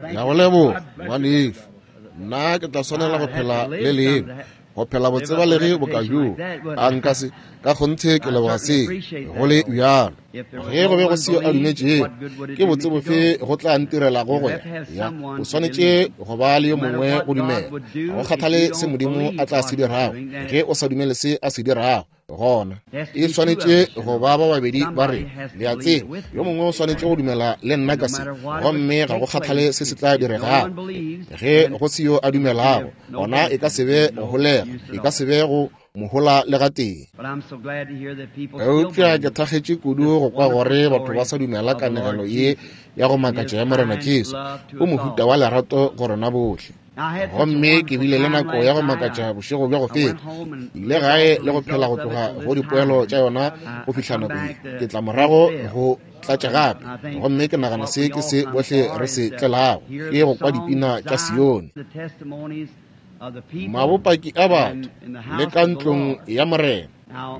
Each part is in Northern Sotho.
Ke a go leboga, ngwanešu. Nna ke tla swanela go phela le leo, go phela botsebalegi boka bjoo. A nka se, ka kgonthe ke leboga se, go le bjalo. Ge go be go se yo a dumetšego, ke botse bofe go tla ntirelago go ya? Ya, o swanetše go ba le yo mongwe go dumela. Ga go kgathale se Modimo a tla se dirago, ge o sa dumele se a se dirago, gona e swanetše go ba ba babedi ba re le a tseba yo mongwe o swanetše go dumela le nna ka se gomme ga go kgathale se se tla diregago ge go se yo a dumelago gona e ka se be go holega e ka se be go mohola le gatee eupša ke thakgetše kudu go kwa gore batho ba sa dumela kanegelo ye ya go makatša ya morena jesu o mohuta wa lerato go rena bohle Gomme ke bile le nako ya go makatša bošego bja go feta. Ke ile gae le go phela go tloga go dipoelo tša yona go fihla nako ye. Ke tla morago go tlatša gape. Gomme ke nagana se ke se bohle re se tlelago, ke go kwa dipina tša Sione. Mabopaki a batho, le ka ntlong ya Morena.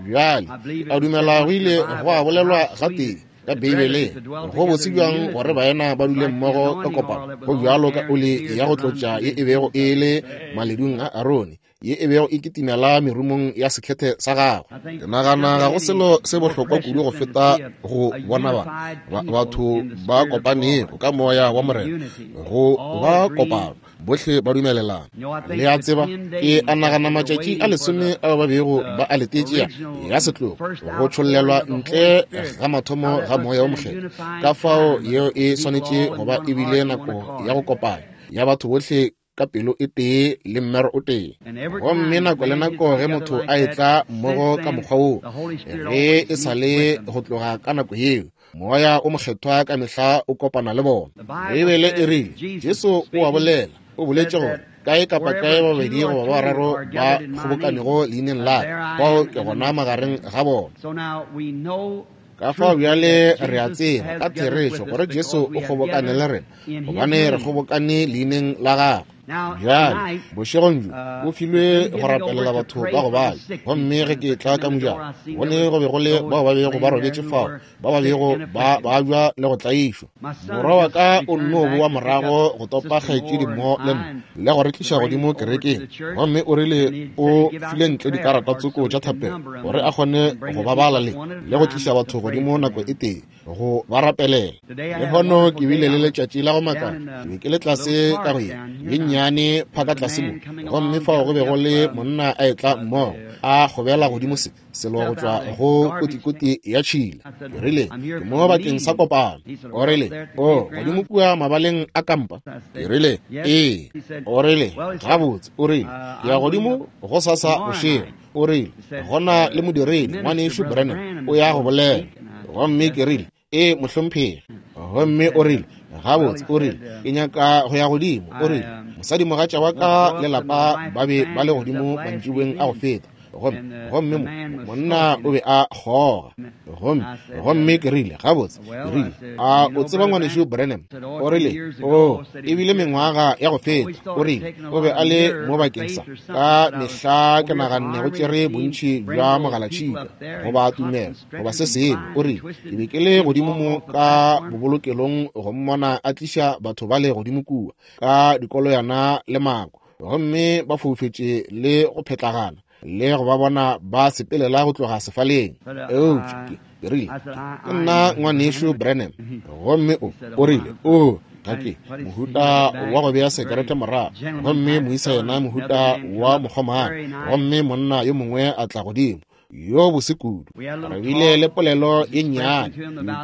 Bjale, ke a dumela go ile gwa bolelwa gatee ka Beibeleng. Go botse bjang gore baena ba dule mmogo ka kopano, go bjalo ka oli ya go tlotša ye e bego e le maledung a Arone, ye e bego e kitimela merumong ya sekhethe sa gagwe. Ke nagana ga go selo se bohlokwa kudu go feta go bona ba, ba batho ba kopanego ka moya wa Morena, go ba kopano. Bohle ba dumelelana. Le a tseba, ke a nagana matšatši a lesome ao ba bego ba a letetše ya, ya setlogo, go tšhollelwa ntle ga mathomo ga Moya wo Mokgethwa. Ka fao yeo e swanetše go ba e bile nako ya go kopana ya batho bohle ka pelo e tee le mmero o tee. Gomme nako le nako ge motho a etla mmogo ka mokgwa woo, ge e sa le go tloga ka nako yeo, Moya o Mokgethwa ka mehla o kopana le bona. Beibele e rile, Jesu o a bolela, o boletše gore, kae kapa kae babedi goba ba bararo ba kgobokanego leineng la ka, fao ke gona magareng ga bona. Ka fao bjale re a tseba ka therešo gore Jesu o kgobokane le rena, gobane re kgobokane leineng la gagwe. Bjale, bošegong bjo, o filwe go rapelela batho ba go bala. Gomme ge ke etla ka mojako, go ne go be go le bao ba bego ba robetše fao, ba ba bego ba babja le go tlaišwa. Morwa wa ka o nno bowa morago go topa kgaetšedi mo le nna, le go re tliša godimo kerekeng. Gomme o rile o file ntle dikarata tsoko tša thapelo, gore a kgone go ba bala le, le go tliša batho godimo nako e tee. go ba rapelela. Lehono ke bile le letšatši la go makatša. Ke be ke le tlase ka go ye ye nnyane phaka tlase mo, gomme fao go be go le monna a etla mmogo a kgobela godimo se selo go tšwa go kotikoti ya tšhila. Ke rile, Ke mo bakeng sa kopano. O rile, O godimo kua mabaleng a kampa? Ke rile, Ee. O rile, Gabotse, o rile, ke ya godimo gosasa bošego. O rile, Go na le modiredi, Ngwanešu Branham, o ya go bolela. Gomme ke rile, Ee, mohlomphegi. Gomme o rile, Gabotse, o rile, ke nyaka go ya godimo. O rile, Mosadimogatša wa ka le lapa ba be ba le godimo mantšiboeng a go feta. Gomme, gomme mo, monna o be a kgoga. Gomme, gomme ke rile, Gabotse, ke rile, a o tseba Ngwanešu Branham? O rile, Oo, e bile mengwaga ya go feta. O rile, O be a le mo bakeng sa ka mehla ke naganne go tšere bontši bja mogalatšhika goba tumelo goba se sengwe. O rile, Ke be ke le godimo mo ka bobolokelong go mmona a tliša batho bale godimo kua ka dikoloyana le mako, gomme ba foufetše le go phetlagana le go ba bona ba sepelela go tloga sefaleng. Eupša ke, ke rile, ke nna Ngwanešu Branham. Gomme o, o rile, O, ga ke mohuta wa go bea sekerete morago. Gomme moisa yena mohuta wa mokgomana. Gomme monna yo mongwe a tla godimo, yo bose kudu. Re bile le polelo ye nnyane,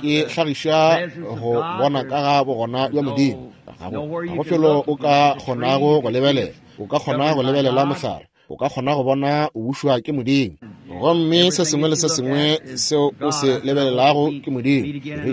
ke hlagiša go bona ka ga bogona bja Modimo. Ga go, ga go felo o ka kgonago go lebelela. O ka kgona go lebelela mohlare, o ka kgona go bona o bušwa ke Modimo. Gomme se sengwe le se sengwe seo o se lebelelago ke Modimo. Re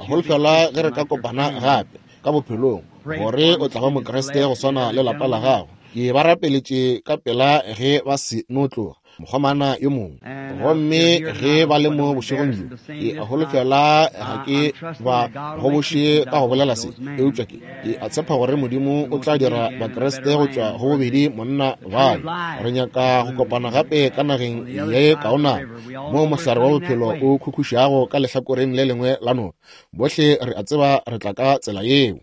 holofela ge re ka kopana gape ka bophelong, gore o tla ba Mokriste go swana le lapa la gago. Ke ba rapeletše ka pela ge ba se no tloga. mokgomana yo mongwe. Gomme ge ba le mo bošegong bjo, ke a holofela ga ke ba goboše ka go bolela se, eupša ke a tshepa gore Modimo o tla dira Bakriste go tšwa go bobedi monna bale. Re nyaka go kopana gape ka nageng ye kaonana, moo mohlare wa bophelo o khukhušago ka lehlakoreng le lengwe la noka. Bohle re a tseba re tla ka tsela yeo.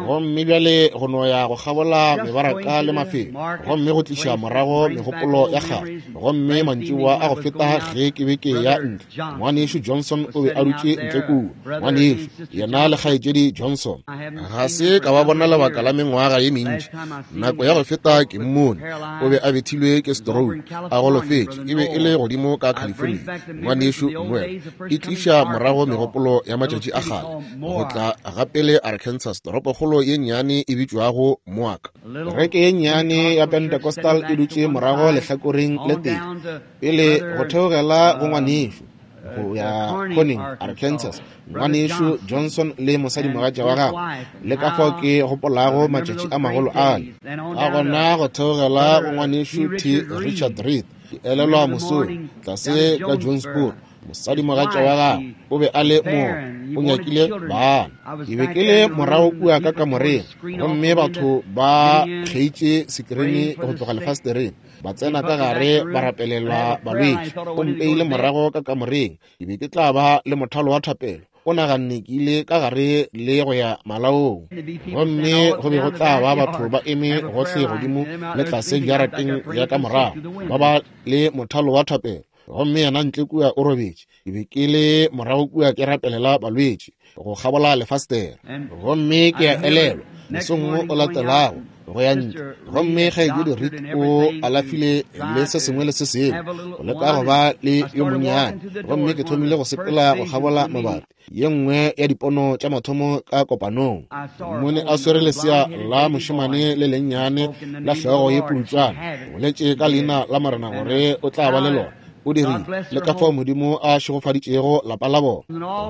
Gomme bjale go no ya go kgabola mebaraka le mafelo, gomme go tliša morago megopolo ya kgale. Gomme mantšiboa a go feta ge ke be ke ya ntle, Ngwanešu Johnson o be a dutše ntle kua, ngwanešu yena le kgaetšedi Johnson. Ga se ka ba bona lebaka la mengwaga ye mentši. Nako ya go feta ke mmone, o be a bethilwe ke stroke, a golofetše, e be e le godimo ka California. Ngwanešu Noel, e tliša morago megopolo ya matšatši a kgale, go tla gapele Arkansas, toropokgolo ye nnyane e bitšwago Moak. Kereke ye nnyane ya Pentecostal e dutše morago lehlakoreng le tee, pele go theogela go ngwanešu go ya Corning, Arkansas, ngwanešu Johnson le mosadimogatša wa gagwe, le ka fao ke gopolago matšatši a magolo ale. Ka gona go theogela go ngwanešu T. Richard Reed, ke elelwa mosong tlase ka Jonesboro, mosadimogatša wa gagwe o be a le moo, o nyakile bana. Ke be ke le morago kua ka kamoreng, gomme batho ba kgeitše sekirini go tloga lefastereng, ba tsena ka gare ba rapelela balwetši. O mpeile morago ka kamoreng, ke be ke tla ba le mothalo wa thapelo. O naganne ke ile ka gare le go ya malaong, gomme go be go tla ba batho ba eme gohle godimo le tlase jarateng ya ka morago, ba ba le mothalo wa thapelo. Gomme yena ntle kua o robetše. Ke be ke le morago kua ke rapelela balwetši go kgabola lefastere. Gomme ke a elelwa mosong o latelago go ya ntle, gomme kgaetšedi Reed o alafile le se sengwe le se sengwe go leka go ba le yo monnyane. Gomme ke thomile go sepela go kgabola mabati, ye nngwe ya dipono tša mathomo ka kopanong. Mmone a swere lesea la mošemane le lennyane la hlogo ye putšwana, boletše ka leina la Morena gore o tla ba le lona. O dirile, le ka fao Modimo a šegofaditšego lapa la bona.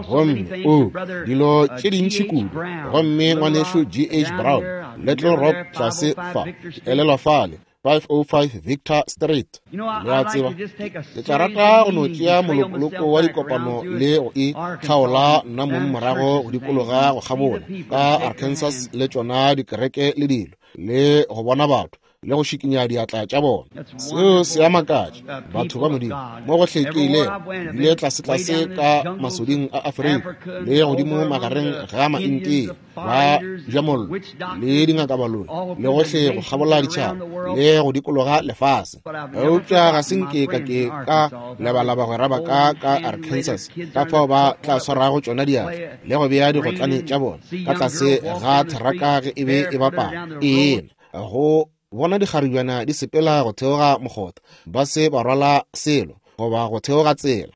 Gomme o dilo tše dintši kudu. Gomme ngwanešu G. H. Brown, Little Rock tlase fa, ke elelwa fale, 505 Victor Street. Le a tseba, ke tla rata go no tšea molokoloko wa dikopano le go e tlhaola nna mong morago go dikologa go kgabola ka Arkansas le tšona dikereke le dilo, le go bona batho le go šikinya diatla tša bona. Seo se a makatša batho ba Modimo mo go hlekilego, bile tlasetlase ka masoding a Afrika le godimo magareng ga Maintia ba ja mollo le dingakabaloi le gohle go kgabola ditšhaba le go dikologa lefase. Eupša ga se nke ka ke ka lebala bagwera ba ka ka Arkansas, ka fao ba tla swarago tšona diatla le go bea digotlane tša bona ka tlase ga theraka ge e be e bapala ena, go bona dikgaribjana di sepela go theoga mokgotha ba se ba rwala selo goba go theoga tsela,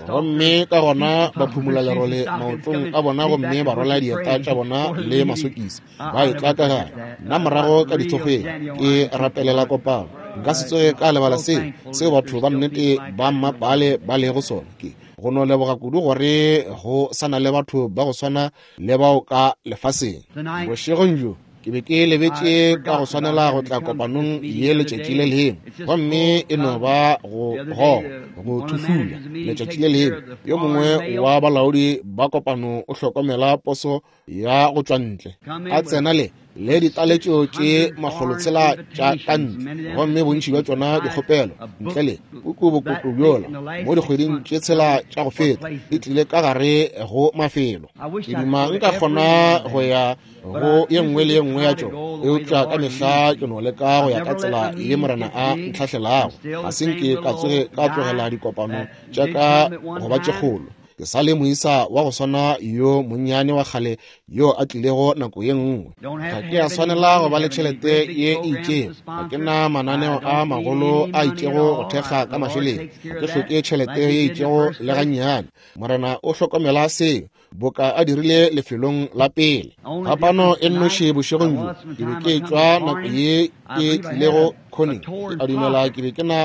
gomme ka gona ba phumula lerole maotong a bona gomme ba rwala dieta tša bona le masokisi ba etla ka gare. Nna morago ka dithokgweng ke rapelela kopano. Nka se tsoge ka lebala seo seo batho ba nnete ba mmapale ba lego sona. Ke go no leboga kudu gore go sa na le batho ba go swana le bao ka lefaseng. Bošegong bjo ke be ke lebetše ka go swanela go tla kopanong ye letšatši le lengwe, gomme e no ba go goga go thuhlula letšatši le lengwe. Yo mongwe wa balaodi ba kopano o hlokomela poso ya go tšwa ntle, a tsena le le ditaletšo tše 600 tša ka ntle, gomme bontši bja tšona dikgopelo ntle le puku bokoto bjola mo dikgweding tše 6 tša go feta di tlile ka gare go mafelo. Ke duma nka kgona go ya go ye nngwe le ye nngwe ya tšona, eupša ka mehla ke no leka go ya ka tsela ye Morena a ntlhahlelago. Ga se nke ka tsoge ka tlogela dikopano tša ka go ba tše kgolo. Ke sa le moisa wa go swana yo monnyane wa kgale yo a tlilego nako ye nngwe. Ga ke a swanela go ba le tšhelete ye e itšego, ga ke na mananeo a magolo a itšego go thekga ka mašeleng, ga ke hloke tšhelete ye itšego le gannyane. Morena o hlokomela seo, boka a dirile lefelong la pele. Phapano e nnoši bošegong bjo, ke be ke tšwa nako ye ke tlilego Conning, ke a dumela ke be ke na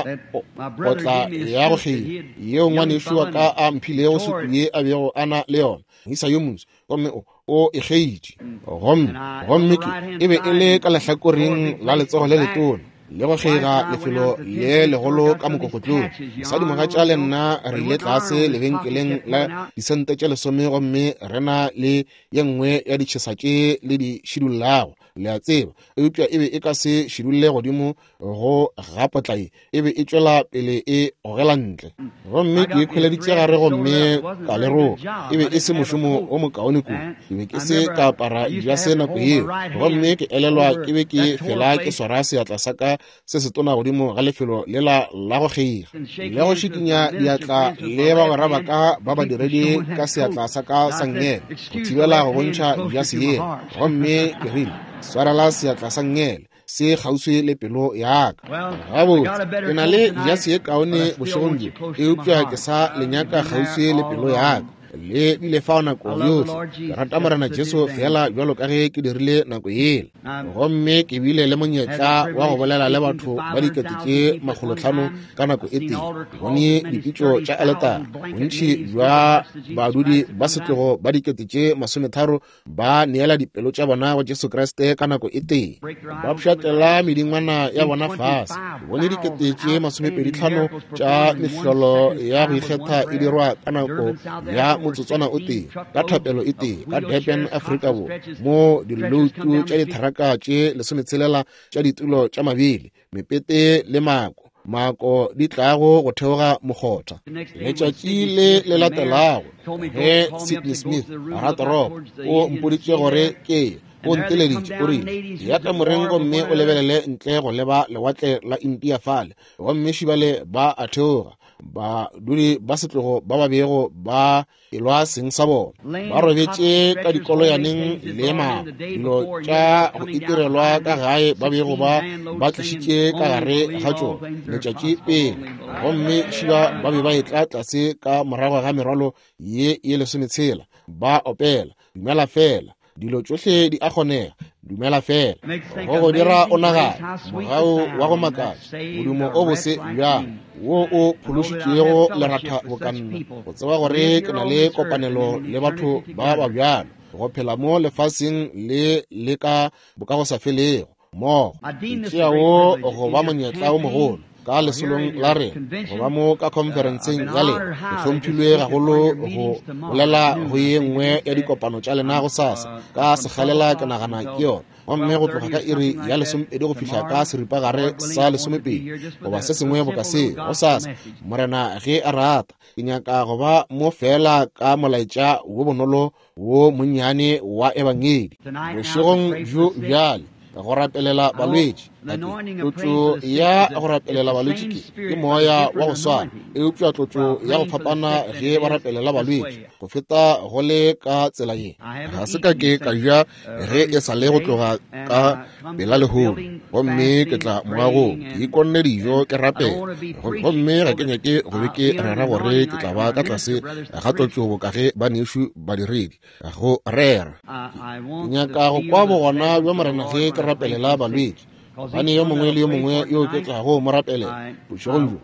potla ya go kgeila yeo ngwanešu wa ka a mphilego sutu ye a bego a na le yona, moisa yo moso, gomme o e kgeitše. Gomme ke e be e le ka lehlakoreng la letsogo le letona. le go kgeiga lefelo le legolo ka mokokotlong. Mosadimogatša le nna re ile tlase lebenkeleng la disente tše lesome gomme re na le ye nngwe ya ditšhesa tše le di šidullago, le a tseba, eupša e be e ka se šidulle godimo go ga potla ye, e be e tšwela pele e gogela ntle. Gomme ke ikhweleditše gare gomme ka le roka. E be e se mošomo o mokaone kudu. Ke be ke se ka apara dijase nako yeo, gomme ke elelwa ke be ke fela ke swara seatla sa ka se setona godimo ga lefelo lela la go kgeiga le go šikinya diatla le bagwera ba ka ba badiredi ka seatla sa ka sa nngele go thibela go bontšha dijase yeo. Gomme ke rile, Swarela seatla sa nngele se kgauswi le pelo ya ka. Gabotse, ke na le jase ye kaone bošegong bjo, eupša ke sa le nyaka kgauswi le pelo ya ka. Le bile fao nako yohle. Ke rata Morena Jesu feela bjalo ka ge ke dirile nako yela. Gomme ke bile le monyetla wa go bolela le batho ba 500,000 ka nako e tee. Ke bone dipitšo tša aletara, bontši bja badudi ba setlogo ba 30,000 ba neela dipelo tša bona go Jesu Kriste ka nako e tee, ba pšhatlela medingwana ya bona fase. Ke bone 25,000 tša mehlolo ya go ikgetha e dirwa ka nako ya motsotswana o tee, ka thapelo e tee, ka Durban, Afrika Borwa, mo diloutu tša ditheraka tše 16 tša ditulo tša mabili, mepete le mako mako di tlago go theoga mokgotha. Letšatši le le latelago ge Sidney Smith ratoropo o mpoditše gore ke ye, o nteleditše, o rile, Ya kamoreng gomme o lebelele ntle go leba lewatle la India fale, gomme šibale ba a theoga, badudi ba setlogo ba ba bego ba elwa seng sa bona, ba robetše ka dikoloyaneng le mabo, dilo tša go itirelwa ka gae ba bego ba ba tlišitše ka gare ga tšona letšatši pele, gomme šiba ba be ba etla tlase ka morago ga merwalo ye ye 16, ba opela, Dumela fela, dilo tšohle di a kgonega, dumela fela. Go go dira o nagane, mogau wa go makatša, modumo o bose bjang wo o phološitšego leratha bokanna, go tseba gore ke na le kopanelo le batho ba ba bjalo, go phela mo lefaseng le le ka bokagosafelego mmogo. Ke tšea wo go ba monyetla o mogolo ka lesolong la rena go ba mo ka khonferenseng ya lena. Ke hlomphilwe gagolo go bolela go ye nngwe ya dikopano tša lena gosasa ka sekgalela, ke nagana ke yona, gomme go tloga ka iri ya 12 go fihla ka seripagare sa 12 goba se sengwe boka seo gosasa, Morena ge a rata. Ke nyaka go ba mo feela ka molaetša wo bonolo wo monnyane wa Ebangedi bošegong bjo bjale, go rapelela balwetši. Tlotšo ya go rapelela balwetši ke moya wa go swana, eupša tlotšo ya go fapana ge ba rapelela balwetši go feta go le ka tsela ye. Ga se ka ke ka ja ge e sa le go tloga ka pela lehono, gomme ke tla moagong ke ikonne dijo ke rapela, gomme ga ke nyake go be ke rera gore ke tla ba ka tlase ga tlotšo boka ge banešu badiredi go rera. Ke nyaka go kwa bogona bja Morena ge ke rapelela balwetši, gobane yo mongwe le yo mongwe yo ke tlago mo rapelela bošegong bjo,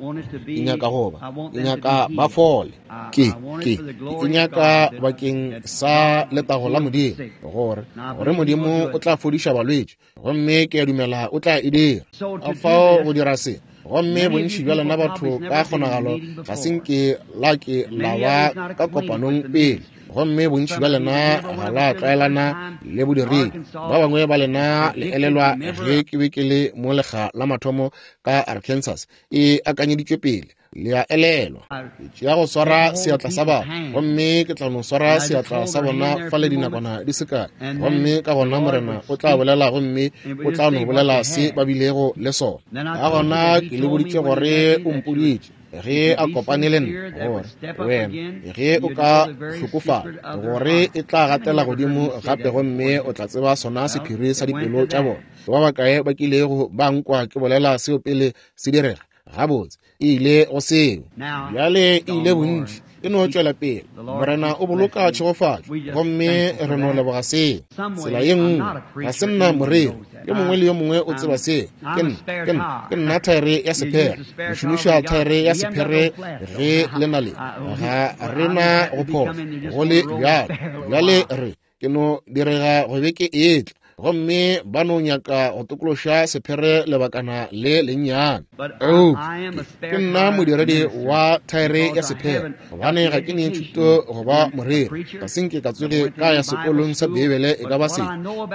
ke nyaka go ba, ke nyaka ba fole. Ke, ke, ke nyaka bakeng sa letago la Modimo, gore, gore Modimo o tla fodiša balwetši, gomme ke a dumela o tla e dira. Ka fao go dira se, gomme bontši bja lena batho ka kgonagalo ga se nke la ke la ba ka kopanong pele, gomme bontši bja lena ga la tlwaelana le bodiredi. Ba bangwe ba lena le elelwa ge ke be ke le mo lekga la mathomo ka Arkansas, e akanyeditšwe pele, le a elelwa. Ke tšea go swara seatla sa batho, gomme ke tla no swara seatla sa bona fale dinakwana di se kae, gomme ka gona Morena o tla bolela, gomme o tla no bolela se ba bilego le sona. Ka gona ke le boditše gore o mpoditše ge a kopane le nna, gore wena ge o ka hlokofala, gore e tla gatela godimo gape, gomme o tla tseba sona sephiri sa dipelo tša bona. Ba bakae ba kilego ba nkwa ke bolela seo pele se direga? Gabotse, e ile go seo. Bjale e ile bontši, e no tšwela pele. Morena o boloka tšhegofatšo, gomme re no leboga seo. Tsela ye nngwe, ga se nna moreri, yo mongwe le yo mongwe o tseba seo. Ke nna, ke nna, ke nna thaere ya sephere. Re šomiša thaere ya sephere ge le na le, ga re na go phošo, go le bjalo. Bjale re, ke no direga go be ke etla. gomme ba no nyaka go tokološa sephere lebakana le lennyane. Eupša ke nna modiredi wa thaere ya sephere, gobane ga ke ne thuto go ba moreri. Ga se nke ka tsoge ka ya sekolong sa Beibele e ka ba se.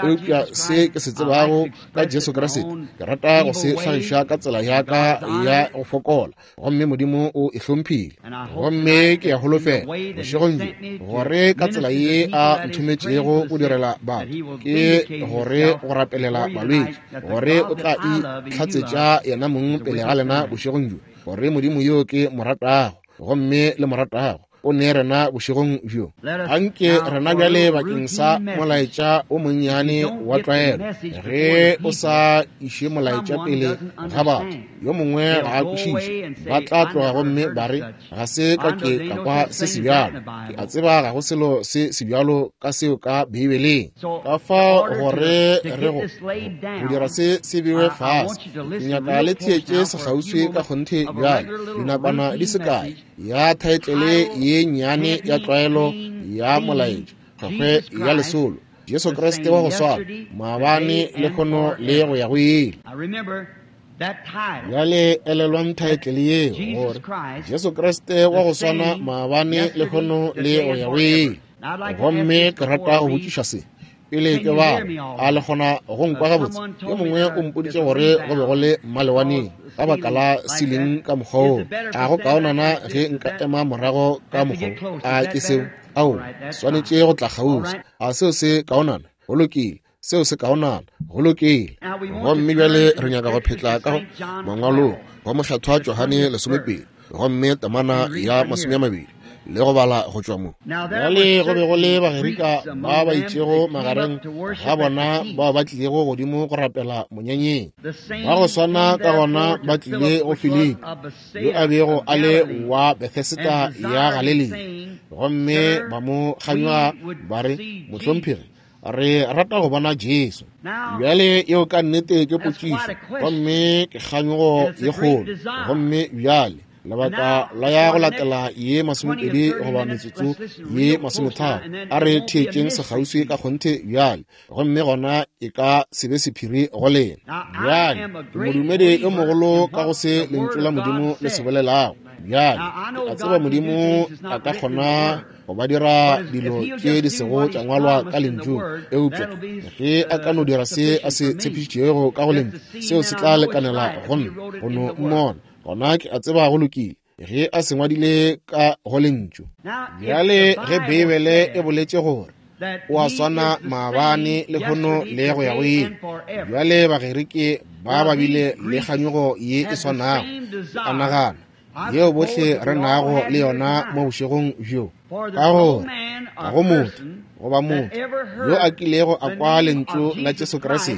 Eupša se ke se tsebago ka Jesu Kriste, ke rata go se hlagiša ka tsela ya ka ya go fokola, gomme Modimo o e hlomphile. Gomme ke a holofela bošegong bjo gore ka tsela ye a nthometšego go direla batho, ke gore go rapelela balwetši, gore o tla itlhatsetša yena mong pele ga lena bošegong bjo, gore Modimo yo ke mo ratago gomme le mo ratago o ne rena bošegong bjo. Anke rena bjale bakeng sa molaetša o monnyane wa tlwaelo, ge o sa iše molaetša pele ga batho, yo mongwe ga a kwešiše, ba tla tloga gomme ba re, ga se ka ke ka kwa se sebjalo. Ke a tseba ga go selo se sebjalo ka seo ka Beibeleng. Ka fao gore re go dira se se bewe fase, ke nyaka le theetše sekgauswi ka kgonthe bjale, dinakwana di se kae, ya thaetlele ye nnyane ya tlwaelo ya molaetša, kgwekgwe ya lesolo, Jesu Kriste wa go swana maabane, lehono le go ya go ile. Bjale elelwang thaetlele yeo, gore Jesu Kriste wa go swana maabane, lehono le go ya go ile. Gomme ke rata go botšiša se pele ke bala. A le kgona go nkwa gabotse? Yo mongwe o mpoditše gore go be go le mmalewaneng ka baka la siling ka mokgwa woo. A go kaonana ge nka ema morago ka mokgwa? A ke seo? Ao, swanetše go tla kgauswi. A seo se kaonana? Go lokile. Seo se kaonana. Go lokile. Gomme bjale re nyaka go phetla ka mangwalong wa Mohlathwa Johane 12, gomme temana ya 20, le go bala go tšwa mo. Bjale go be go le Bagerika ba ba itšego magareng ga bona bao ba tlilego godimo go rapela monyanyeng. Ba go swana ka gona ba tlile go Filipi, yo a bego a le wa Bethesda ya Galilea, gomme ba mo kganywa ba re, Mohlomphegi, re rata go bona Jesu. Bjale yeo ka nnete ke potšišo, gomme ke kganyogo ye kgolo. Gomme bjale lebaka la ya go latela ye 20 goba metsotso ye 30, a re theetšeng sekgauswi ka kgonthe bjale, gomme gona e ka se be sephiri go lena. Bjale ke modumedi yo mogolo ka go se lentšu la Modimo le se bolelago. Bjale ke a tseba Modimo a ka kgona go ba dira dilo tše di sego tša ngwalwa ka lentšung, eupša ge a ka no dira se a se tshepišitšego ka go lentšu, seo se tla lekanela go nna go no mmona. Gona ke a tseba go lokile ge a se ngwadile ka go lentšu. Bjale ge Beibele e boletše gore o a swana maabane, lehono le go ya go ile, bjale Bagerike ba ba bile le kganyogo ye e swanago, ke a nagana, yeo bohle re nago le yona mo bošegong bjo, ka gore ga go motho goba motho yo a kilego a kwa lentšu la Jesu Kriste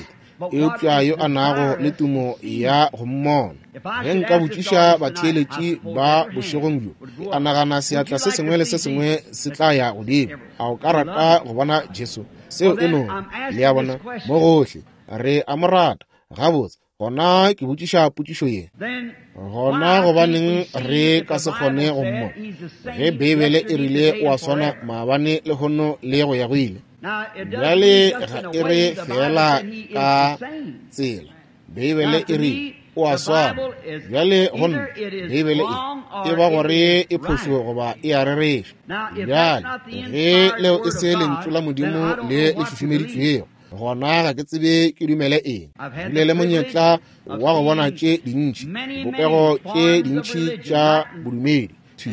eupša yo a nago le tumo ya go mmona. Ge nka botšiša batheeletši ba bošegong bjo, ke a nagana seatla se sengwe le se sengwe se tla ya godimo. A o ka rata go bona Jesu? Seo e no, le a bona, mo gohle re a mo rata. Gabotse, gona ke botšiša potšišo ye, gona gobaneng re ka se kgone go mmona ge Beibele e rile o a swana maabane, lehono le go ya go ile? Bjale ga e re fela ka tsela, Beibele e rile o a swana. Bjale go nna Beibele e ba gore e phošo goba e a rereša. Bjale ge leo e se lentšu la Modimo le le šušumeditšwego, gona ga ke tsebe ke dumele eng. Bile le monyetla wa go bona tše dintši dipopego tše dintši tša bodumedi thwi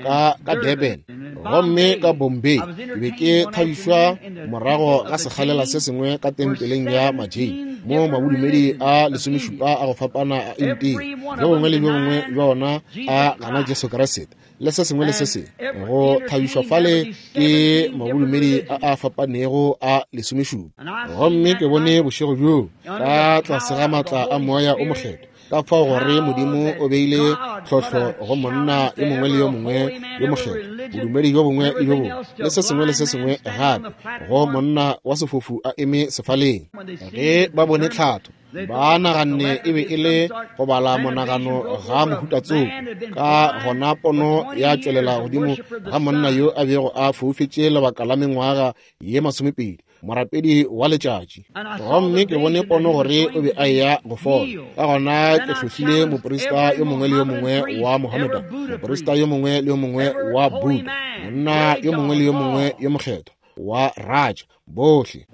ka Durban gomme ka Bombay. Ke be ke thabišwa morago ga sekgalela se sengwe ka tempeleng ya Majain, mo mabodumedi a 17 a go fapana a India, bjo bongwe le bjo bongwe bja ona a gana Jesu Kriste le se sengwe le se sengwe. Go thabišwa fale ke mabodumedi a a fapanego a 17. Gomme ke bone bošego bjoo ka tlase ga maatla a Moya o Mokgethwa, ka fao gore Modimo o beile tlhohlo go monna yo mongwe le yo mongwe yo mokgethwa, bodumedi bjo bongwe le bjo bongwe le se sengwe le se sengwe gape, go monna wa sefofu a eme sefaleng. Ge ba bone tlhatho Ba naganne e be e le go bala monagano ga mohuta tsoko. Ka gona pono ya tšwelela godimo ga monna yo a bego a foufetše lebaka la mengwaga ye 20, morapedi wa letšatši. Gomme ke bone pono gore o be a eya go fola. Ka gona ke hlohlile moprista yo mongwe le yo mongwe wa Mohammedan, moprista yo mongwe le yo mongwe wa Buddha, monna yo mongwe le yo mongwe yo mokgethwa wa Raja, bohle,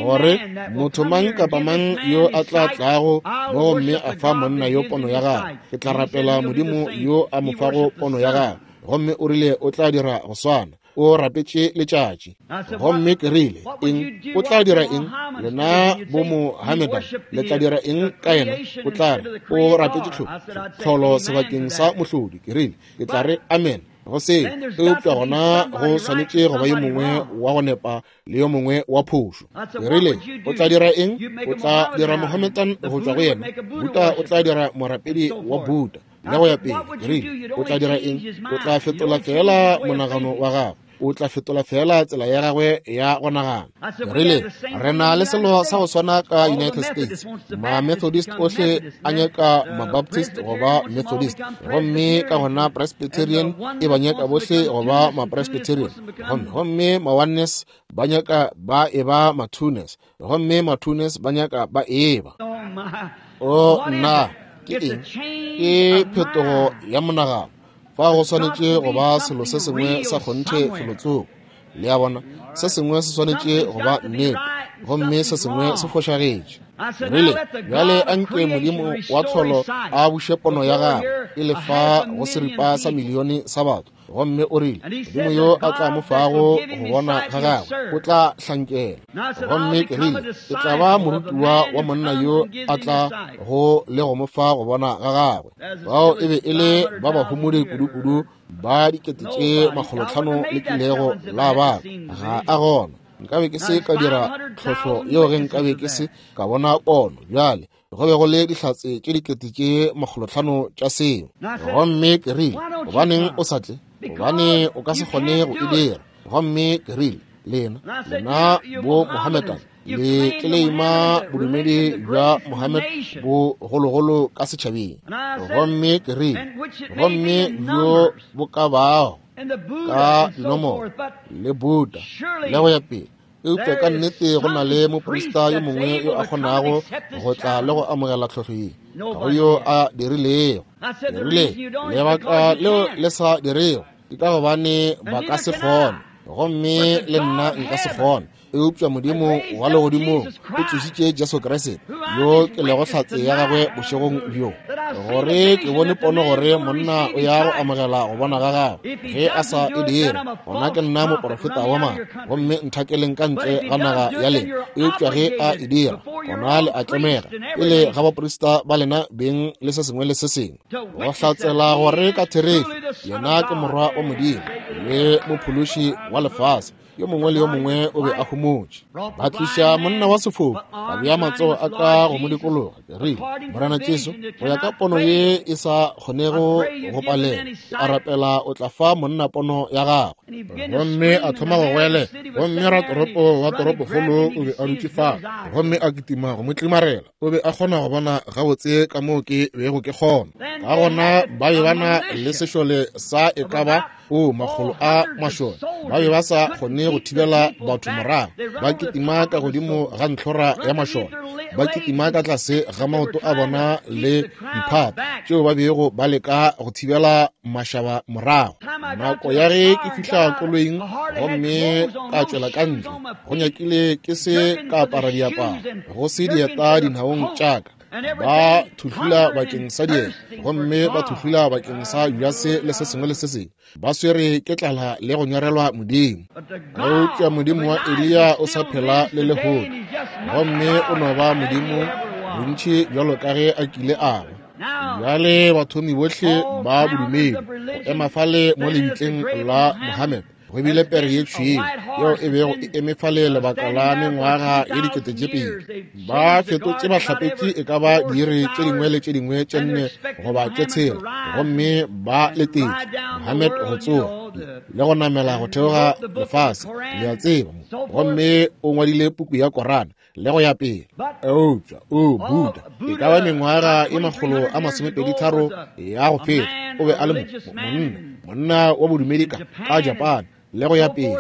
gore motho mang kapa mang yo a tla tlago mo gomme a fa monna yo pono ya gagwe, ke tla rapela Modimo yo a mo fago pono ya gagwe. Gomme o rile o tla dira go swana. O rapetše letšatši. Gomme ke rile, eng? O tla dira eng? Lena bo Mohammedan le tla dira eng ka yena? O tla re o rapetše tlholo sebakeng sa mohlodi. Ke rile, ke tla re amen go seo, eupša gona go swanetše go ba yo mongwe wa go nepa le yo mongwe wa phošo. Ke rile, o tla dira eng? O tla dira Mohammedan go tšwa go yena. Buddha o tla dira morapedi wa Buddha, le go ya pele. Ke rile, o tla dira eng? O tla fetola fela monagano wa gagwe. O tla fetola fela tsela ya gagwe ya go nagana. Ke rile, re na le selo sa go swana ka United States. Ma-Methodist ohle a nyaka ma-Baptist go ba Methodist, gomme ka gona Presbyterian e ba nyaka bohle go ba ma-Presbyterian, gomme ma-Oneness ba nyaka ba e ba ma-Twoness, gomme ma-Twoness ba nyaka ba e ba. O nna, ke eng? Ke phetogo ya monagano. Fa go swanetše go ba selo se sengwe sa kgonthe felotsoko. Le a bona, se sengwe se swanetše go ba nnete, gomme se sengwe se fošagetše. Rile, bjale a nke Modimo wa tlholo a buše pono ya gagwe e le fa go seripa sa milione sa batho. Gomme o rile, Modimo yo a tla mo fago go bona ga gagwe o tla hlankela. Gomme ke rile, ke tla ba morutiwa wa monna yo a tla go le go mo fa go bona ga gagwe. Bao e be e le ba bahumodi kudu-kudu ba 500,000 le kilego la ba. Ga a gona. Nkabe ke se ka dira tlhohlo yeo ge nkabe ke se ka bona pono. Bjale go be go le dihlatse tše 500,000 tša seo. Gomme ke rile, gobaneng o sa tle? Gobane o ka se kgone go e dira. Gomme ke rile, lena bo Mohammedan le tleleima bodumedi bja Mohammed bo gologolo ka setšhabeng. Gomme ke rile, gomme bjo bo ka bago ka dinomoro le Buddha le go ya pele, eupša ka nnete go na le moprista yo mongwe yo a kgonago go tla le go amogela tlhohlo ye, ga go yo a dirilego. Ke rile, lebaka leo le sa dirego ke ka gobane ba ka se kgone, gomme le nna nka se kgone. Eupša Modimo wa legodimong o tsošitše Jesu Kriste, yo ke lego hlatse ya gagwe bošegong bjo, gore ke bone pono gore monna o ya go amogela go bona ga gagwe. Ge a sa e dire, gona ke nna moporofeta wa maaka, gomme nthakeleng ka ntle ga naga ya lena. Eupša ge a e dira, gona le a tlemega pele ga baprista ba lena beng le se sengwe le se sengwe, go hlatsela gore ka therešo yena ke Morwa wa Modimo le Mophološi wa lefase. Yo mongwe le yo mongwe o be a homotše. Ba tliša monna wa sefofu, ba bea matsogo a ka go mo dikologa. Ke rile, Morena Jesu, go ya ka pono ye e sa kgonego go palela, ke a rapela o tla fa monna pono ya gagwe. Gomme a thoma go goelela. Gomme ratoropo wa toropokgolo o be a dutše fao, gomme a kitima go mo tlimarela. O be a kgona go bona gabotse ka moo ke bego ke kgona. Ka gona ba be ba na le sešole sa e ka ba o makgolo a mašole. Ba be ba sa kgone go thibela batho morago. Ba kitima ka godimo ga ntlhora ya mašole, ba kitima ka tlase ga maoto a bona le diphata tšeo ba bego ba leka go thibela mašaba morago. Nako ya ge ke fihla koloing gomme ka tšwela ka ntle, go nyakile ke se ka apara diaparo, go se dieta dinaong tša ka. Ba thuhlula bakeng sa dieta, gomme ba thuhlula bakeng sa Judase le se sengwe le se sengwe. Ba swere ke tlala le go nyorelwa Modimo. Eupša Modimo wa Eliya o sa phela le lehono, gomme o no ba Modimo bontši bjalo ka ge a kile a ba. Bjale bathomi bohle ba bodumedi go ema fale mo lebitleng la Mohammed, go bile pere ye tšhweu yeo e bego e eme fale lebaka la mengwaga ye 2000. Ba fetotše bahlapetši e ka ba diiri tše dingwe le tše dingwe tše 4 goba tše 6, gomme ba letetše Mohammed go tsoga le go namela go theoga lefase, le a tseba. Gomme o ngwadile puku ya Korana. le go ya pele. Eupša o Buddha, e ka ba mengwaga e 123 ya go feta, o be a le monna wa bodumedi ka Japan le go ya pele.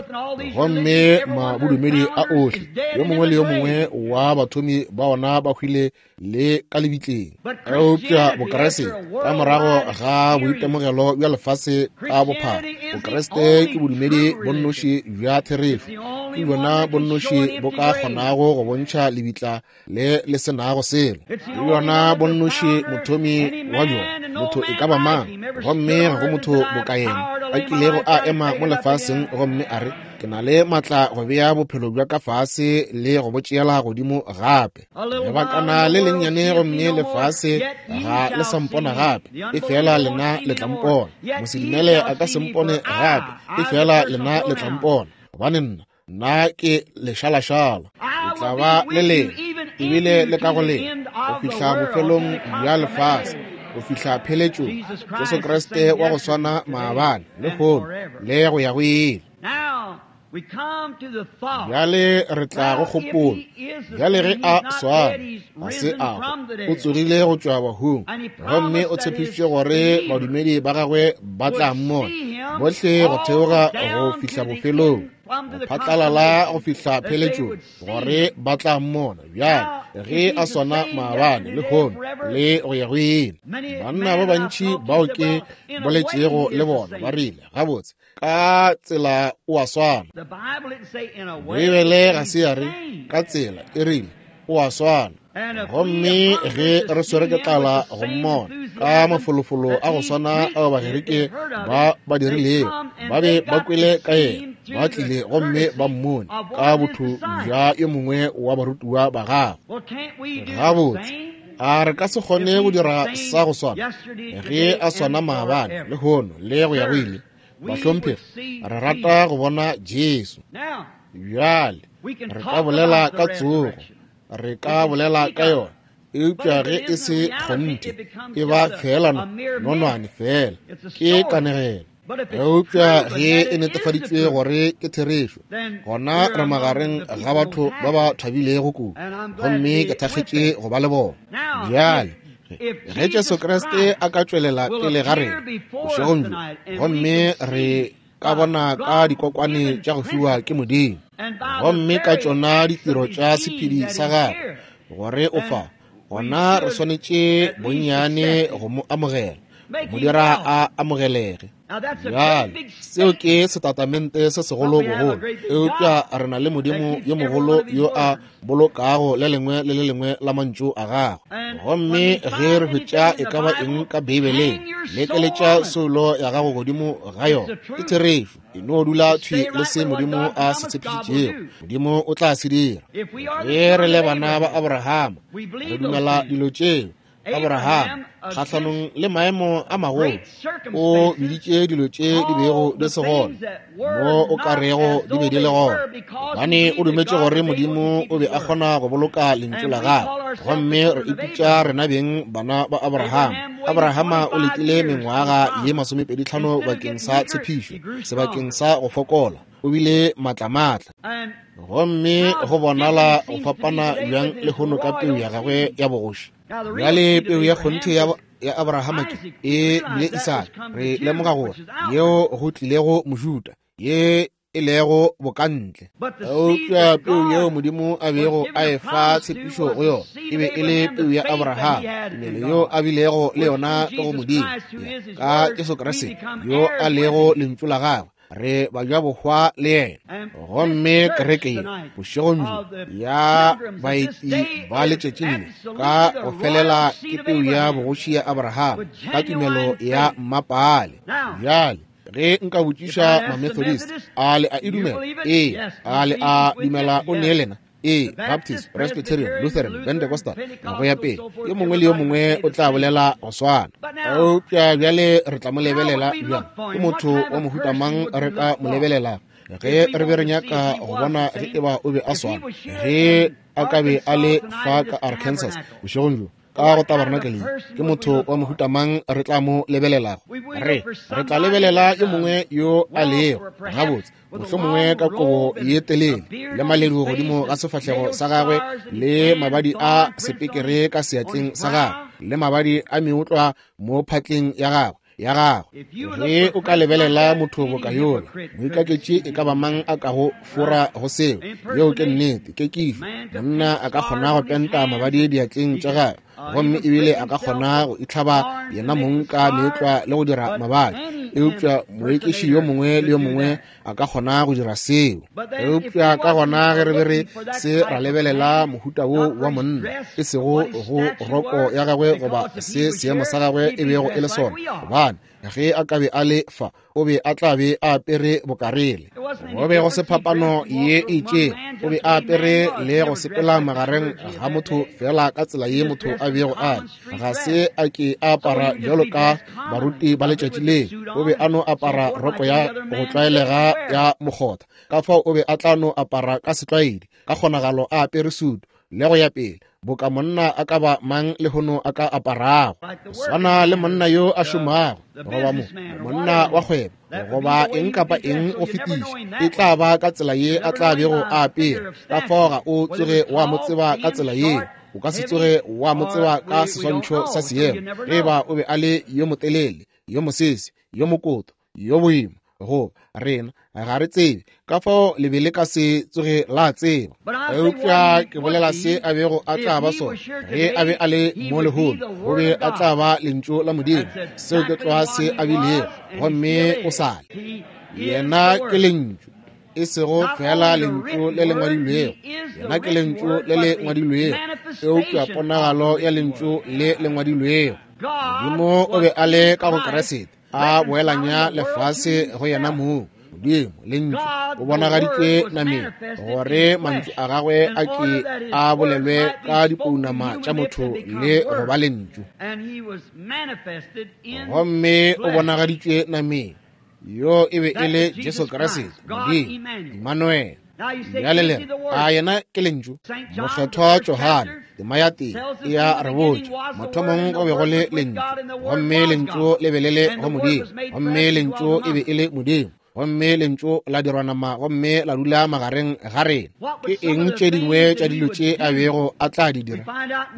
Gomme mabodumedi a ohle, yo mongwe le yo mongwe wa bathomi ba ona ba hwile le ka lebitleng. Eupša Bokreste, ka morago ga boitemogelo bja lefase ka bophara, Bokreste ke bodumedi bo nnoši bja therešo. Ke bjona bo nnoši bo ka kgonago go bontšha lebitla le le se nago selo. Ke bjona bo nnoši mothomi wa bjona, motho e ka ba mang, gomme ga go motho boka yena a kilego a ema mo lefaseng gomme a re, ke na le matla go bea bophelo bja ka fase le go bo tšeela godimo gape. Lebakana le lennyane gomme lefase ga le sa mpona gape, e fela lena le tla mpona. Mosedumele a ka se mpone gape, e fela lena le tla mpona, gobane nna ke lešalašala. Ke tla ba le lena, ebile le ka go lena, go fihla bofelong bja lefase, go fihla pheletšong. Jesu Kriste wa go swana maabane, lehono, le go ya go ile. Bjale re tla go kgopolo. Bjale ge a swana, ga se a hwa, o tsogile go tšwa bahung, gomme o tshepišitše gore badumedi ba gagwe ba tla mmona bohle go theoga go fihla bofelong, go phatlalala go fihla pheletšong, gore ba tla mmona. Bjale ge a swana maabane, lehono, le go ya go ile. Banna ba bantši bao ke boletšego le bona ba rile, gabotse, ka tsela o a swana. Beibele ga se ya re ka tsela, e rile o a swana. Gomme ge re swere ke tlala go mmona ka mafolofolo a go swana ao Bagerike ba ba dirilego, ba be ba kwele ka yena, ba tlile gomme ba mmone ka botho bja yo mongwe wa barutiwa ba gagwe. Gabotse, a re ka se kgone go dira sa go swana ge a swana maabane, lehono, le go ya go ile? Bahlomphegi, re rata go bona Jesu. Bjale re ka bolela ka tsogo, re ka bolela ka yona, eupša ge e se kgonthe, e ba fela nonwane fela, ke kanegelo. Eupša ge e netefaditšwe gore ke therešo, gona re magareng ga batho ba ba thabilego kudu, gomme ke thakgetše go ba le bona. Bjale ge Jesu Kriste a ka tšwelela pele ga rena bošegong bjo, gomme re ka bona ka dikokwane tša go fiwa ke Modimo, gomme ka tšona ditiro tša sephedi sa gagwe gore o fa, gona re swanetše bonnyane go mo amogela, mo dira a amogelege. Bjale seo ke setatamente se segolo bogolo, eupša re na le Modimo yo mogolo yo a bolokago le lengwe le le lengwe la mantšu a gagwe. Gomme ge re hwetša e ka ba eng ka Beibeleng, lekeletša soulo ya gago godimo ga yona. Ke therešo. E no dula thwi le se Modimo a se tshepišitšego, Modimo o tla se dira. Ge re le bana ba Abrahama, re dumela dilo tšeo. Abraham, kgahlanong le maemo a magolo, o biditše dilo tše di bego di se gona mo o ka rego di be di le gona, gobane o dumetše gore Modimo o be a kgona go boloka lentšu la gagwe. Gomme re ipitša rena beng bana ba Abraham. Abrahama o letile mengwaga ye 25 bakeng sa tshepišo, sebakeng sa go fokola, o bile matlamatla. Gomme go bonala go fapana bjang lehono ka peu ya gagwe ya bogoši. Bjale peu ya kgonthe ya Abrahama ke e bile Isaka. Re lemoga gore yeo go tlilego Mojuda, ye e lego bokantle. Eupša peu yeo Modimo a bego a e fa tshepišo go yona e be e le peu ya Abrahama, tumelo yo a bilego le yona ka go Modimo, ka Jesu Kriste yo a lego lentšu la gagwe. Re bajabohwa le yena. Gomme kereke ye bošegong bjo ya baeti ba letšatšing le ka go felela ke peu ya bogoši ya Abrahama ka tumelo ya mmapaale. Bjale ge nka botšiša Mamethodist, a le a e dumela? Ee. A le a dumela o ne lena? Ee. Baptist, Presbyterian, Lutheran, Pentecostal, go ya pele, yo mongwe le yo mongwe o tla bolela go swana. Eupša bjale re tla mo lebelela bjang? Ke motho wa mohuta mang re ka mo lebelelang ge re be re nyaka go bona ge eba o be a swana, ge a ka be a le fa ka Arkansas bošegong bjo? ka go tabernakeleng, ke motho wa mohuta mang re tla mo lebelelago? Re tla lebelela yo mongwe yo a lego gabotse, mohlomongwe ka kobo ye telele le maledu godimo ga sefahlego sa gagwe, le mabadi a sepekere ka seatleng sa gagwe, le mabadi a meotlwa mo phatleng ya gagwe. Ge o ka lebelela motho boka yola, moikaketši e ka ba mang a kago fora go seo. Yeo ke nnete, ke kišo. Monna a ka kgona go penta mabadi diatleng tša gagwe, gomme ebile a ka kgona go itlhaba yena mong ka meetlwa le go dira mabadi, eupša moekiši yo mongwe le yo mongwe a ka kgona go dira seo. Eupša ka gona ge re be re se ra lebelela mohuta wo wa monna, e sego go roko ya gagwe goba se seemo sa gagwe e bego e le sona, gobane ge a ka be a le fa, o be a tla be a apere bokarele. Go be go se phapano ye e itšego, o be a apere le go sepela magareng ga motho fela ka tsela ye motho a bego a le. Ga se a ke a apara bjalo ka baruti ba letšatši le, o be a no apara roko ya go tlwaelega ya mokgotha. Ka fao o be a tla no apara ka setlwaedi, ka kgonagalo a apere sutu le go ya pele, boka monna a ka ba mang lehono a ka aparago, swana le monna yo a šomago, goba monna wa kgwebo, goba eng kapa eng go fetiša, e tla ba ka tsela ye a tla bego a apere. Ka fao ga o tsoge wa mo tseba ka tsela yeo, o ka se tsoge wa mo tseba ka seswantšho sa seemo, ge ba o be a le yo motelele, yo mosese, yo mokoto, yo boima, go rena ga re tsebe. Ka fao le be le ka se tsoge la tseba. Eupša ke bolela se a bego a tla ba sona ge a be a le mo lehono, o be a tla ba lentšu la Modimo. Seo ke tloga se a bilego, gomme o sa le. Yena ke lentšu, e sego fela lentšu le le ngwadilwego. Yena ke lentšu le le ngwadilwego, eupša ponagalo ya lentšu le le ngwadilwego. Modimo o be a le ka go Kriste, a boelanya lefase go yena mong. Modimo, lentšu, o bonagaditšwe nameng, gore mantšu a gagwe a ke a bolelwe ka dipounama tša motho le go ba lentšu. Gomme o bonagaditšwe nameng, yo e be e le Jesu Kriste, Modimo, Emmanuel. Bjale le re, a yena ke lentšu? Mokgethwa Johane, tema ya tee, e a re botša, mathomong go be go le lentšu, gomme lentšu le be le le go Modimo, gomme lentšu e be e le Modimo, gomme lentšu la dirwa nama gomme la dula magareng ga rena. Ke eng tše dingwe tša dilo tše a bego a tla di dira?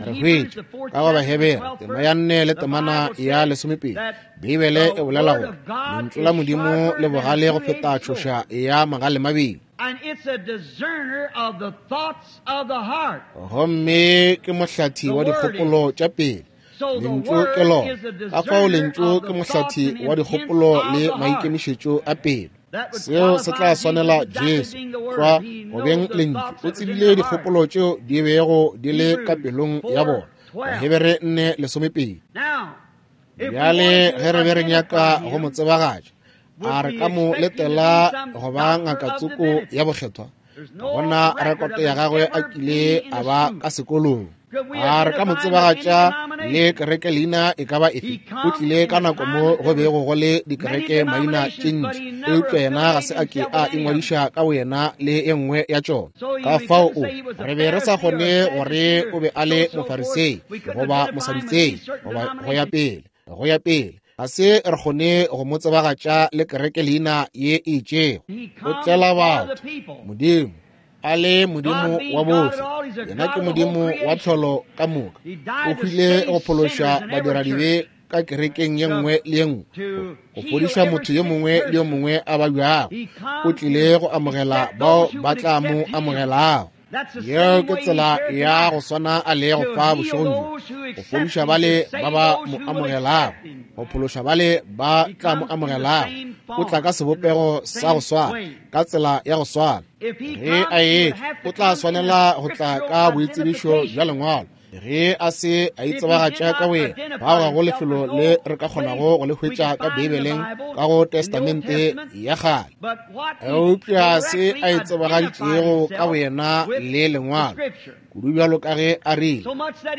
Re hwetša ka go Bahebere tema ya 4 le temana ya 12, Beibele e bolela gore lentšu la Modimo le bogale go feta tšhoša ya magale mabedi, gomme ke mohlathi wa dikgopolo tša pele. Lentšu ke lona. Ka fao lentšu ke mohlathi wa dikgopolo le maikemišetšo a pelo. Seo se tla swanela Jesu tlwa go beng lentšu. O tsebile dikgopolo tšeo di bego di le ka pelong ya bona. Bahebere 4:12. Bjale ge re be re nyaka go mo tsebagatša, a re ka mo letela go ba ngaka tsoko ya bokgethwa? Gona rekoto ya gagwe a kile a ba ka sekolong. A re ka mo tsebagatša le kereke leina e ka ba efe? O tlile ka nako mo go bego go le dikereke maina tše ntši, eupša yena ga se a ke a ingwadiša ka boyena le e nngwe ya tšona. Ka fao o re be re sa kgone gore o be a le Mofarisei goba Mosadutsei goba go ya pele, go ya pele. Ga se re kgone go mo tsebagatša le kereke leina ye e itšego. O tlela batho, Modimo a le Modimo wa bohle, yena ke Modimo wa tlholo ka moka. O hwile go phološa badiradibe ka kerekeng ye nngwe le ye nngwe, go fodiša motho yo mongwe le yo mongwe a babjago. O tlile go amogela bao ba tla mo amogelago. Yeo ke tsela ya go swana a lego fa bošegong bjo, go fodiša bale ba ba mo amogelago, go phološa bale ba tla mo amogelago. O tla ka sebopego sa go swana, ka tsela ya go swana. Ge a etla, o tla swanela go tla ka boitsebišo bja lengwalo. Ge a se a itsebagatša ka boyena, fao ga go lefelo le re ka kgonago go le hwetša ka Beibeleng ka go Testamente ya Kgale. Eupša se a itsebagaditšego ka boyena le lengwalo, kudu bjalo ka ge a rile,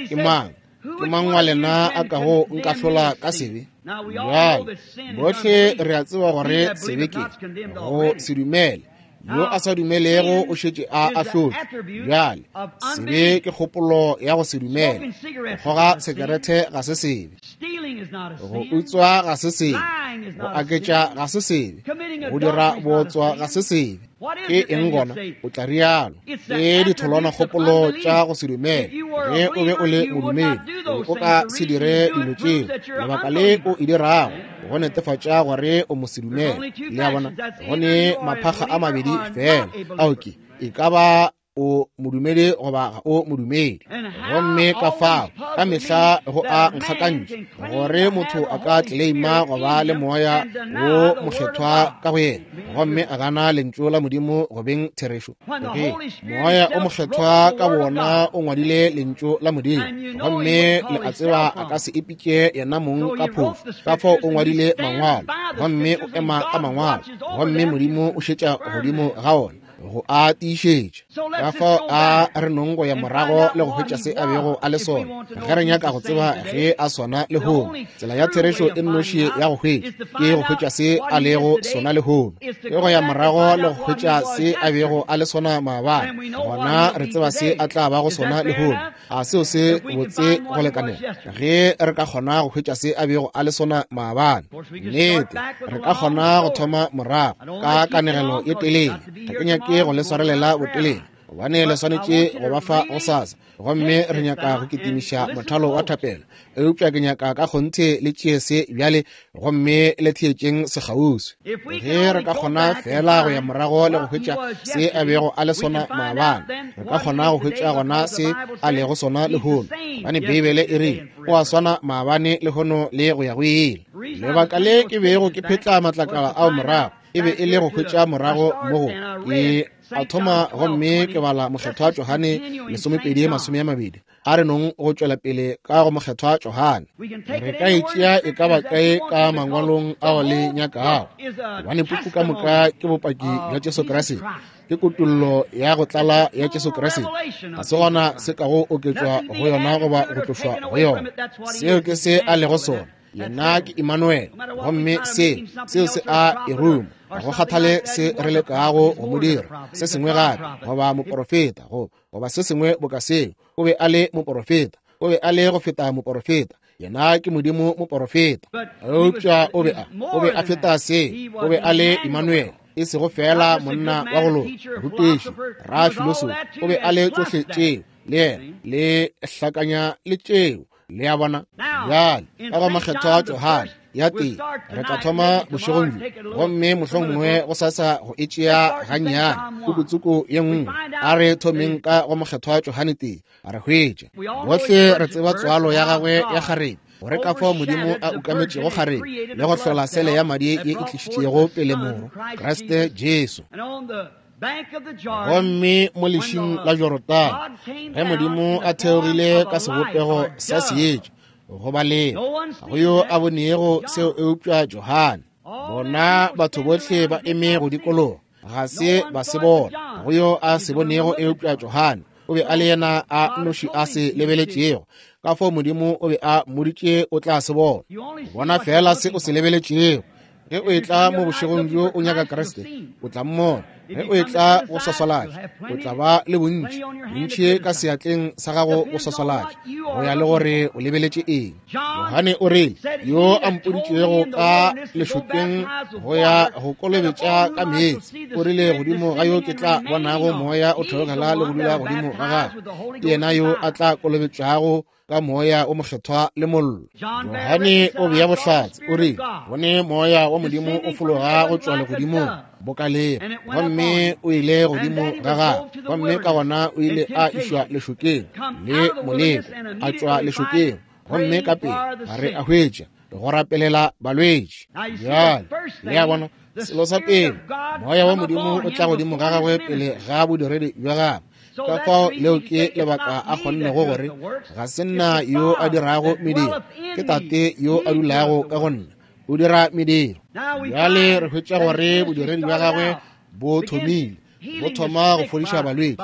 ke mang, ke mang wa lena a kago nkahlola ka sebe? Bjale, bohle re a tseba gore sebe ke go se dumele. Yo a sa dumelego o šetše a ahlotšwe. Bjale, sebe ke kgopolo ya go se dumele. Go kgoga sekerete ga se sebe. Go utswa ga se sebe. Go aketša ga se sebe. Go dira bootswa ga se sebe. Ke eng gona? O tla rialo. Ke ditholwana kgopolo tša go se dumele. Ge o be o le modumedi, o ka se dire dilo tšeo. Lebaka le o e dirago, go netefatša gore o mosedumele. Le a bona? Go ne maphakga a mabedi fela. Ao ke, e ka ba o modumedi goba ga o modumedi. Gomme ka fao ka mehla go a nkgakantšha gore motho a ka tleleima go ba le moya wo mokgethwa ka go yena, gomme a gana lentšu la Modimo go beng therešo. Ge moya o mokgethwa ka wona o ngwadile lentšu la Modimo, gomme le a tseba a ka se ipitše yena mong ka phošo, ka fao o ngwadile mangwalo, gomme o ema ka mangwalo, gomme Modimo o šetša godimo ga ona go a tiišetša. Ka fao a re nong go ya morago le go hwetša se a bego a le sona, ge re nyaka go tseba ge a sona lehono. Tsela ya therešo e nnoši ya go hwetša ke go hwetša se a lego sona lehono, ke go ya morago le go hwetša se a bego a le sona maabane, gona re tseba se a tla bago sona lehono. A seo se botse go lekanela? Ge re ka kgona go hwetša se a bego a le sona maabane, nnete re ka kgona go thoma morago ka kanegelo ye telele. Ga ke nyake go le swarelela botelele, gobane le swanetše go ba fa gosasa, gomme re nyaka go kitimiša mothalo wa thapelo. Eupša ke nyaka ka kgonthe le tšee se bjale, gomme le theetšeng sekgauswi. Ge re ka kgona fela go ya morago le go hwetša se a bego a le sona maabane, re ka kgona go hwetša gona se a lego sona lehono, gobane Beibele e re o a swana maabane, lehono le go ya go ile. Lebaka le ke bego ke phetla matlakala ao morago e be e le go hwetša morago mo go ke a thoma, gomme ke bala mokgethwa Johane 12:20. A re nong go tšwela pele ka go mokgethwa Johane. Re ka e tšea e ka ba kae ka mangwalong ao le nyakago, gobane puku ka moka ke bopaki bja Jesu Kriste, ke kutollo ya go tlala ya Jesu Kriste. Ga se gona se ka go oketšwa go yona goba go tlošwa go yona. Seo ke se a lego sona. Yena ke Emmanuel, gomme se seo se a e ruma. Ga go kgathale se re lekago go mo dira se sengwe gape, goba moporofeta, goba se sengwe boka seo. O be a le moporofeta, o be a le go feta moporofeta. Yena ke Modimo moporofeta. Eupša o be a feta se, o be a le Emmanuel, e sego fela monna wa go loka, rutiši, rafilosofi. O be a le tšohle tšeo, le yena le hlakanya le tšeo. Le a bona? Bjale ka go mokgethwa Johane ya tee re tla thoma bošegong bjo, gomme mohlomongwe go sasa go e tšea gannyane pukutsuku ye nngwe. A re thomeng ka go mokgethwa Johane tee, re hwetše bohle re tseba tswalo ya gagwe ya kgarebe, gore ka fao Modimo a ukametšego kgarebe le go hlola sele ya madi ye e tlišitšego pele moro Kriste Jesu. Gomme mo lešing la Jorodane, ge Modimo a theogile ka sebopego sa seetša go ba lena, ga go yo a bonego seo eupša Johane. Bona batho bohle ba eme go dikologa, ga se ba se bona. Ga go yo a se bonego eupša Johane. O be a le yena a nnoši a se lebeletšego. Ka fao Modimo o be a mmoditše o tla se bona. Bona fela se o se lebeletšego. Ge o etla mo bošegong bjo o nyaka Kriste, o tla mmona. Ge o etla go swaswalatša, o tla ba le bontši, bontši ka seatleng sa gago go swaswalatša, go ya le gore o lebeletše eng. Johane o rile, yo a mpoditšego ka lešokeng go ya go kolobetša ka meetse, o rile, godimo ga yo ke tla bonago moya o theogela le go dula godimo ga gagwe, ke yena yo a tla kolobetšago ka moya o mokgethwa le mollo. Johane o bea bohlatse, o rile, bone moya wa Modimo o fologa go tšwa legodimong boka leba, gomme o ile godimo ga gagwe, gomme ka gona o ile a išwa lešokeng le moleko, a tšwa lešokeng, gomme ka pele ga re a hwetša go rapelela balwetši. Bjale le a bona, selo sa pele, moya wa Modimo o tla godimo ga gagwe pele ga bodiredi bja gagwe. Ka fao leo ke lebaka a kgonnego gore ga se nna yo a dirago mediro, ke Tate yo a dulago ka go nna, o dira mediro. Bjale re hwetša gore bodiredi bja gagwe bo thomile. Bo thoma go fodiša balwetši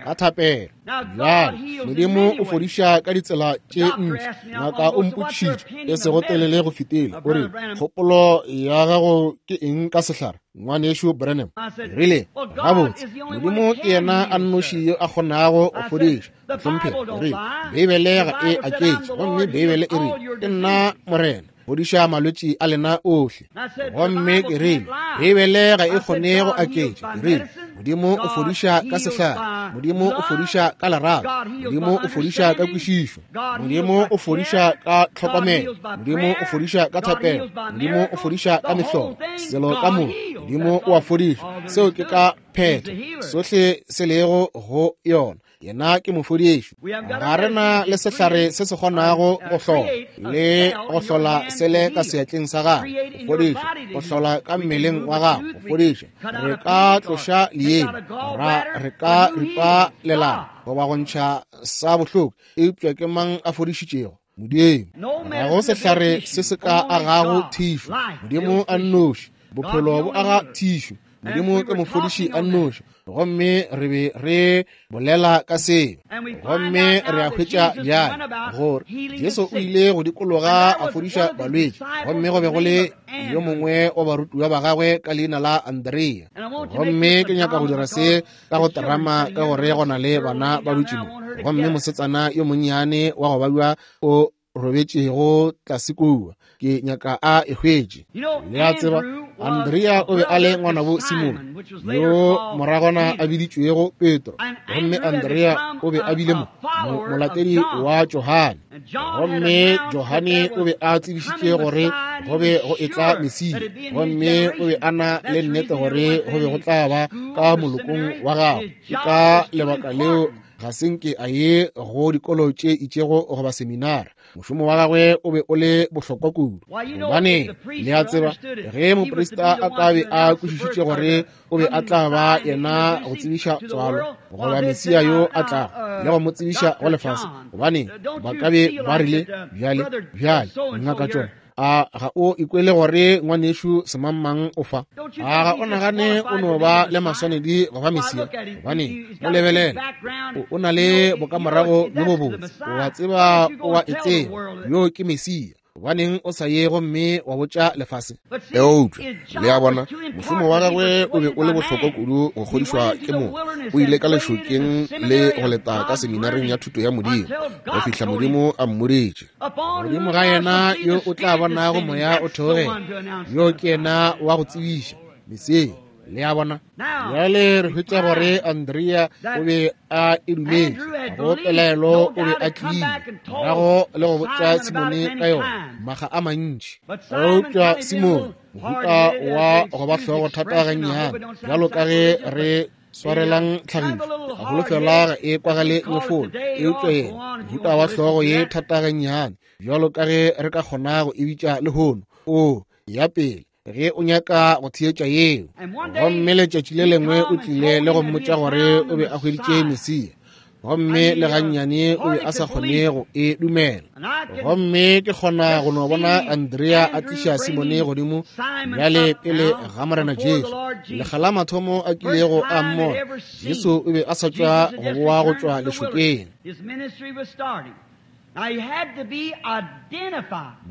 ka thapelo. Bjale, Modimo o fodiša ka ditsela tše ntši. Ngaka o mpotšišitše e sego telele go fetile, o re, Kgopolo ya gago ke eng ka sehlare, Ngwanešu Branham? Ke rile, Gabotse, Modimo ke yena a nnoši yo a kgonago go fodiša. Mohlomphegi, ke rile, Beibele ga e aketše, gomme Beibele e rile, Ke nna Morena, fodiša malwetši a lena ohle. Gomme ke rile, Beibele ga e kgone go aketša. Ke rile, Modimo o fodiša ka sehlare, Modimo o fodiša ka lerato, Modimo o fodiša ka kwešišo, Modimo o fodiša ka tlhokomelo, Modimo o fodiša ka thapelo, Modimo o fodiša ka mehlolo, selo ka moka Modimo o a fodiša. Seo ke ka phetho, sohle se lego go yona. Yena ke mofodiši. Ga re na le sehlare se se kgonago go hlola le go hlola sele ka seatleng sa gago, go fodiša, go hlola ka mmeleng wa gago, go fodiša. Re ka tloša leemo, ra re ka ripa lelala goba go ntšha sa bohloko, eupša ke mang a fodišitšego? Modimo. Ga go sehlare se se ka agago thišo, Modimo a nnoši. Bophelo bo aga thišo. Modimo ke mofodiši a nnoši, gomme re be re bolela ka seo. Gomme re a hwetša bjale gore Jesu o ile go dikologa a fodiša balwetši, gomme go be go le yo mongwe wa barutiwa ba gagwe ka leina la Andrea. Gomme ke nyaka go dira se ka go terama ka gore go na le bana ba dutše mo, gomme mosetsana yo monnyane wa go babja o robetšego tlase kua, ke nyaka a e hwetše. Le a tseba, Andrea o be a le ngwanabo Simone, yo moragwana a biditšwego Petro, gomme Andrea o be a bile molatedi wa Johane, gomme Johane o be a tsebišitše gore go be go etla Mesia, gomme o be a na le nnete gore go be go tla ba ka molokong wa gagwe. Ke ka lebaka leo ga se nke a ye go dikolo tše itšego goba seminara. Mošomo wa gagwe o be o le bohlokwa kudu, gobane le a tseba, ge moprista a ka be a kwešišitše gore o be a tla ba yena go tsebiša tswalo goba Mesia yo a tlago le go mo tsebiša go lefase, gobane ba ka be ba rile, Bjale, bjale, Ngaka John, a ga o ikwele gore ngwanešu semangmang o fa? A ga o nagane o no ba le maswanedi go ba Mesia? Gobane mo lebelela, o na le bokamorago bjo bobotse, o a tseba, o a e tseba, yo ke Mesia. Gobaneng o sa ye gomme wa botša lefase? Eupša, le a bona, mošomo wa gagwe o be o le bohlokwa kudu go kgodišwa ke motho. O ile ka lešokeng le go leta ka seminareng ya thuto ya Modimo go fihla Modimo a mmoditše. Godimo ga yena yo o tla bonago moya o theogela, yo ke yena wa go tsebiša Mesia. Le a bona? Bjale re hwetša gore Andrea o be a e dumetše, go pelaelo o be a tlile morago le go botša Simone ka yona maga a mantši. Eupša Simone, mohuta wa go ba hlogo thata gannyane, bjalo ka ge re swarelang tlhagišo, a holofela ga e kwagale nyefolo, eupša yena mohuta wa hlogo ye thata gannyane, bjalo ka ge re ka kgona go e bitša lehono, o ya pele ge o nyaka go theetša yeo. Gomme letšatši le lengwe o tlile le go mmotša gore o be a hweditše Mesia, gomme le gannyane o be a sa kgone go e dumela. Gomme ke kgona go no bona Andrea a tliša Simone godimo bjale pele ga Morena Jesu. Lekga la mathomo a kilego a mmona, Jesu o be a sa tšwa go boa go tšwa lešokeng.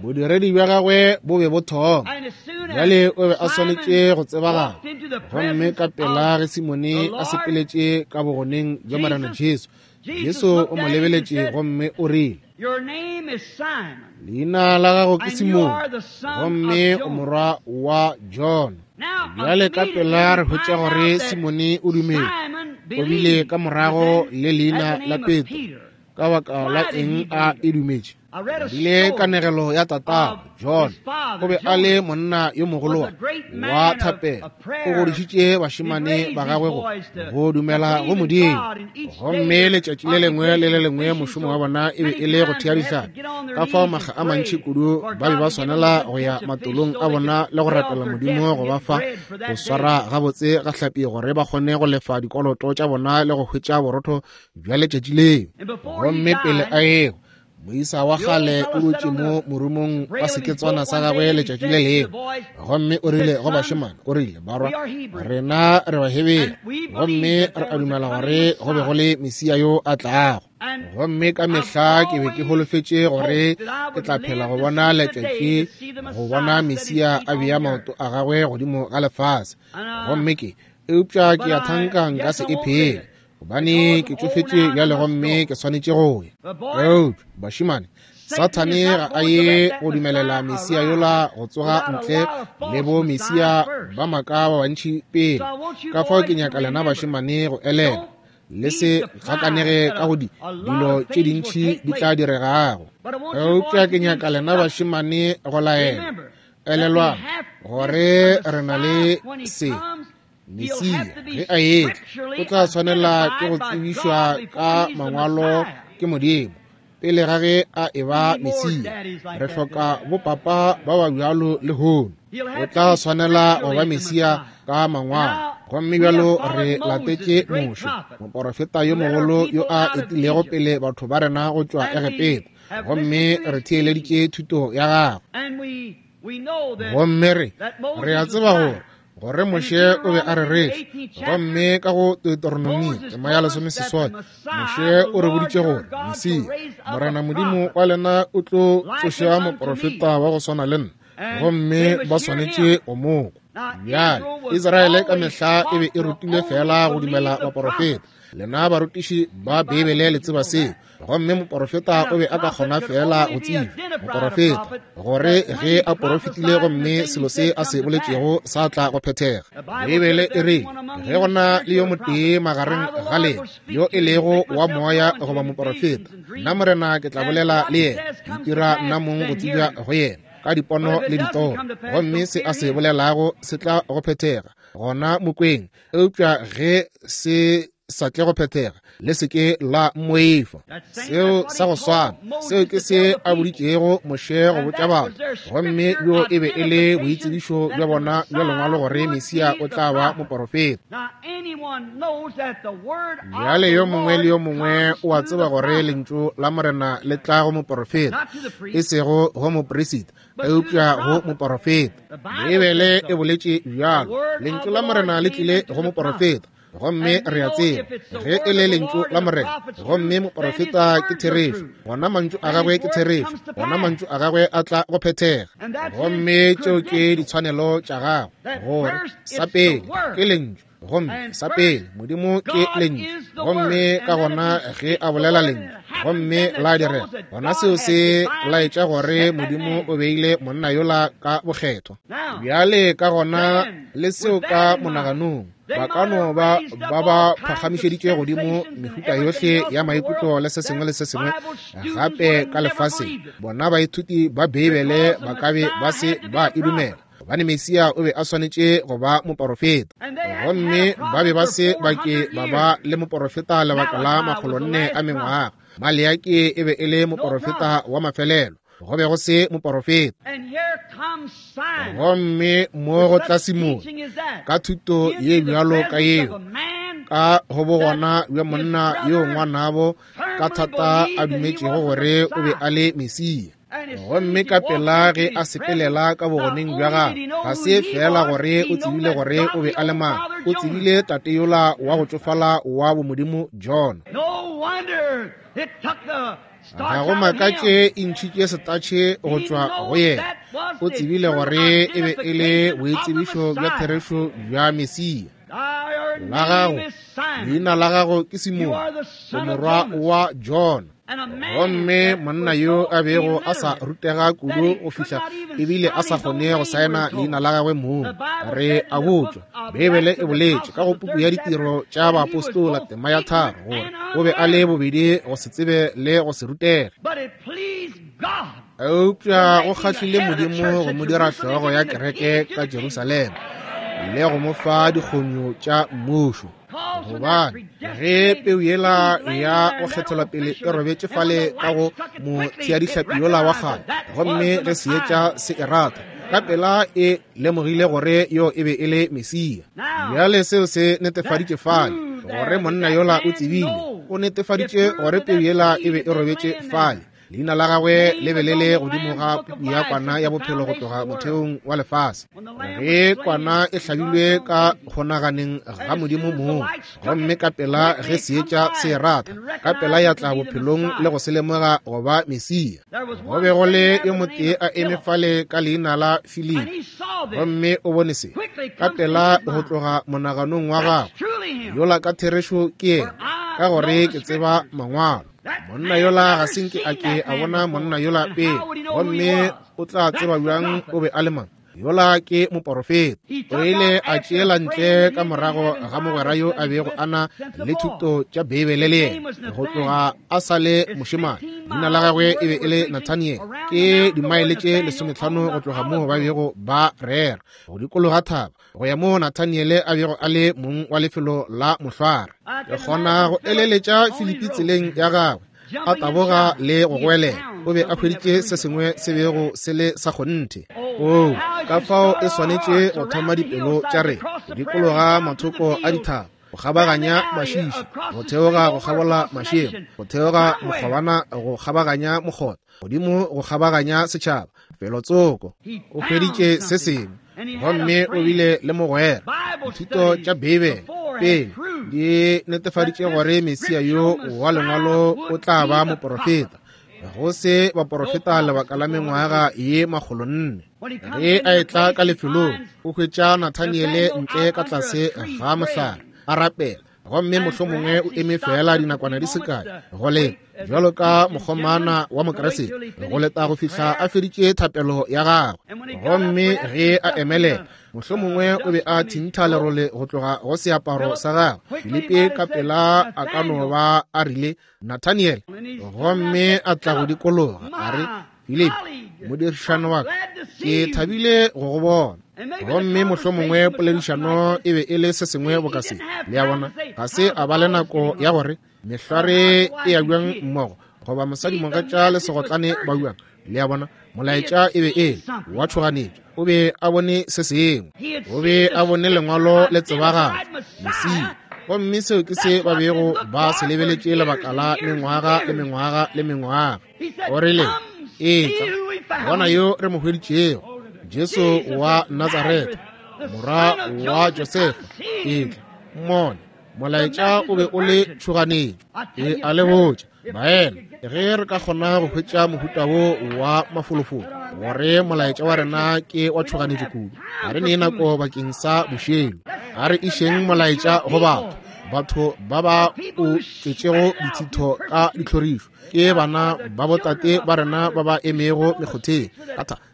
Bodiredi bja gagwe bo be bo thoma. Bjale o be a swanetše go tsebagala. Gomme ka pela ge Simone a sepeletše ka bogoneng bja Morena Jesu, Jesu o mo lebeletše gomme o rile, Leina la gago ke Simone, gomme o morwa wa Jona. Bjale ka pela re hwetša gore Simone o dumetše, o bile ka morago le leina la Petro. Ka baka la eng a e dumetše? Rile kanegelo ya tatago John, o be a le monna yo mogolo wa thapelo, o godišitše bašemane ba gagwe go dumela go Modimo, gomme letšatši le lengwe le le lengwe mošomo wa bona e be e le go thea dihlapi. Ka fao makga a mantši kudu ba be ba swanela go ya matolong a bona le go rapela Modimo go ba fa go swara gabotse ga hlapi gore ba kgone go lefa dikoloto tša bona le go hwetša borotho bja letšatši leo. Gomme pele a ego, Moisa wa kgale o dutše mo morumong wa seketswana sa gagwe letšatši le lengwe, gomme o rile go bašemane, o rile, Barwa, rena re Bahebere, gomme re a dumela gore go be go le Mesia yo a tlago. Gomme ka mehla ke be ke holofetše gore ke tla phela go bona letšatši go bona Mesia a bea maoto a gagwe godimo ga lefase. Gomme ke, eupša ke a thanka nka se e phele, gobane ke tšofetše bjale gomme ke swanetše go ya. Eupša, bašemane, Sathane ga a ye go dumelela Mesia yola go tsoga ntle le bo Mesia ba maaka ba bantši pele. Ka fao ke nyaka lena bašemane go elelwa, le se gakanege ka go di dilo tše dintši di tla diregago. Eupša ke nyaka lena bašemane go laela, elelwang gore re na le se. Mesia ge a etla o tla swanela ke go tsebišwa ka mangwalo ke Modimo pele ga ge a eba Mesia. Re hloka bopapa ba ba bjalo lehono. O tla swanela go ba Mesia ka mangwalo. Gomme bjalo re latetše Moshe, moporofeta yo mogolo yo a etilego pele batho ba rena go tšwa Egepeta, gomme re theeleditše thuto ya gagwe. Gomme re re a tseba gore gore Moshe o be a rereša. Gomme ka go Deuteronomy tema ya 18, Moshe o re boditše gore Mesia, Morena Modimo wa lena, o tlo tsoša moporofeta wa go swana le nna, gomme ba swanetše go mo kwa. Bjale Israele ka mehla e be e rutilwe fela go dumela baporofeta. Lena barutiši ba Beibele le tseba seo. Gomme moporofeta o be a ka kgona fela go tseba moporofeta gore ge a porofetile gomme selo se a se boletšego sa tla go phethega. Beibele e re ge go na le yo motee magareng ga lena yo e lego wa moya goba moporofeta, nna Morena ke tla bolela le yena, ke itira nna mong go tsebja go yena ka dipono le ditoro, gomme se a se bolelago se tla go phethega, gona mokweng. Eupša ge se sa tle go phethega, le se ke la mmoifa. Seo sa go swana, seo ke se a boditšego Moshe go botša batho, gomme bjo e be e le boitsebišo bja bona bja lengwalo gore Mesia o tla ba moporofeta. Bjale yo mongwe le yo mongwe o a tseba gore lentšu la Morena le tla go moporofeta, e sego go moperisita, eupša go moporofeta. Beibele e boletše bjalo, lentšu la Morena le tlile go moporofeta. Gomme re a tseba ge e le lentšu la Morena, gomme moporofeta ke therešo, gona mantšu a gagwe ke therešo, gona mantšu a gagwe a tla go phethega. Gomme tšeo ke ditshwanelo tša gagwe, gore sa pele ke lentšu, gomme sa pele Modimo ke lentšu, gomme ka gona ge a bolela lentšu gomme la direga, gona seo se laetša gore Modimo o beile monna yola ka bokgethwa. Bjale ka gona le seo ka monaganong, ba ka no ba ba ba phagamišeditše godimo mehuta yohle ya maikutlo le se sengwe le se sengwe gape ka lefaseng. Bona baithuti ba Beibele ba ka be ba se ba e dumela, gobane Mesia o be a swanetše go ba moporofeta, gomme ba be ba se ba ke ba ba le moporofeta lebaka la 400 a mengwaga. Maleaki e be e le moporofeta wa mafelelo, go be go se moporofeta. Gomme mo go tla Simone ka thuto ye bjalo ka yeo, ka go bogona bja monna yo ngwanabo ka thata a dumetšego gore o be a le Mesia, gomme ka pela ge a sepelela ka bogoneng bja gagwe, ga se fela gore o tsebile gore o be a le mang, o tsebile tate yola wa go tšofala wa bomodimo Jona. Ga go makatše e ntšhitše setatšhe go tšwa go yena. O tsebile gore e be e le boitsebišo bja therešo bja Mesia. La gago, leina la gago ke Simone, o morwa wa Jona. Gomme monna yo a bego a sa rutega kudu go fihla ebile a sa kgone go saena leina la gagwe mong, re a botšwa, Beibele e boletše ka go puku ya ditiro tša baapostola tema ya 3 gore o be a le bobedi go se tsebe le go se rutege. Eupša go kgahlile Modimo go mo dira hlogo ya kereke ka Jerusalema le go mo fa dikgonyo tša mmušo. Gobane ge peu yela ya go kgethelwa pele e robetše fale ka go motheadihlapi yola wa kgale, gomme ge seetša se e rata, ka pela e lemogile gore yo e be e le Mesia. Bjale seo se netefaditše fale gore monna yola o tsebile, o netefaditše gore peu yela e be e robetše fale. Leina la gagwe le be le le godimo ga puku ya kwana ya bophelo go tloga motheong wa lefase. Ge kwana e hlabilwe ka kgonaganeng ga Modimo mong, gomme ka pela ge seetša se e rata, ka pela ya tla bophelong le go se lemoga go ba Mesia. Go be go le yo motee a eme fale ka leina la Filipi, gomme o bone se ka pela go tloga monaganong wa gagwe. Yola ka therešo ke yena, ka gore ke tseba mangwalo. Monna yola ga se nke a ke a bona monna yola pele, gomme o tla tseba bjang o be a le mang? Yola ke moporofeta. O ile a tšeela ntle ka morago ga mogwera yo a bego a na le thuto tša Beibele le yena go tloga a sa le mošemane. Leina la gagwe e be e le Nathaniel. Ke dimaele tše 15 go tloga moo ba bego ba rera, go dikologa thaba go ya moo Nathaniele a bego a le mong wa lefelo la mohlware. Ke kgona go eleletša Filipi tseleng ya gagwe a taboga le go goelela. O be a hweditše se sengwe se bego se le sa kgonthe. Oo, ka fao e swanetše go thoma dipelo tša rena go dikologa mathoko a dithaba, go kgabaganya mašiši, go theoga go kgabola mašemo, go theoga mokgobana, go kgabaganya mokgotha, godimo go kgabaganya setšhaba, felotsoko. O hweditše se sengwe, gomme o bile le mogwera. Dithuto tša Beibele pele di netefaditše gore Mesia yo wa Lengwalo o tla ba moporofeta. Go se baporofeta lebaka la mengwaga ye 400. Ge a etla ka lefelong, o hwetša Nathaniele ntle ka tlase ga mohlare a rapela, gomme mohlomongwe o eme fela dinakwana di se kae go le bjalo ka mokgomana wa Mokriste go leta go fihla a feditše thapelo ya gagwe. Gomme ge a emelela, mohlomongwe o be a thintha lerole go tloga go seaparo sa gagwe. Filipi ka pela a ka no ba a rile, Nathaniel, gomme a tla go dikologa a re, Filipi, modirišano wa ka, ke thabile go go bona. Gomme mohlomongwe poledišano e be e le se sengwe boka se. Le a bona, ga se a ba le nako ya gore mehlware e ya bjang mmogo, goba mosadi mogatša le segotlane ba bjang. Le a bona, molaetša e be e le wa tšhoganetšo. O be a bone se sengwe, o be a bone Lengwalo le tsebagala, Mesia. Gomme seo ke se ba bego ba se lebeletše lebaka la mengwaga le mengwaga le mengwaga. O rile, Etla, bona yo re mo hweditšego, Jesu wa Natsaretha, morwa wa Josefa. Etla, mmone. Molaetša o be o le tšhoganetšo. E a le botša, baena, ge re ka kgona go hwetša mohuta wo wa mafolofolo, gore molaetša wa rena ke wa tšhoganetšo kudu, ga re ne nako bakeng sa bošelo. A re išeng molaetša go batho, batho ba ba o tletšego dithitho ka ditlhorišo, ke bana ba botate ba rena ba ba emego mekgotheng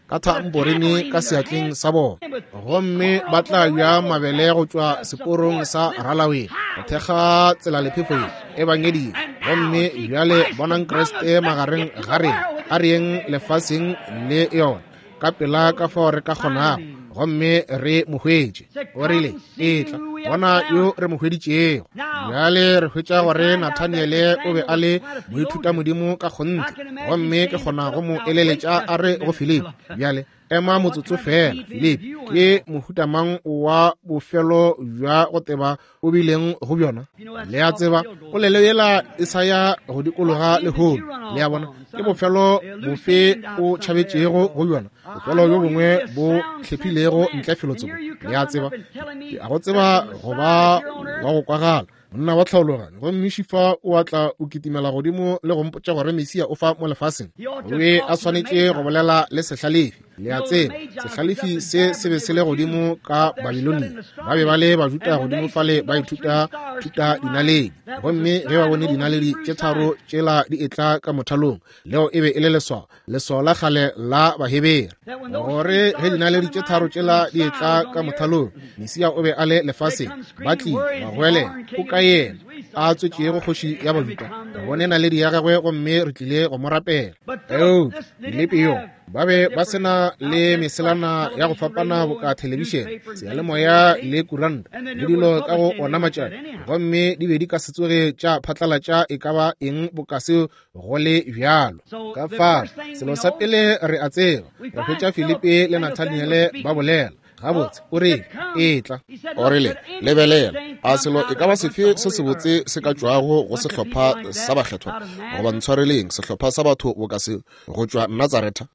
ka thamborene ka seatleng sa bona, gomme ba tla bja mabele go tšwa seporong sa ralaweng go thekga tselalephefo ye ebangedi. Gomme bjale bonang Kriste magareng ga rena, a re yeng lefaseng le yona ka pela ka fao re ka kgonago, gomme re mo hwetše. O rile, Etla, bona yo re mo hweditšego. Bjale re hwetša gore Nathaniele o be a le moithutamodimo ka kgonthe, gomme ke kgona go mo eleletša a re go Filipi, Bjale ema motsotso fela, Filipi, ke mohuta mang wa bofelo bja go teba o bileng go bjona? Le a tseba, polelo yela e sa ya go dikologa lehono. Le a bona, ke bofelo bofe o tšhabetšego go bjona? Bofelo bjo bongwe bo hlephilego ntle felotsoko. Le a tseba, ke a go tseba go ba wa go kwagala, monna wa tlhaologanyo, gomme šifa o a tla o kitimela godimo le go mpotša gore Mesia o fa mo lefaseng. O be a swanetše go bolela le sehlalefi. Le a tseba, sehlalefi se se be se le godimo ka Babilonia. Ba be ba le Bajuda godimo fale ba ithuta thuta dinaledi. Gomme ge ba bone dinaledi tše tharo tšela di etla ka mothalong, leo e be e le leswao, leswao la kgale la Bahebere, gore ge dinaledi tše tharo tšela di etla ka mothalong, Mesia o be a le lefaseng. Ba tlile ba goelela, O ka yena a tswetšego kgoši ya Bajuda? Re bone naledi ya gagwe gomme re tlile go mo rapela. Eupša Filipi yo, ba be ba se na le meselana ya go fapana boka thelebišene, seyalemoya le kuranta le dilo ka go ona matšatši, gomme di be di ka se tsoge tša phatlalatša e ka ba eng boka seo go le bjalo. Ka fao, selo sa pele re a tseba, re hwetša Filipi le Nathaniele ba bolela. Gabotse, o rile, Etla. O rile, Lebelela, a selo e ka ba sefe se sebotse se ka tšwago go sehlopha sa bakgethwa, goba ntshwareleng, sehlopha sa batho boka se, go tšwa Natsaretha?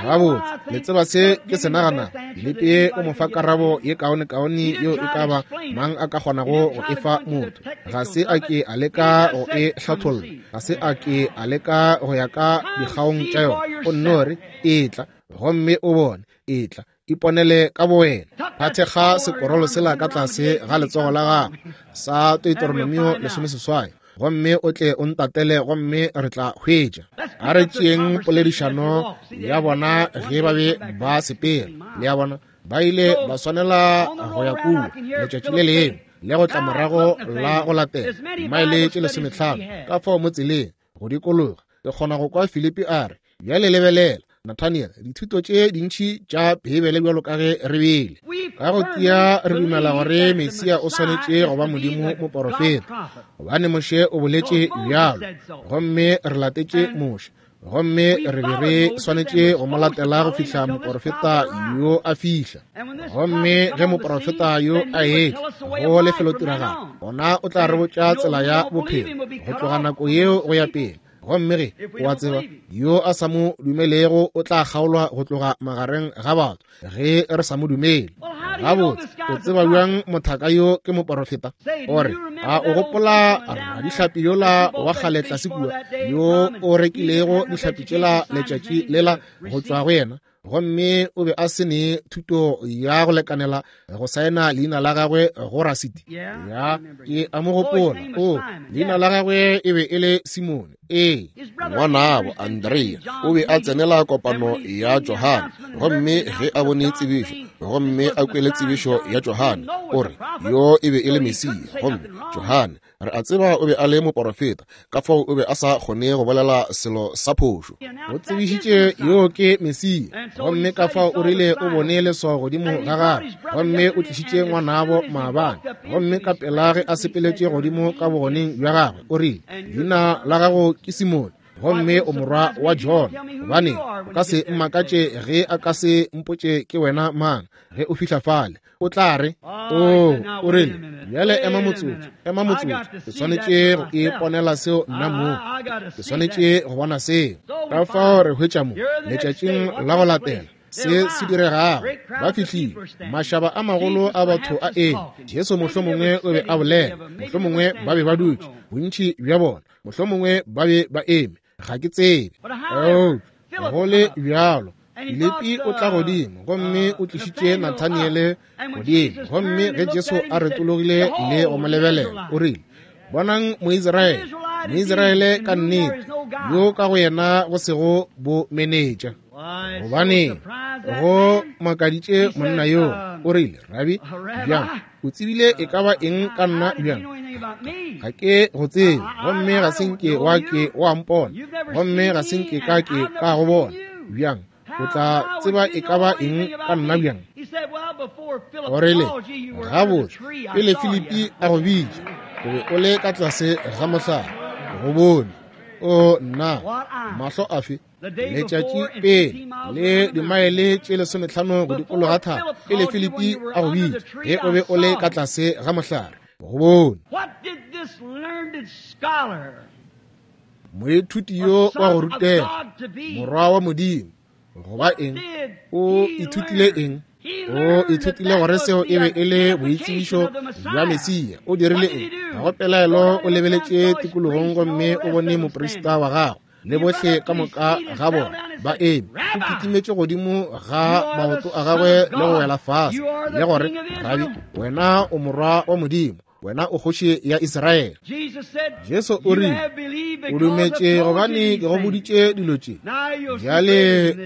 Gabotse, le tseba se ke se naganago. Filipi o mo fa karabo ye kaonekaone yeo e ka ba mang a ka kgonago go e fa motho. Ga se a ke a leka go e hlatholla, ga se a ke a leka go ya ka dikgaong tša yona. O nno re, Etla gomme o bone, etla, iponele ka bowena. A thekga sekorolo sela ka tlase ga letsogo la gagwe sa Deuteronomio 18, gomme o tle o ntatele gomme re tla hwetša. A re tšeeng poledišano ya bona ge ba be ba sepela. Le a bona, ba ile ba swanela go ya kua letšatši le lengwe le go tla morago la go latela, maele tše 15 ka fao mo tseleng go dikologa. Ke kgona go kwa Filipi a re, Bjale lebelela, Nathaniel, dithuto tše dintši tša Beibele bjalo ka ge re bile. Ka go tia re dumela gore Mesia o swanetše go ba Modimo moporofeta, gobane Moshe o boletše bjalo, gomme re latetše Moshe, gomme re be re swanetše go mo latela go fihla moporofeta yo a fihla. Gomme ge moporofeta yo a etla go lefelotiragalo, gona o tla re botša tsela ya bophelo go tloga nako yeo go ya pele. Gomme ge o a tseba, yo a sa mo dumelego o tla kgaolwa go tloga magareng ga batho ge re sa mo dumele. Gabotse, o tseba bjang mothaka yo ke moporofeta? O re, a o gopola radihlapi yola wa kgale tlase kua, yo o rekilego dihlapi tšela letšatši lela go tšwa go yena? Gomme o be a se ne thuto ya go lekanela go saena leina la gagwe go rasiti. Ya, ke a mo gopola. O, leina la gagwe e be e le Simone. Ee. Ngwanabo Andrea o be a tsenela kopano ya Johane, gomme ge a bone tsebišo gomme a kwele tsebišo ya Johane, o re yo e be e le Mesia. Gomme Johane, re a tseba o be a le moporofeta, ka fao o be a sa kgone go bolela selo sa phošo. O tsebišitše yo ke Mesia, gomme ka fao o rile o bone leswao godimo ga gagwe, gomme o tlišitše ngwanabo maabane, gomme ka pela ge a sepeletše godimo ka bogoneng bja gagwe, o rile, Leina la gago ke Simone, gomme o morwa wa John. Gobane o ka se mmakatše ge a ka se mpotše ke wena mang ge o fihla fale. O tla re, O, o rile, bjale ema motsotso, ema motsotso, ke swanetše go iponela seo nna mo, ke swanetše go bona seo. Ka fao re hwetša mo letšatšing la go latela se se diregago. Ba fihlile, mašaba a magolo a batho a eme. Jesu mohlomongwe o be a bolela, mohlomongwe ba be ba dutše, bontši bja bona, mohlomongwe ba be ba eme, ga ke tsebe. Eupša go le bjalo, Filipi o tla godimo gomme o tlišitše Nathaniele godimo, gomme ge Jesu a retologile le go mo lebelela, o rile, Bonang Moisraele, Moisraele ka nnete, yo ka go yena go sego bo menetša. Gobane go makaditše monna yo, o rile, Rabi, bjang o tsebile e ka ba eng ka nna? Bjang ga ke go tsebe, gomme ga se nke wa ke wa mpona, gomme ga se nke ka ke ka go bona. Bjang o tla tseba e ka ba eng ka nna? Bjang? O rile, Gabotse, pele Filipi a go bitša, o be o le ka tlase ga mohlare, go bone. O nna, mahlo afe? Letšatši pele le dimaele tše 15 go dikologa thaba, pele Filipi a go bitša, ge o be o le ka tlase ga mohlare, go bone. Moithuti yo wa go rutega, morwa wa Modimo, goba eng? O ithutile eng? O ithutile gore seo e be e le boitsebišo bja Mesia. O dirile eng? Ga go pelaelo o lebeletše tikologong gomme o bone moprista wa gagwe le bohle ka moka ga bona ba eme. O kitimetše godimo ga maoto a gagwe le go wela fase le gore, Rabi, wena o morwa wa Modimo, wena o kgoši ya Israele. Jesu o rile, O dumetše gobane ke go boditše dilo tše, bjale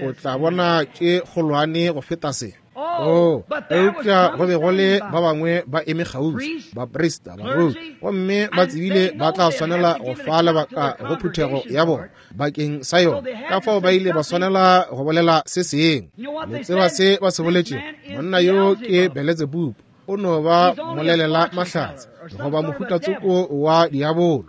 o tla bona tše kgolwane go feta se. Oh, eupša go be go le ba bangwe ba eme kgauswi, baprista, baruti, gomme ba tsebile ba tla swanela go fa lebaka go phuthego ya bona bakeng sa yona. Ka fao ba ile ba swanela go bolela se sengwe. Le tseba se ba se boletše? Monna yo ke Beletsebubu, o no ba molelela mahlatse goba mohutatsoko wa diabolo.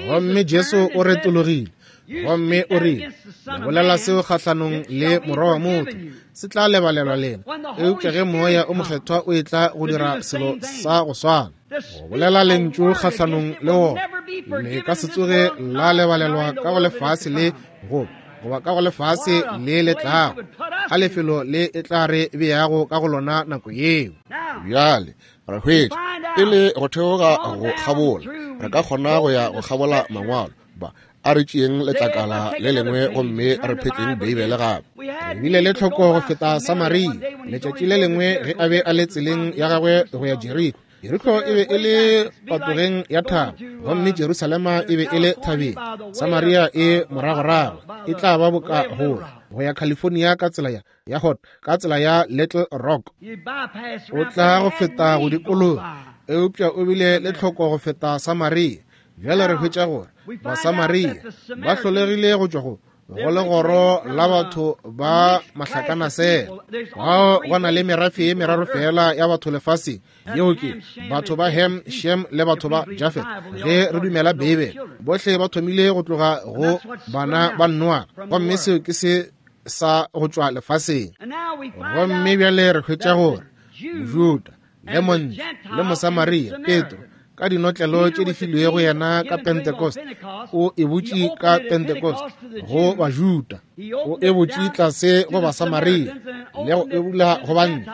Gomme Jesu o retologile. Gomme o rile, Le bolela seo kgahlanong le Morwa wa motho, se tla lebalelwa lena. Eupša ge Moya o Mokgethwa o etla go dira selo sa go swana, go bolela lentšu kgahlanong le wona, le ka se tsoge la lebalelwa ka go lefase le goba ka go lefase le le tlago, a lefelo le e tla re beago ka go lona nako yeo. Bjale re hwetša pele go theoga go kgabola, re ka kgona go ya go kgabola mangwalo. Ba a re tšeeng letlakala le lengwe gomme re phetleng Beibele gape. Re bile le tlhoko go feta Samaria letšatši le lengwe ge a be a le tseleng ya gagwe go ya Jeriko. Jeriko e be e le patogeng ya thaba, gomme Jerusalema e be e le thabeng. Samaria e moragorago, e tla ba boka go ya California ka tsela ya hot, ka tsela ya Little Rock. O tla go feta go dikologa, eupša o bile le tlhoko go feta Samaria. Bjale re hwetša gore Basamaria ba hlolegile go tšwa go legoro la batho ba mahlakanasela. Bao go na le merafe ye meraro fela ya batho lefaseng, yeo ke batho ba Ham, Shem le batho ba Jafet. Ge re dumela Beibele, bohle ba thomile go tloga go bana ba Noa, gomme seo ke se sa go tšwa lefaseng. Gomme bjale re hwetša gore Mojuda le Montle le Mosamaria Petro, ka dinotlelo tše di filwego yena ka Pentecost, o e butše ka Pentecost go Bajuda, o e butše tlase go Basamaria, le go e bula go bantle.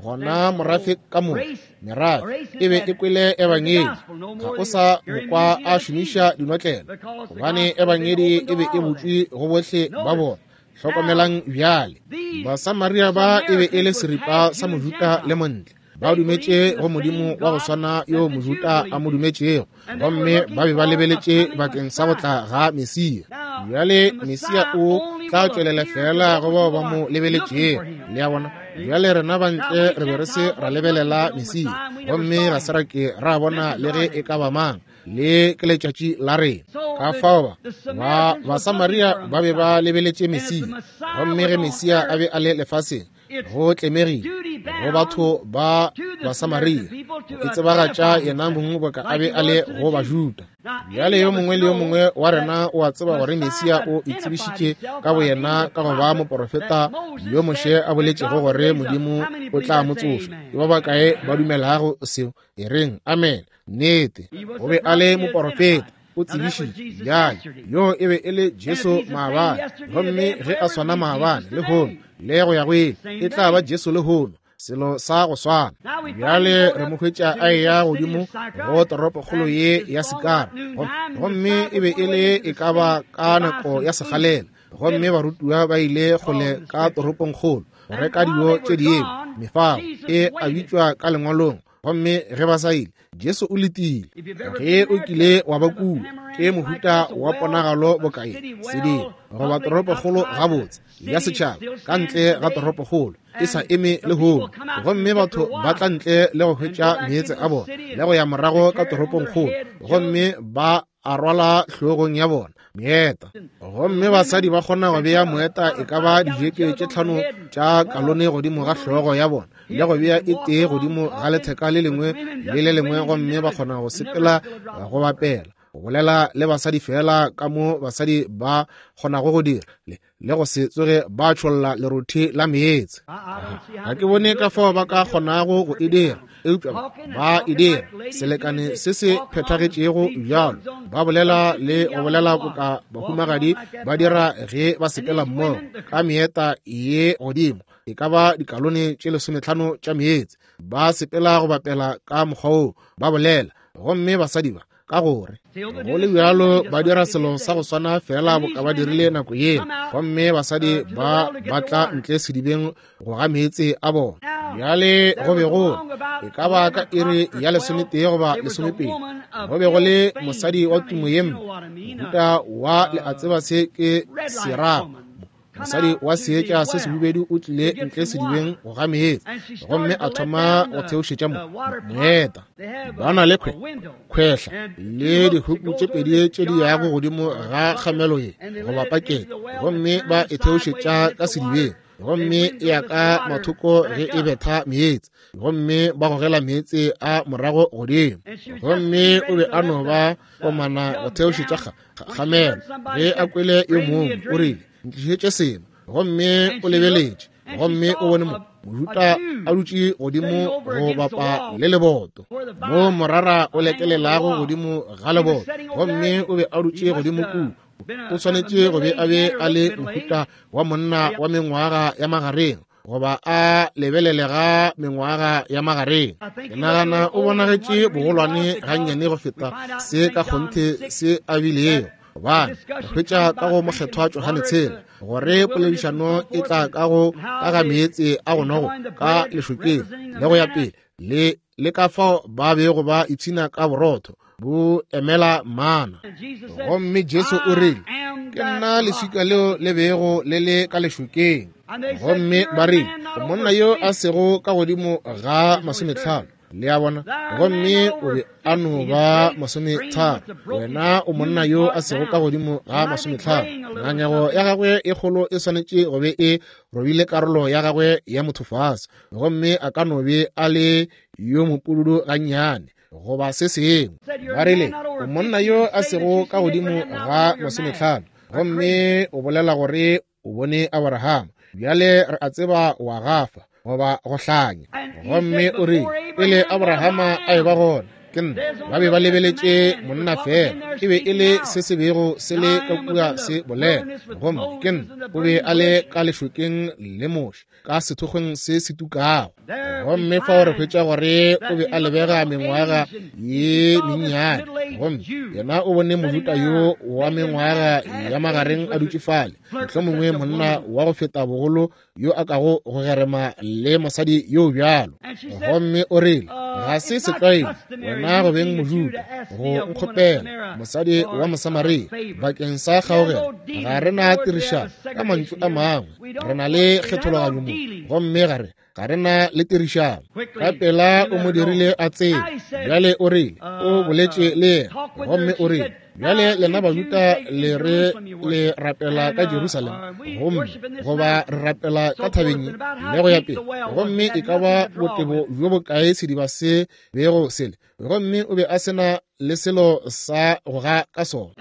Gona morafe ka moka, merafe e be e kwele ebangedi, ga o sa mokwa a šomiša dinotlelo, gobane ebangedi e be e butšwe go bohle ba bona. Hlokomelang bjale, Basamaria ba e be e le seripa sa Mojuda le Montle. Ba dumetše go Modimo wa go swana yo Mojuda a mo dumetšego, gomme ba be ba lebeletše bakeng sa go tla ga Mesia. Bjale Mesia o tla tšwelela fela go bao ba mo lebeletšego. Le a bona? Bjale rena bantle re be re se ra lebelela Mesia, gomme ga se ra ke ra bona le ge e ka ba mang. Le ke letšatši la rena. Ka fao ba Basamaria ba be ba lebeletše Mesia, gomme ge Mesia a be a le lefaseng, go tlemegile go batho ba Basamaria go itsebagatša yena mong boka a be a le go Bajuda. Bjale yo mongwe le yo mongwe wa rena o a tseba gore Mesia o itsebišitše ka boyena ka go ba moporofeta yo Moshe a boletšego gore Modimo o tla mo tsoša. Ke ba bakae ba dumelago seo? E reng amen. Nnete, o be a le moporofeta, o tsebišitše. Bjale yo e be e le Jesu maabane, gomme ge a swana maabane lehono le go ya go ile, e tla ba Jesu lehono, selo sa go swana. Bjale re mo hwetša a eya godimo go toropokgolo ye ya Sikara, gomme e be e le e ka ba ka nako ya sekgalela, gomme barutiwa ba ile kgole ka toropongkgolo go reka dijo tše dingwe. Mefago e a bitšwa ka lengwalong, gomme ge ba sa ile, Jesu o letile. Ge o kile wa ba kua, ke mohuta wa ponagalo bokae sedimo goba toropokgolo gabotse ya setšhaba ka ntle ga toropokgolo e sa eme lehono, gomme batho ba tla ntle le go hwetša meetse a bona le go ya morago ka toropongkgolo, gomme ba a rwala hlogong ya bona meeta. Gomme basadi ba kgona go bea moeta e ka ba dijeke tše 5 tša kalone godimo ga hlogo ya bona, le go bea e tee godimo ga letheka le lengwe le le lengwe, gomme ba kgona go sepela go bapela, go bolela le basadi fela ka mo basadi ba kgonago go dira, le go se tsoge ba tšholla lerothi la meetse. Ga ke bone ka fao ba ka kgonago go e dira, eupša ba e dira selekane se se phethagetšego bjalo. Ba bolela le go bolela boka bahumagadi ba dira ge ba sepela mmogo ka meeta ye godimo, e ka ba dikalone tše 15 tša meetse, ba sepela go bapela ka mokgwa woo, ba bolela. Gomme basadi ba, ka gore go le bjalo ba dira selo sa go swana fela boka ba dirile nako yeo, gomme basadi ba ba tla ntle sedibeng go ga meetse a bona. Bjale go be go e ka ba ka iri ya 11 goba 12, go be go le mosadi wa tumo ye mpe, mohuta wa le a tseba se ke serago. Mosadi wa seetša se sehubedu o tlile ntle sedibeng go ga meetse, gomme a thoma go theošetša moeta. Ba na le kgwehla le dihuku tše pedi tše di yago godimo ga kgamelo ye goba pakete, gomme ba e theošetša ka sedibeng. gomme e ya ka mathoko ge e betha meetse, gomme ba gogela meetse a morago godimo. Gomme o be a no ba komana go theošetša kgamelo. Ge a kwele yo mongwe, o rile, ntlišetše seno. Gomme o lebeletše, gomme o bone Mojuda a dutše godimo go bapa le leboto, mo morara o lekelelago godimo ga leboto, gomme o be a dutše godimo kua. O swanetše go be a be a le mohuta wa monna wa mengwaga ya magareng, goba a lebelelega mengwaga ya magareng. Ke nagana o bonagetše bogolwane gannyane go feta se ka kgonthe se a bilego. Gobane re hwetša ka go Mokgethwa Johane 6 gore poledišano e tla ka go ka ga meetse a go nogo ka lešokeng le go ya pele, le ka fao ba bego ba ipshina ka borotho bo emela mana. Gomme Jesu o rile, ke nna leswika leo le bego le le ka lešokeng. Gomme ba rile, monna yo a sego ka godimo ga 50. Le a bona? Gomme o be a no ba 30. Wena o monna yo a sego ka godimo ga 50. Ngangego ya gagwe e kgolo e swanetše go be e robile karolo ya gagwe ya motho fase, gomme a ka no be a le yo mopududu gannyane goba se sengwe. Ba rile, o monna yo a sego ka godimo ga 50, gomme o bolela gore o bone Abraham. Bjale re a tseba wa gafa goba go hlanya. Gomme o rile, pele Abrahama a eba gona, ke nna. Ba be ba lebeletše monna fela, e be e le se se bego se le ka kua se bolela. Gomme ke nna. O be a le ka lešokeng le Moshe, ka sethokgweng se se tukago. Gomme fao re hwetša gore o be a lebega mengwaga ye mennyane, gomme yena o bone Mojuda yo wa mengwaga ya magareng a dutše fale, mohlomongwe monna wa go feta bogolo yo a kago go gerema le mosadi yo bjalo. Gomme o rile, ga se setlwaedi wena go beng Mojuda go nkgopela mosadi wa Mosamaria bakeng sa kgaogelo. Ga re na tirišano, ka mantšu a mangwe re na le kgethologanyo mo, gomme ga re na le tirišano. Ka pela o mo dirile a tsebe. Bjale o rile, o boletše le yena, gomme o rile, bjale lena Bajuda le re le rapela ka Jerusalema, gomme goba re rapela ka thabeng le go ya pele, gomme e ka ba botebo bjo bokae sediba se bego sele, gomme o be a se na le selo sa go ga ka sona.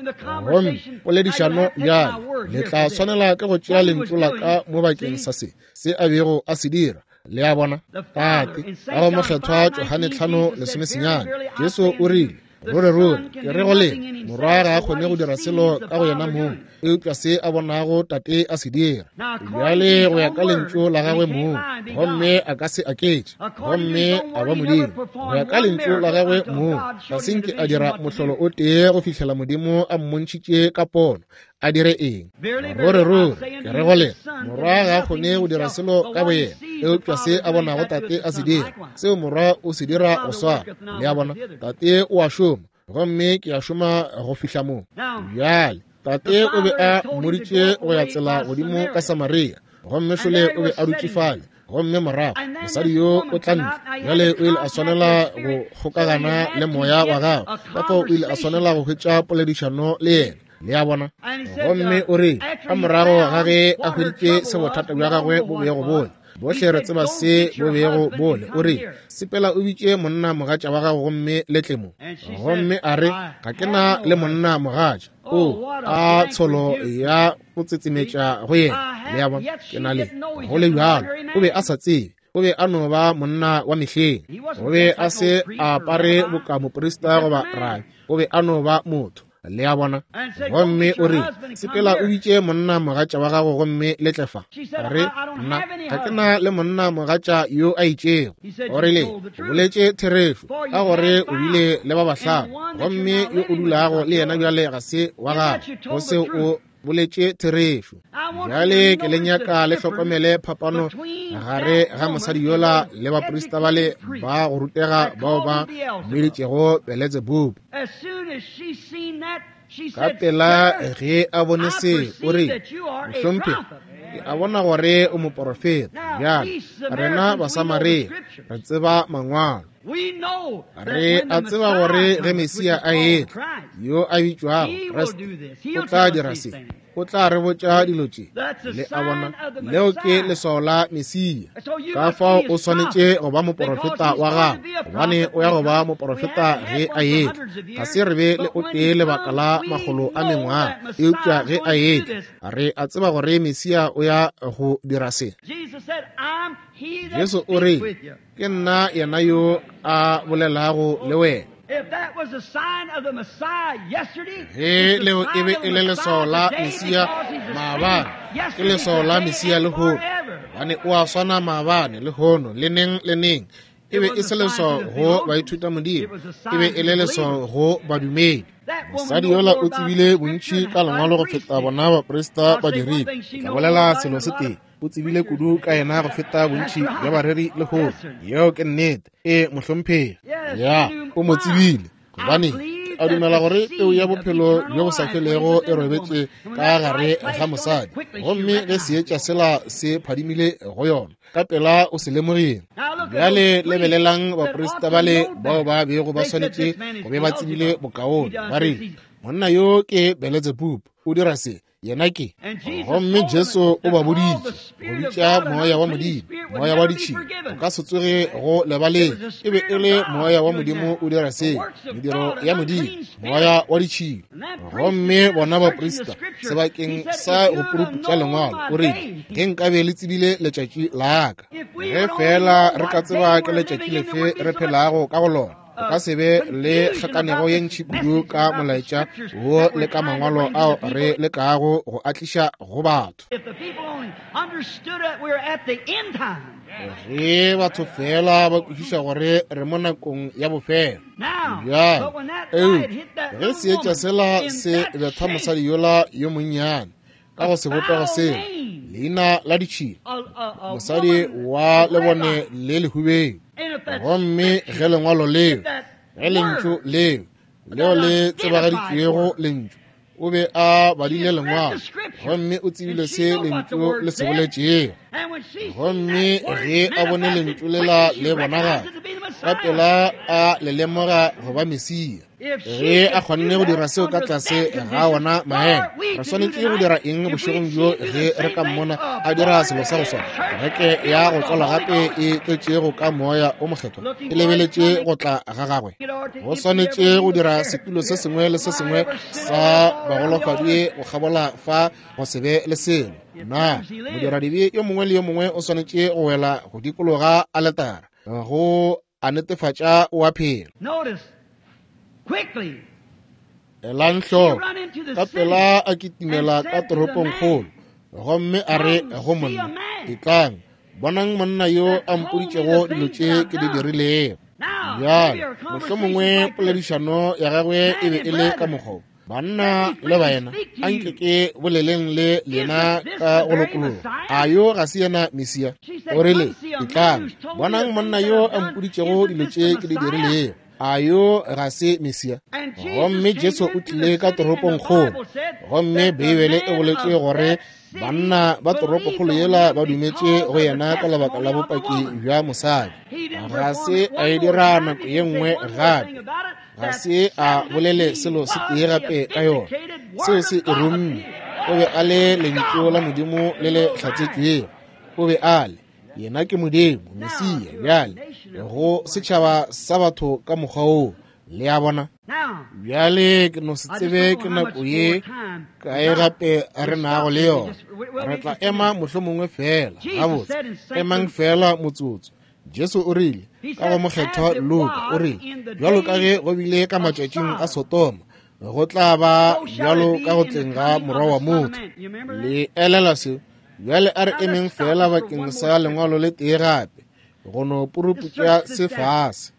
Gomme poledišano bjale, le tla swanela ke go tšea lentšu la ka mo bakeng sa se se a bego a se dira. Le a bona? Tate, ka go Mokgethwa Johane 5:19, Jesu o rile, ruri ruri ke re go lena, Morwa ga a kgone go dira selo ka go yena mong, eupša se a bonago Tate a se dira. Bjale go ya ka lentšu la gagwe mong, gomme a ka se aketše, gomme a ba Modimo. Go ya ka lentšu la gagwe mong, ga se nke a dira mohlolo o tee go fihlela Modimo a mmontšhitše ka pono a dire eng. Ruri ruri ke re go lena, Morwa ga a kgone go dira selo ka boyena, eupša se a bonago Tate a se dira, seo Morwa o se dira go swana. Le a bona? Tate o a šoma, gomme ke a šoma go fihla mo. Bjale Tate o be a mmoditše go ya tsela godimo ka Samaria, gomme šole o be a dutše fale, gomme morago mosadi yo o tla ntle. Bjale o ile a swanela go kgokagana le moya wa gagwe, ka fao o ile a swanela go hwetša poledišano le yena. Le a bona? Gomme o rile, ka morago ga ge a hweditše se bothata bja gagwe bo bego bole, bohle re tseba se bo bego bole, o rile, sepela o bitše monna mogatša wa gago gomme le tle mo. Gomme a re, ga ke na le monna mogatša. O a tsholo ya go tsetsemetša go yena. Le a bona? Ke na le go le bjalo. O be a sa tsebe. O be a no ba monna wa mehleng. O be a se a apare boka moprista goba rabi. O be a no ba motho. Le a bona? Gomme o rile, sepela o bitše monna mogatša wa gago gomme le tle fa. A re, nna ga ke na le monna mogatša yo a itšego. O rile, o boletše therešo, ka gore o bile le ba bahlano, gomme yo o dulago le yena bjale ga se wa gago. Go seo o boletše therešo. Bjale ke le nyaka le hlokomele phapano gare ga mosadi yola le baprista bale ba go rutega bao ba mmeditšego Beletsebubu. Ka pela ge a bone se, o rile, mohlomphegi, ke a bona gore o moporofeta. Bjale rena Basamaria re tseba mangwalo. Re a tseba gore ge Mesia a etla, yo a bitšwago Kriste, o tla dira se. O tla re botša dilo tše. Le a bona, leo ke leswao la Mesia. Ka fao o swanetše go ba moporofeta wa gago, gobane o ya go ba moporofeta ge a etla. Ga se re be le o tee lebaka la makgolo a mengwaga, eupša ge a etla, re a tseba gore Mesia o ya go dira se. Jesu o re, Ke nna yena yo a bolelago le wena. Ge leo e be e le leswao la Mesia maabane, ke leswao la Mesia lehono, gobane o a swana maabane, lehono, le neng le neng. E be e se leswao go baithutamodimo, e be e le leswao go badumedi. Mosadi yola o tsebile bontši ka lengwalo go feta bona baprista ba dirile. Ke tla bolela selo se tee. O tsebile kudu ka yena go feta bontši bja bareri lehono. Yeo ke nnete. Ee, mohlomphegi. Ya, o mo tsebile. Gobane a dumela gore peu ya bophelo bjo bo sa felego e robetše ka gare ga mosadi, gomme ge seetša sela se phadimile go yona, ka pela o se lemogile. Bjale lebelelang baprista bale bao ba bego ba swanetše go be ba tsebile bokaone, ba rile, Monna yo ke Beletsebubu, o dira se, yena ke. Gomme Jesu o ba boditše go bitša moya wa Modimo moya wa ditšhila, o ka se tsoge go lebaleng. E be e le moya wa Modimo o dira seo, mediro ya Modimo, moya wa ditšhila. Gomme bona baprista sebakeng sa go puruputša lengwalo, o rile, Ge nkabe le tsebile letšatši la ka, ge feela re ka tseba ke letšatši lefe re phelago ka go lona, o ka se be le kgakanego ye ntši kudu ka molaetša wo le ka mangwalo ao re lekago go a tliša go batho. Ge batho fela ba kwešiša gore re mo nakong ya bofelo. Bjale, eupša ge seetša sela se betha mosadi yola yo monnyane ka go sebopego sela, leina la ditšhila, mosadi wa lebone le lehubeng, gomme ge lengwalo leo, ge lentšu leo, leo le tsebagaditšwego lentšu, o be a badile lengwalo gomme o tsebile se lentšu le se boletšego. Gomme ge a bone lentšu lela le bonagala, ka pela a le lemoga go ba Mesia. Ge a kgonne go dira seo ka tlase ga wona maemo, re swanetše go dira eng bošegong bjo ge re ka mmona a dira selo sa go swana? Kereke ya go tswalwa gape e tletšego ka Moya o Mokgethwa e lebeletše go tla ga gagwe. Go swanetše go dira setulo se sengwe le se sengwe sa bagolofadi go kgabola fa go se be le selo. Na modiradibe yo mongwe le yo mongwe o swanetše go wela go dikologa aletara go a netefatša o a phela? Elang hloko, ka pela a kitimela ka toropongkgolo gomme a re go monna, Etlang, bonang monna yo a mpoditšego dilo tše ke di dirilego. Bjale, mohlomongwe poledišano ya gagwe e be e le ka mokgwa Banna le baena, a nke ke boleleng le lena ka go lokologa. A yo ga se yena Mesia? O rile, Etlang, bonang monna yo a mpoditšego dilo tše ke di dirilego. A yo ga se Mesia? Gomme Jesu o tlile ka toropongkgolo, gomme Beibele e boletše gore banna ba toropokgolo yela ba dumetše go yena ka lebaka la bopaki bja mosadi. Ga se a e dira nako ye nngwe gape. Ga se a bolele selo se tee gape ka yona. Seo se e romme. O be a le lentšu la Modimo le le hlatsetšwego. O be a le. Yena ke Modimo, Mesia, bjale, go setšhaba sa batho ka mokgwa woo. Le a bona? Bjale ke no se tsebe ke nako ye kae gape re nago le yona. Re tla ema mohlomongwe feela. Gabotse, emang feela motsotso. Jesu o rile, ka go mokgethwa Luka, o rile, bjalo ka ge go bile ka matšatšing a Sodoma, go tla ba bjalo ka go tleng ga Morwa wa motho. Le elela seo? Bjale a re emeng feela bakeng sa lengwalo le tee gape, go no puruputša se fase.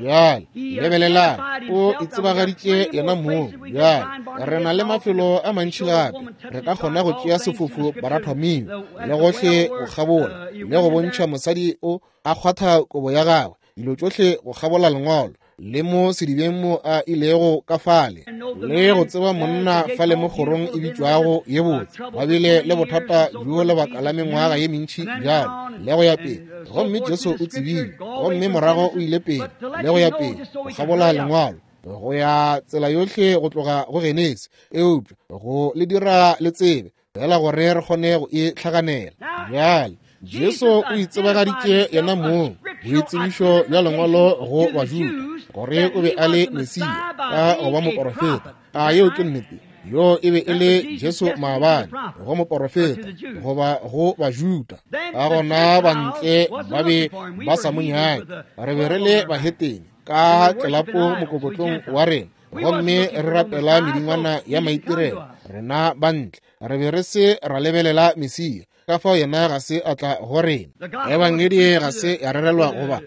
Bjale lebelelang, o itsebagaditše yena mong. Bjale re na le mafelo a mantši gape re ka kgona go tšea sefofu Barathomio le gohle go kgabola, le go bontšha mosadi o a kgwatha kobo ya gagwe, dilo tšohle go kgabola lengwalo. le mo sedibeng mo a ilego ka fale, le go tseba monna fale mo kgorong e bitšwago ye botse, ba bile le bothata bjo lebaka la mengwaga ye mentši bjalo, le go ya pele. Gomme Jesu o tsebile, gomme morago o ile pele, le go ya pele, go kgabola Lengwalo, go ya tsela yohle go tloga go Genesi, eupša go le dira le tsebe fela gore re kgone go e hlaganela. Bjale Jesu o itsebagaditše yena mong boitsebišo bja Lengwalo go Bajuda gore o be a le Mesia ka go ba moporofeta. A yeo ke nnete? Yo e be e le Jesu maabane go moporofeta goba go Bajuda. Ka gona bantle ba be ba sa mo nyake. Re be re le bahetene ka tlelapo mokokotlong wa rena, gomme re rapela medingwana ya maitirelo. Rena bantle re be re se ra lebelela Mesia, ka fao yena ga se a tla go rena. Ebangedi ga se ya rerelwa goba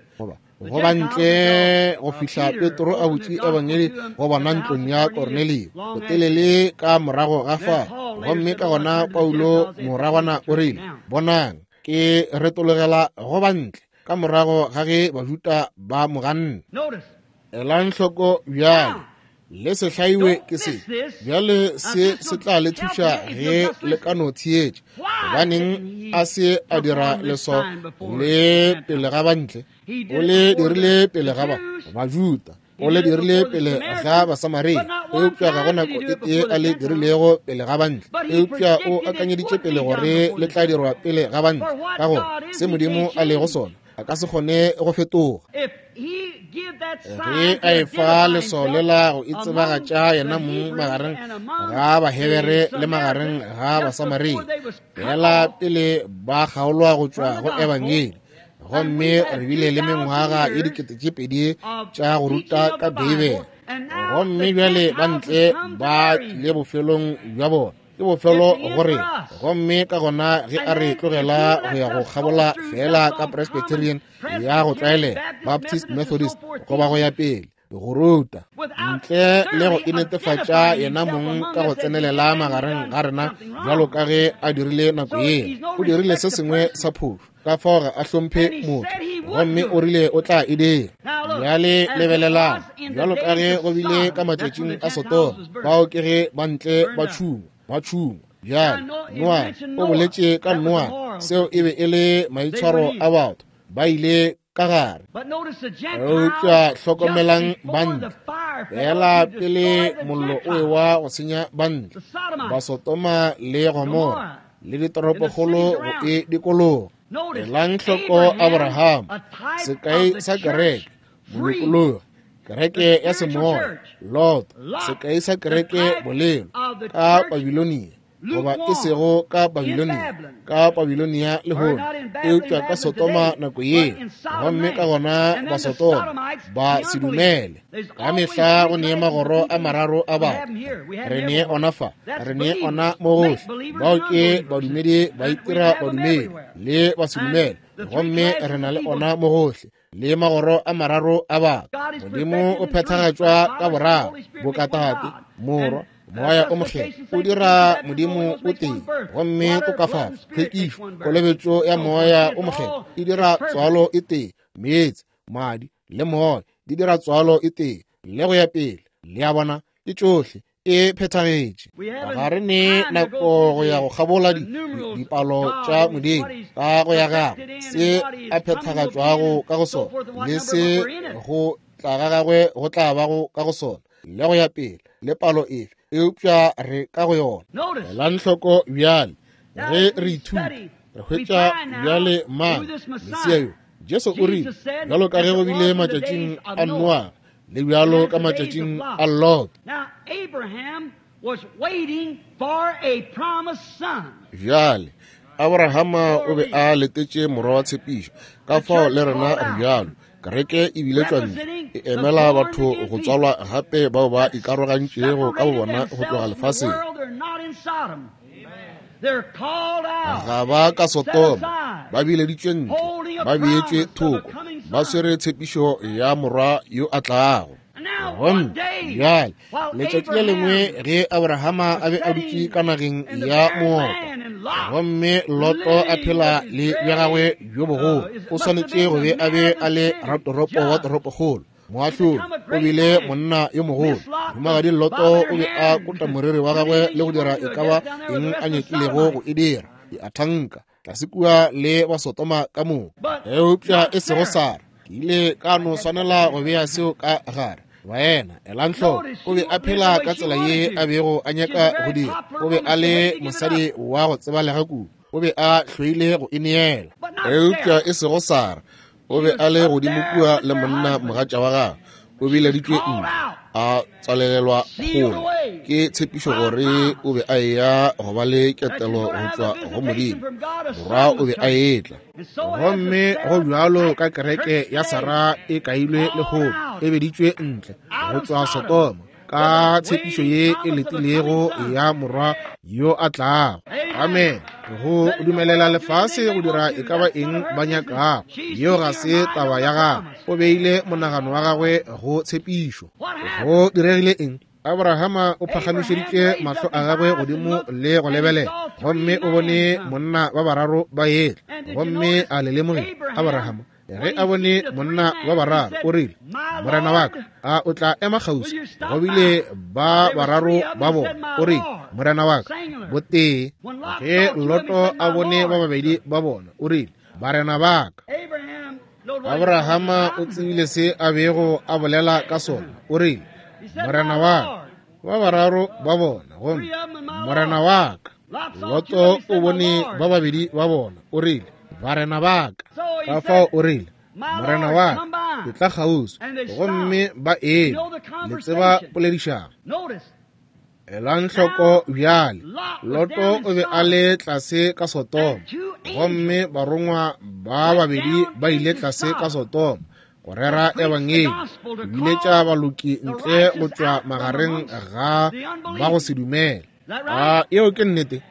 go bantle go fihla Petro a butše ebangedi go bona ntlong ya Kornelio botelele ka morago ga fa. Gomme ka gona Paulo moragwana o rile, bonang, ke retologela go bantle, ka morago ga ge Bajuda ba mo ganne. Elang hloko bjale, le se hlaiwe ke se. Bjale se se tla le thuša ge le ka no theetša. Gobaneng a se a dira leso le pele ga bantle? O le dirile pele ga Bajuda, o le dirile pele ga Basamaria, eupša ga go nako e tee a le dirilego pele ga bantle. Eupša o akanyeditše pele gore le tla dirwa pele ga bantle, ka gore se Modimo a lego sona a ka se kgone go fetoga. Ge a efa leswao lela go itsebagatša yena mong magareng ga Bahebere le magareng ga Basamaria, fela pele ba kgaolwa go tšwa go Ebangedi. Gomme re bile le mengwaga ye 2000 tša go ruta ka Beibele, gomme bjale bantle ba tlile bofelong bja bona. Ke bofelo gore, gomme ka gona ge a re tlogela go ya go kgabola fela ka Presbyterian ya go tlwaelega, Baptist, Methodist, goba go ya pele go ruta ntle le go inetefatša yena mong ka go tsenelela magareng ga rena bjalo ka ge a dirile nako yeo. O dirile se sengwe sa phošo, ka fao ga a hlomphe motho, gomme o rile o tla e dira. Bjale lebelelang, bjalo ka ge go bile ka matšatšing a Sodoma, bao ke ge bantle ba tšhungwa. Bjale Noa o boletše ka Noa, seo e be e le maitshwaro a batho, ba ile ka gare. Eupša hlokomelang bantle, fela pele mollo o ewa go senya bantle, Basodoma le Gomora le ditoropokgolo go e dikologa. Elang hloko Abraham, sekai sa kereke, molokologi, kereke ya semoya. Lot, sekai sa kereke, bolelo ka Babilonia, goba e sego ka Babilonia, ka Babilonia lehono, eupša ka Sodoma nako yeo. Gomme ka gona Basodoma ba se dumele. Ka mehla go nee magoro a mararo a batho. Re nee ona fa, re nee ona mo gohle. Bao ke badumedi ba itira badumedi le ba se dumele, gomme re na le ona mo gohle le magoro a mararo a batho. Modimo o phethagatšwa ka boraro, bokatate, Morwa, Moya o Mokgethwa. O dira Modimo o tee, gomme tokafatso, tlhwekišo, kolobetšo ya Moya o Mokgethwa e dira tswalo e tee. Meetse, madi le moya di dira tswalo e tee, le go ya pele. Le a bona, ke tšohle e phethagetše. Ga re ne nako go ya go kgabola dipalo tša Modimo ka go ya gagwe, se a phethagatšwago ka go sona, le se go tla ga gagwe go tla bago ka go sona, le go ya pele, le palo efe, eupša re ka go yona. Elang hloko bjale ge re ithuta, re hwetša bjale mang Mesia yo. Jesu o rile, bjalo ka ge go bile matšatšing a Noa, le bjalo ka matšatšing a Lot. Bjale Abrahama o be a letetše morwa wa tshepišo, ka fao le rena re bjalo. Kereke e biletšwa ntle, e emela batho go tswalwa gape bao ba ikarogantšego ka bobona go tloga lefaseng. Ga ba ka Sodoma, ba bileditšwe ntle, ba beetšwe thoko, ba swere tshepišo ya morwa yo a tlago. Gomme bjale letšatši le lengwe ge Abrahama a be a dutše ka nageng ya moopa, gomme Loto a phela le bja gagwe bjo bogolo, o swanetše go be a be a le ratoropo wa toropokgolo. Moahlodi o bile monna yo mogolo. Mohumagadi Loto o be a kota moriri wa gagwe le go dira e ka ba eng a nyakilego go e dira. Ke a thanka tlase kua le Basotoma ka moka, eupša e sego Sara. Ke ile ka no swanela go bea seo ka gare. Baena, elang hloko, o be a phela ka tsela ye a bego a nyaka go dira. O be a le mosadi wa go tsebalega kudu. O be a hloile go ineela. Eupša e sego Sara. O be a le godimo kua le monna mogatša wa gagwe. O bileditšwe ntle, a tswalelelwa kgole ke tshepišo gore o be a eya go ba le ketelo go tšwa go Modimo. Morwa o be a etla. Gomme go bjalo ka kereke ya Sara e kailwe lehono, e beditšwe ntle go tšwa Sodoma ka tshepišo ye e letilego ya morwa yo a tlago. Amen. Go dumelela lefase go dira e ka ba eng ba nyakago, yeo ga se taba ya gagwe. O beile monagano wa gagwe go tshepišo. Go diregile eng? Abrahama o phagamišeditše mahlo a gagwe godimo le go lebelela, gomme o bone monna ba bararo ba etla. Gomme a le lemogile Abrahama ge a bone monna ba bararo, o rile, Morena wa ka, a o tla ema kgauswi? Go bile ba bararo ba bona. O rile, Morena wa ka, botee. Ge Loto a bone ba babedi ba bona, o rile, Barena ba ka. Abrahama o tsebile se a bego a bolela ka sona. O rile, Morena wa ka, ba bararo ba bona, gomme Morena wa ka. Loto o bone ba babedi ba bona, o rile, Barena ba ka. Ka fao o rile, Morena wa ka, ke tla kgauswi. Gomme ba eme. Le tseba poledišano. Elang hloko bjale, Loto o be a le tlase ka Sodoma, gomme barongwa ba babedi ba ile tlase ka Sodoma go rera ebangedi, go biletša baloki ntle go tšwa magareng ga ba go se dumele. A yeo ke nnete?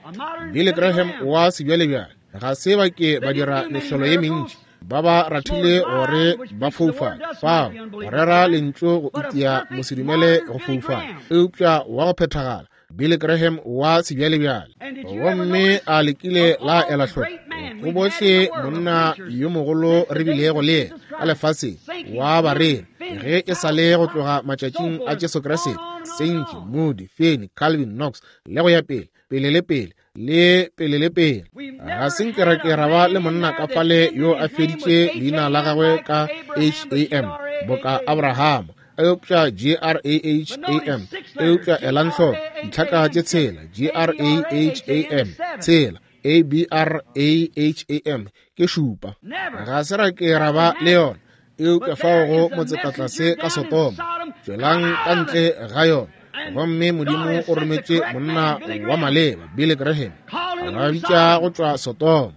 Billy Graham wa sebjalebjale ga se ba ke ba dira mehlolo ye mentši, ba ba rathile gore ba foufale fao go rera lentšu go itia mosedumele go foufala, eupša wa go phethagala Billy Graham wa sebjalebjale. Gomme a lekile la ela hloko go bohle monna yo mogolo re bilego le yena ka lefaseng wa bareri ge e sa le go tloga matšatšing a Jesu Kriste, Sankey, Moody, Finney, Calvin, Knox, le go ya pele, pele le pele, le pele le pele. Ga se nke ra ke ra ba le monna ka fale yo a feditše leina la gagwe ka H-A-M boka Abraham, eupša G-R-A-H-A-M, eupša elang hloko ditlhaka tše tshela, G-R-A-H-A-M, tshela, A-B-R-A-H-A-M, ke šupa. Ga se ra ke ra ba le yona, eupša fao go motsetatlase ka Sodoma, tšwelang ka ntle ga yona. Gomme Modimo o rometše monna wa maleba, Billy Graham, a ba bitša go tšwa Sodoma.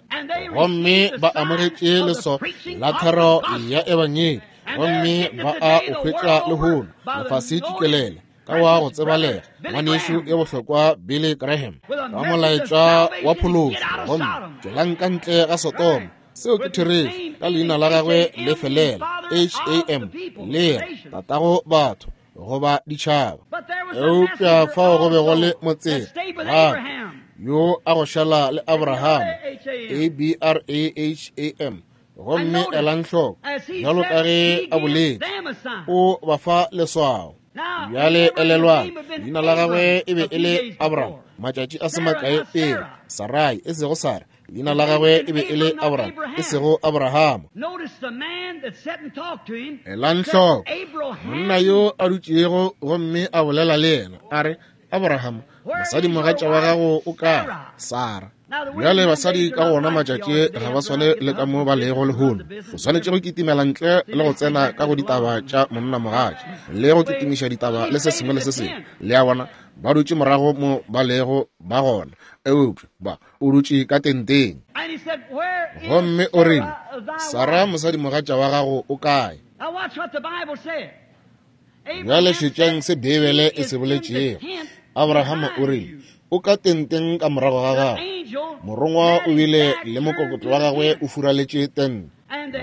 Gomme ba amogetše leso la thero ya ebangedi, gomme ba a o hwetša lehono lefase tšikelele ka wa go tsebalega ngwanešu yo bohlokwa Billy Graham ka molaetša wa phološo. Gomme tšwelang ka ntle ga Sodoma, seo ke therešo, ka leina la gagwe le felela H-A-M, le tatago batho goba ditšhaba. Eupša fao go be go le motseng gape yo a go šala le Abraham, A-B-R-A-H-A-M. Gomme elang hloko, bjalo ka ge a boletše, o ba fa leswao. Bjale elelwang, leina la gagwe e be e le Abraham matšatši a se makae pele, Sarai, e sego Sara. Leina la gagwe e be e le Abraham, e sego Abraham. Elang hloko, monna yo a dutšego gomme a bolela le yena, a re, Abraham, mosadi mogatša wa gago o kae? Sara. Bjale basadi ka gona matšatši ga ba swane le ka mo ba lego lehono. O swanetše go kitimela ntle le go tsena ka go ditaba tša monna mogatša le go kitimiša ditaba le se sengwe le se sengwe. Le a bona, ba dutše morago mo ba lego ba gona, eupša ba o dutše ka tenteng. Gomme o rile, Sara mosadi mogatša wa gago o kae? Bjale šetšang se Beibele e se boletšego. Abrahama o rile, o ka tenteng ka morago ga gagwe. Morongwa o bile le mokokotlo wa gagwe o furaletše tente.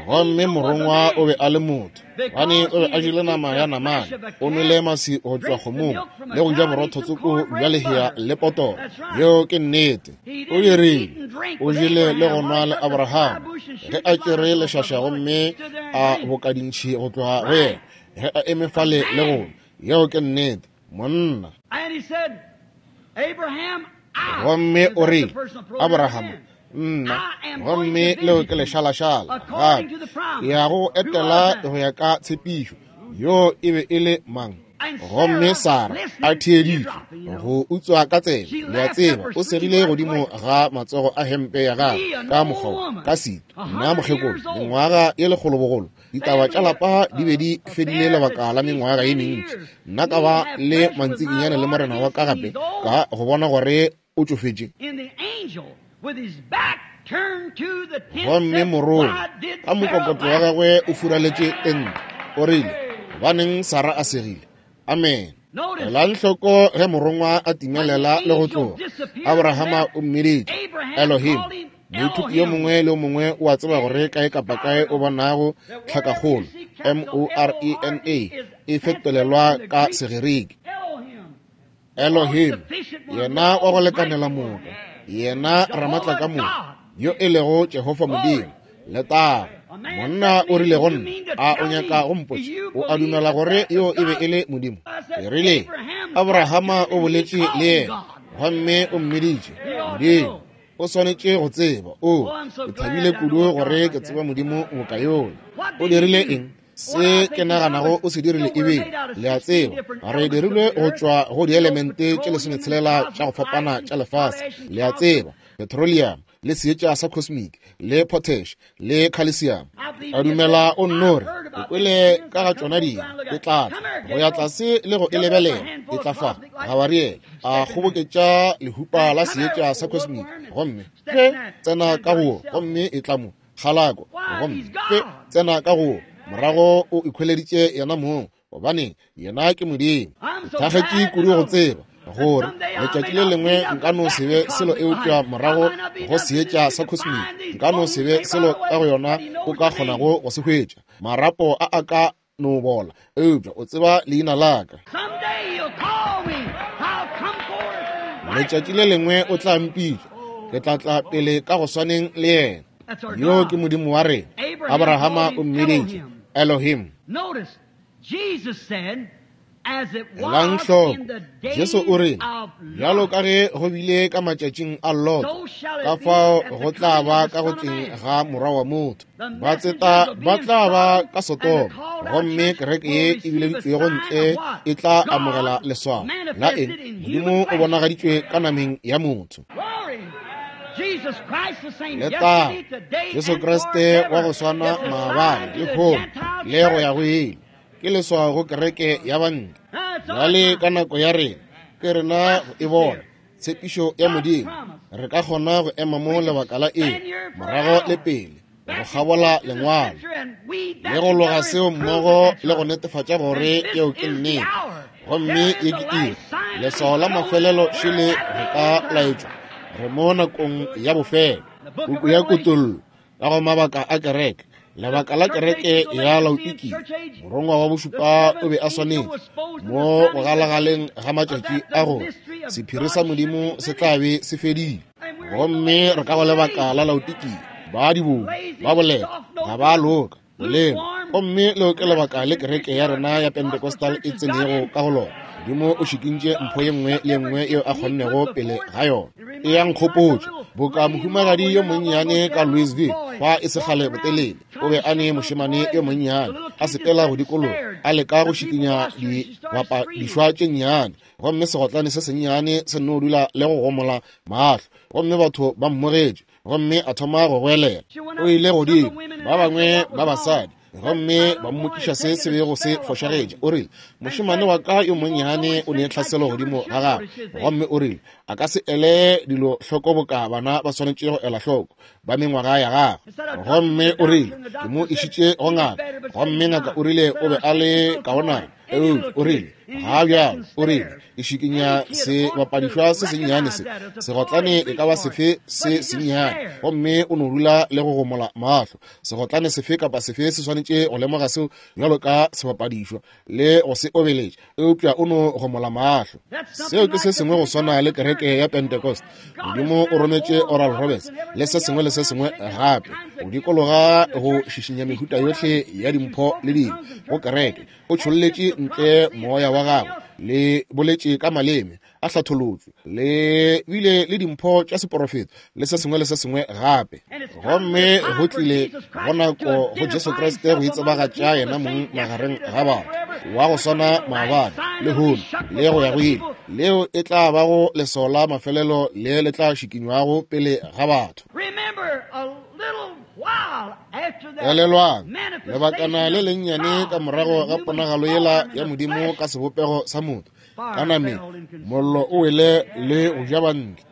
Gomme morongwa o be a le motho, gobane o be a jele nama ya namane, o nwele masi go tšwa kgomong, le go ja borotho tsoko bja lehea le potoro. Yeo ke nnete. O dirile, o jele le go nwa le Abraham ge a tšere lešaša gomme a boka dintšhi go tloga go yena. ge a eme fale le go yeo ke nnete monna. Gomme o rile, Abraham, nna, gomme leo ke lešalašala gape, ke ya go etela go ya ka tshepišo. Yo e be e le mang? Gomme Sara a theeditše go utswa ka tsebe, le a tseba, o segile godimo ga matsogo a hempe ya gagwe ka mokgwa ka sito. Nna mokgekolo, mengwaga ye lekgolobogolo, ditaba tša lapa di be di fedile lebaka la mengwaga ye mentši. Nna ka ba le mantsikinyane le morena wa ka gape ka go bona gore o tšofetše. Gomme morongwa ka mokokotlo wa gagwe o furaletše tente, o rile, gobaneng Sara a segile? Amen. Elang hloko ge morongwa a timelela le go tloga, Abrahama o mmiditše Elohim. Moithuti yo mongwe le yo mongwe o a tseba gore kae kapa kae o bonago tlhakakgolo M-O-R-E-N-A e fetolelwa ka Segerike. Elohim, yena wa go lekanela moka, yena ramatla ka moka, yo e lego Jehofa Modimo. Letago. Monna o rile go nna, a o nyaka go mpotša o a dumela gore yo e be e le Modimo? Ke rile, Abrahama o boletše le yena gomme o mmiditše Modimo. O swanetše go tseba. O, ke thabile kudu gore ke tseba Modimo boka yola. O dirile eng? Se ke naganago o se dirile ebile, le a tseba, re dirilwe go tšwa go dielemente tše 16 tša go fapana tša lefase, le a tseba, petroleum le seetša sa cosmic le potash le calcium. A dumela o nnore o kwele ka ga tšona dingwe, e tla tla go ya tlase le go e lebelela, e tla fa Gabariele a kgoboketša lehupa la seetša sa cosmic, gomme pe tsena ka go, gomme e tla mo kgalako, gomme pe tsena ka go, morago o ikhweleditše yena mong, gobane yena ke Modimo. Ke thakgetše kudu go tseba gore letšatši le lengwe nka no se be selo eupša morago go seetša sa cosmic nka no se be selo ka go yona o ka kgonago go se hwetša. Marapo a a ka no bola, eupša o tseba leina la ka. Letšatši le lengwe o tla mpitša, ke tla tla pele ka go swaneng le yena. Yo ke Modimo wa rena. Abrahama o mmiditše Elohim. Elang hloko, Jesu o rile, bjalo ka ge go bile ka matšatšing a Lot, ka fao go tla ba ka go tleng ga morwa wa motho. Batseta ba tla ba ka Sodoma, gomme kereke ye e bileditšwego ntle e tla amogela leswao la eng? Modimo o bonagaditšwe ka nameng ya motho. Letago, Jesu Kriste wa go swana maabane, lehono le go ya go ile, ke leswao go kereke ya bantle. Bjale ka nako ya rena, ke rena go e bona tshepišo ya Modimo. Re ka kgona go ema mo lebaka la eng, morago le pele, go kgabola lengwalo le go loga seo mmogo le go netefatša gore yeo ke nnete. Gomme ye ke iri, leswao la mafelelo šele re ka laetšwa. Re mo nakong ya bofelo. Puku ya Kutollo ka go mabaka a kereke, lebaka la kereke ya Laodikia, morongwa wa bošupa o be a swanetše mo go galagaleng ga matšatši a gore sephiri sa Modimo se tla be se fedile. Gomme re ka go lebaka la Laodikia, ba dibong ba bolela ga ba loka bolelo. Gomme leo ke lebaka le kereke ya rena ya Pentecostal e tsenego ka go lona. Modimo o šikintše mpho ye nngwe le nngwe yeo a kgonnego pele ga yona. E ya nkgopotša boka mohumagadi yo monnyane ka Louisville fa e segale botelele, o be a ne mošemane yo monnyane a sepela go dikologa a leka go šikinya dibapadišwa tše nnyane, gomme segotlane se sennyane se nno dula le go gomola mahlo, gomme batho ba mmogetše, gomme a thoma go goelela. O ile godimo, ba bangwe ba basadi, gomme ba mmotšiša se se bego se fošagetše. O rile, mošemane wa ka yo monnyane o ne tlhaselo godimo ga gagwe, gomme o rile a ka se ele dilo hloko boka bana ba swanetše go ela hloko ba mengwaga ya gagwe. Gomme o rile ke mo išitše go ngaka, gomme ngaka o rile o be a le kaonana. Eupša o rile, ga bjalo, o rile, ke šikinya sebapadišwa se sennyane se, segotlane e ka ba sefe se sennyane, gomme o no dula le go gomola mahlo. Segotlane sefe kapa sefe se swanetše go lemoga seo bjalo ka sebapadišwa le go se obeletša, eupša o no gomola mahlo. Seo ke se sengwe go swana le kereke ya Pentecost. Modimo o rometše Oral Roberts le se sengwe le se sengwe gape go dikologa go šišinya mehuta yohle ya dimpho le dilo go kereke. O tšholletše ntle moya wa gagwe, le boletše ka maleme a hlatholotšwe, le bile le dimpho tša seporofeto le se sengwe le se sengwe gape. Gomme go tlile go nako go Jesu Kriste go itsebagatša yena mong magareng ga batho, wa go swana maabane, lehono, le go ya go ile. Leo e tla bago leswao la mafelelo le le tla šikinywago pele ga batho. Elelwang, lebakana le lennyane ka morago ga ponagalo yela ya Modimo ka sebopego sa motho, ka nameng, mollo o wele le go ja bantle.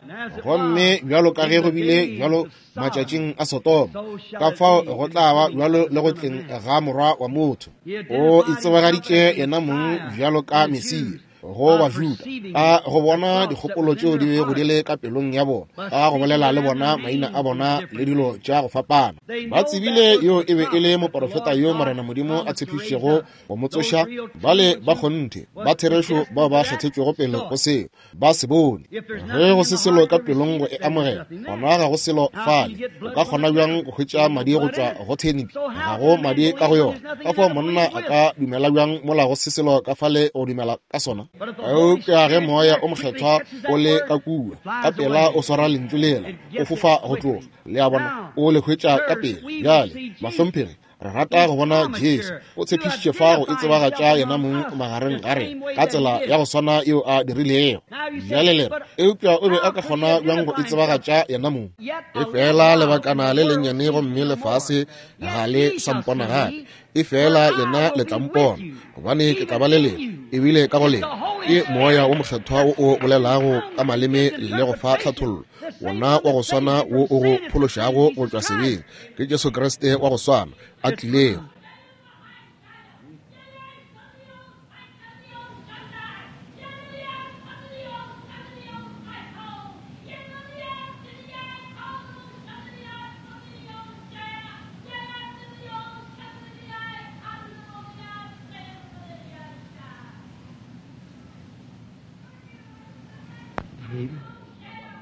Gomme bjalo ka ge go bile bjalo matšatšing a Sodoma, ka fao go tla ba bjalo le go tleng ga Morwa wa motho. O itsebagaditše yena mong bjalo ka Mesia go Bajuda, a go bona dikgopolo tšeo di bego di le ka pelong ya bona, a go bolela le bona maina a bona le dilo tša go fapana. Ba tsebile yo e be e le moporofeta yo Morena Modimo a tshepišitšego go mo tsoša. Bale ba kgonthe ba therešo bao ba kgethetšwego pele go seo ba se bone. Ge go se selo ka pelong go e amogela, gona ga go selo fale. O ka kgona bjang go hwetša madi go tšwa go thenipi? Ga go madi ka go yona. Ka fao monna a ka dumela bjang mola go se selo ka fale go dumela ka sona? Eupša ge Moya o Mokgethwa o le ka kua, ka pela o swara lentšu lela, o fofa go tloga. Le a bona, o le hwetša ka pela. Bjale, bahlomphegi, re rata go bona Jesu. O tshepišitše fa go itsebagatša yena mong magareng ga rena ka tsela ya go swana yeo a dirilego. Bjale le re, eupša o be a ka kgona bjang go itsebagatša yena mong? Efela lebakana le lennyane gomme lefase ga le sa mpona gape, efela lena le tla mpona, gobane ke tla ba le lena, ebile ka go lena. Ke Moya wo Mokgethwa wo o bolelago ka maleme le go fa tlhathollo, wona wa go swana wo o go phološago go tšwa sebeng. Ke Jesu Kriste wa go swana a tlilego.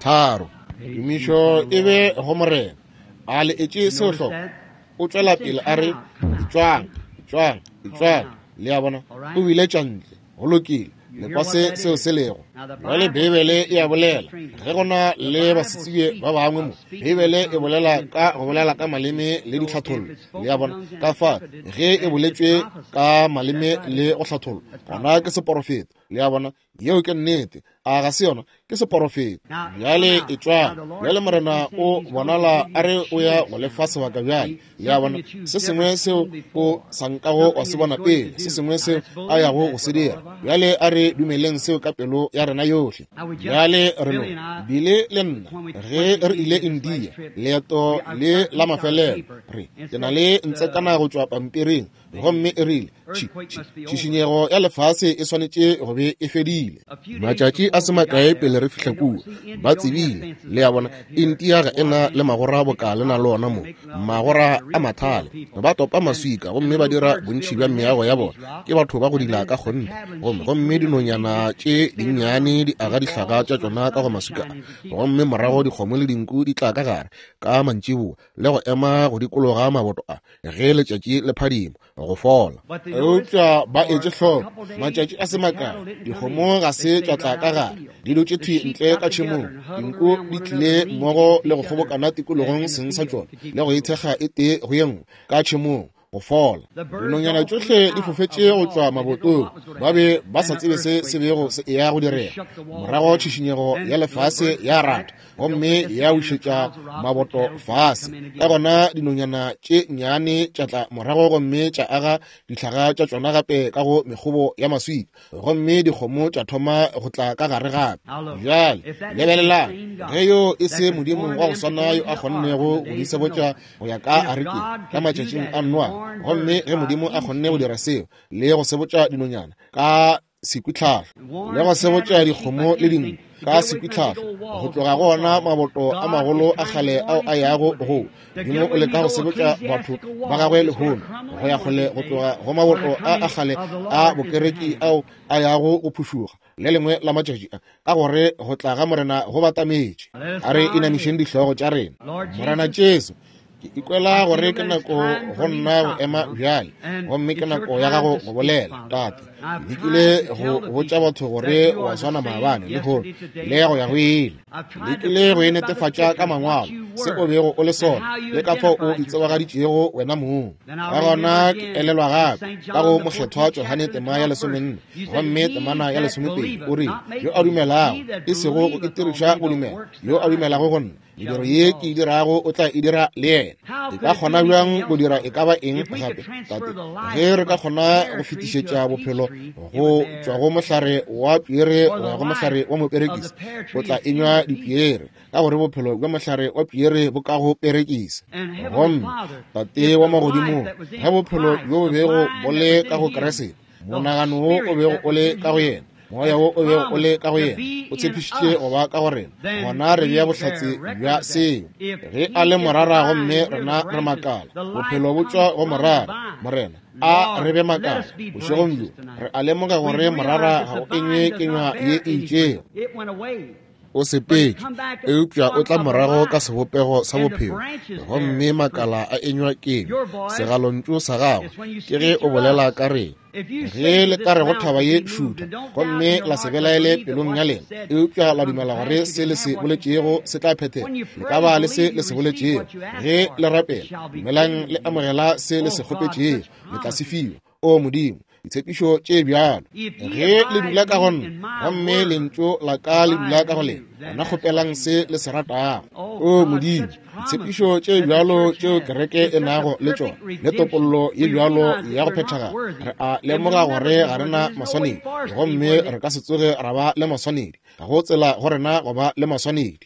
Tharo. Tumišo e be go Morena. A le etše seo hloko? O tšwela pele a re, Etšwang, etšwang, etšwang. Le a bona, o biletša ntle. Go lokile, le kwa se seo se lego. Bjale Beibele e a bolela, ge go na le basetsebje ba bangwe mo, Beibele e bolela ka go bolela ka maleme le ditlhathollo. Le a bona, ka fa ge e boletšwe ka maleme le go hlathollwa, gona ke seporofeto. Le a bona, yeo ke nnete. A ga se yona? Ke seporofeto. Bjale etšwang. Bjale Morena o bonala a re o ya go lefa sebaka bjale. Le a bona, se sengwe seo o sa nkago wa se bona pele, se sengwe seo a yago go se dira. Bjale a re dumeleng seo ka pelo ya rena yohle. Bjale re no bile le nna ge re ile India, leeto le la mafelelo, re ke na le ntsekana go tšwa pampiring, gomme e rile, Tšhišinyego ya lefase e swanetše go be e fedile. Matšatši a se makae pele re fihla kua, ba tsebile. Le a bona, India ga e na le magora boka le na le ona mo, magora a mathale. Ba topa maswika gomme ba dira bontši bja meago ya bona. Ke batho ba go dila ka kgonthe. Gomme, gomme dinonyana tše dinnyane di aga dihlaga tša tšona ka go maswika a. Gomme morago dikgomo le dinku di tla ka gare ka mantšiboa le go ema go dikologa maboto a ge letšatši le phadima go fola. Eupša ba etše hloko, matšatši a se makae, dikgomo ga se tša tla ka gare, di dutše thwi ntle ka tšhemong. Dinku di tlile mmogo le go kgobokana tikologong seng sa tšona le go ithekga e tee go ye nngwe ka tšhemong go fola. Dinonyana tšohle di fofetše go tšwa mabotong, ba be ba sa tsebe se se bego se eya go direga. Morago tšhišinyego ya lefase ya rata gomme ya wišetša maboto fase. Ka gona dinonyana tše nnyane tša tla morago gomme tša aga dihlaga tša tšona gape ka go mekgobo ya maswika, gomme dikgomo tša thoma go tla ka gare gape. Bjale lebelelang, ge yo e se Modimo wa go swana yo a kgonnego go di sebotša go ya ka arekeng ka matšatšing a Noa, Gomme ge Modimo a kgonne go dira seo le go sebotša dinonyana ka sekwitlhahlo, le go sebotša dikgomo le dinku ka sekwitlhahlo, go tloga go ona maboto a magolo a kgale ao a yago go Modimo o leka go sebotša batho ba gagwe lehono go ya kgole go tloga go maboto a a kgale a bokereki ao a yago go phušuga le lengwe la matšatši a, ka gore go tla ga Morena go batametše. A re inamišeng dihlogo tša rena. Morena Jesu, ke ikwela gore ke nako go nna go ema bjale, gomme ke nako ya gago go bolela. Tate, ke lekile go botša batho gore wa swana maabane, lehono, le go ya go ile. Lekile go e netefatša ka mangwalo se o bego o le sona le ka fao o itsebagaditšego wena mong. Ka gona ke elelwa gape ka go Mokgethwa Johane tema ya 14 gomme temana ya 12, o rile, yo a dumelago, e sego go itiriša go dumela, yo a dumelago go nna, mediro ye ke e dirago o tla e dira le yena. E ka kgona bjang go dira e ka ba eng gape, Tate, ge re ka kgona go fetišetša bophelo go tšwa go mohlare wa piere go ya go mohlare wa moperekisi, o tla enywa dipiere, ka gore bophelo bja mohlare wa piere bo ka go perekisa. Gomme Tate wa magodimong, ge bophelo bjo bo bego bo le ka go Kriste, monagano wo o bego o le ka go yena, moya wo o bego o le ka go yena, o tshepišitše go ba ka go rena, gona re bea bohlatse bja seo. Ge a le morara gomme rena re makala, bophelo bo tšwa go morara. Morena, a re be makala bošegong bjo. Re a lemoga gore morara ga o enywe kenywa ye e itšego, o sepetše, eupša o tla morago ka sebopego sa bophelo, gomme makala a enywa kenywa. Segalontšu sa gago ke ge o bolela ka rena. Ge le ka re go thaba ye šutha, gomme la se belaele pelong ya lena, eupša la dumela gore se le se boletšego se tla phethega, le ka ba le se le se boletšego. Ge le rapela, dumelang le amogela se le se kgopetšego, le tla se fiwa. O Modimo, ditshepišo tše bjalo! Ge le dula ka go nna, gomme lentšu la ka le dula ka go lena, gona kgopelang se le se ratago. O Modimo, ditshepišo tše bjalo tšeo kereke e nago le tšona, le topollo ye bjalo ya go phethagala. Re a lemoga gore ga re na maswanedi, gomme re ka se tsoge ra ba le maswanedi. Ga go tsela go rena go ba le maswanedi,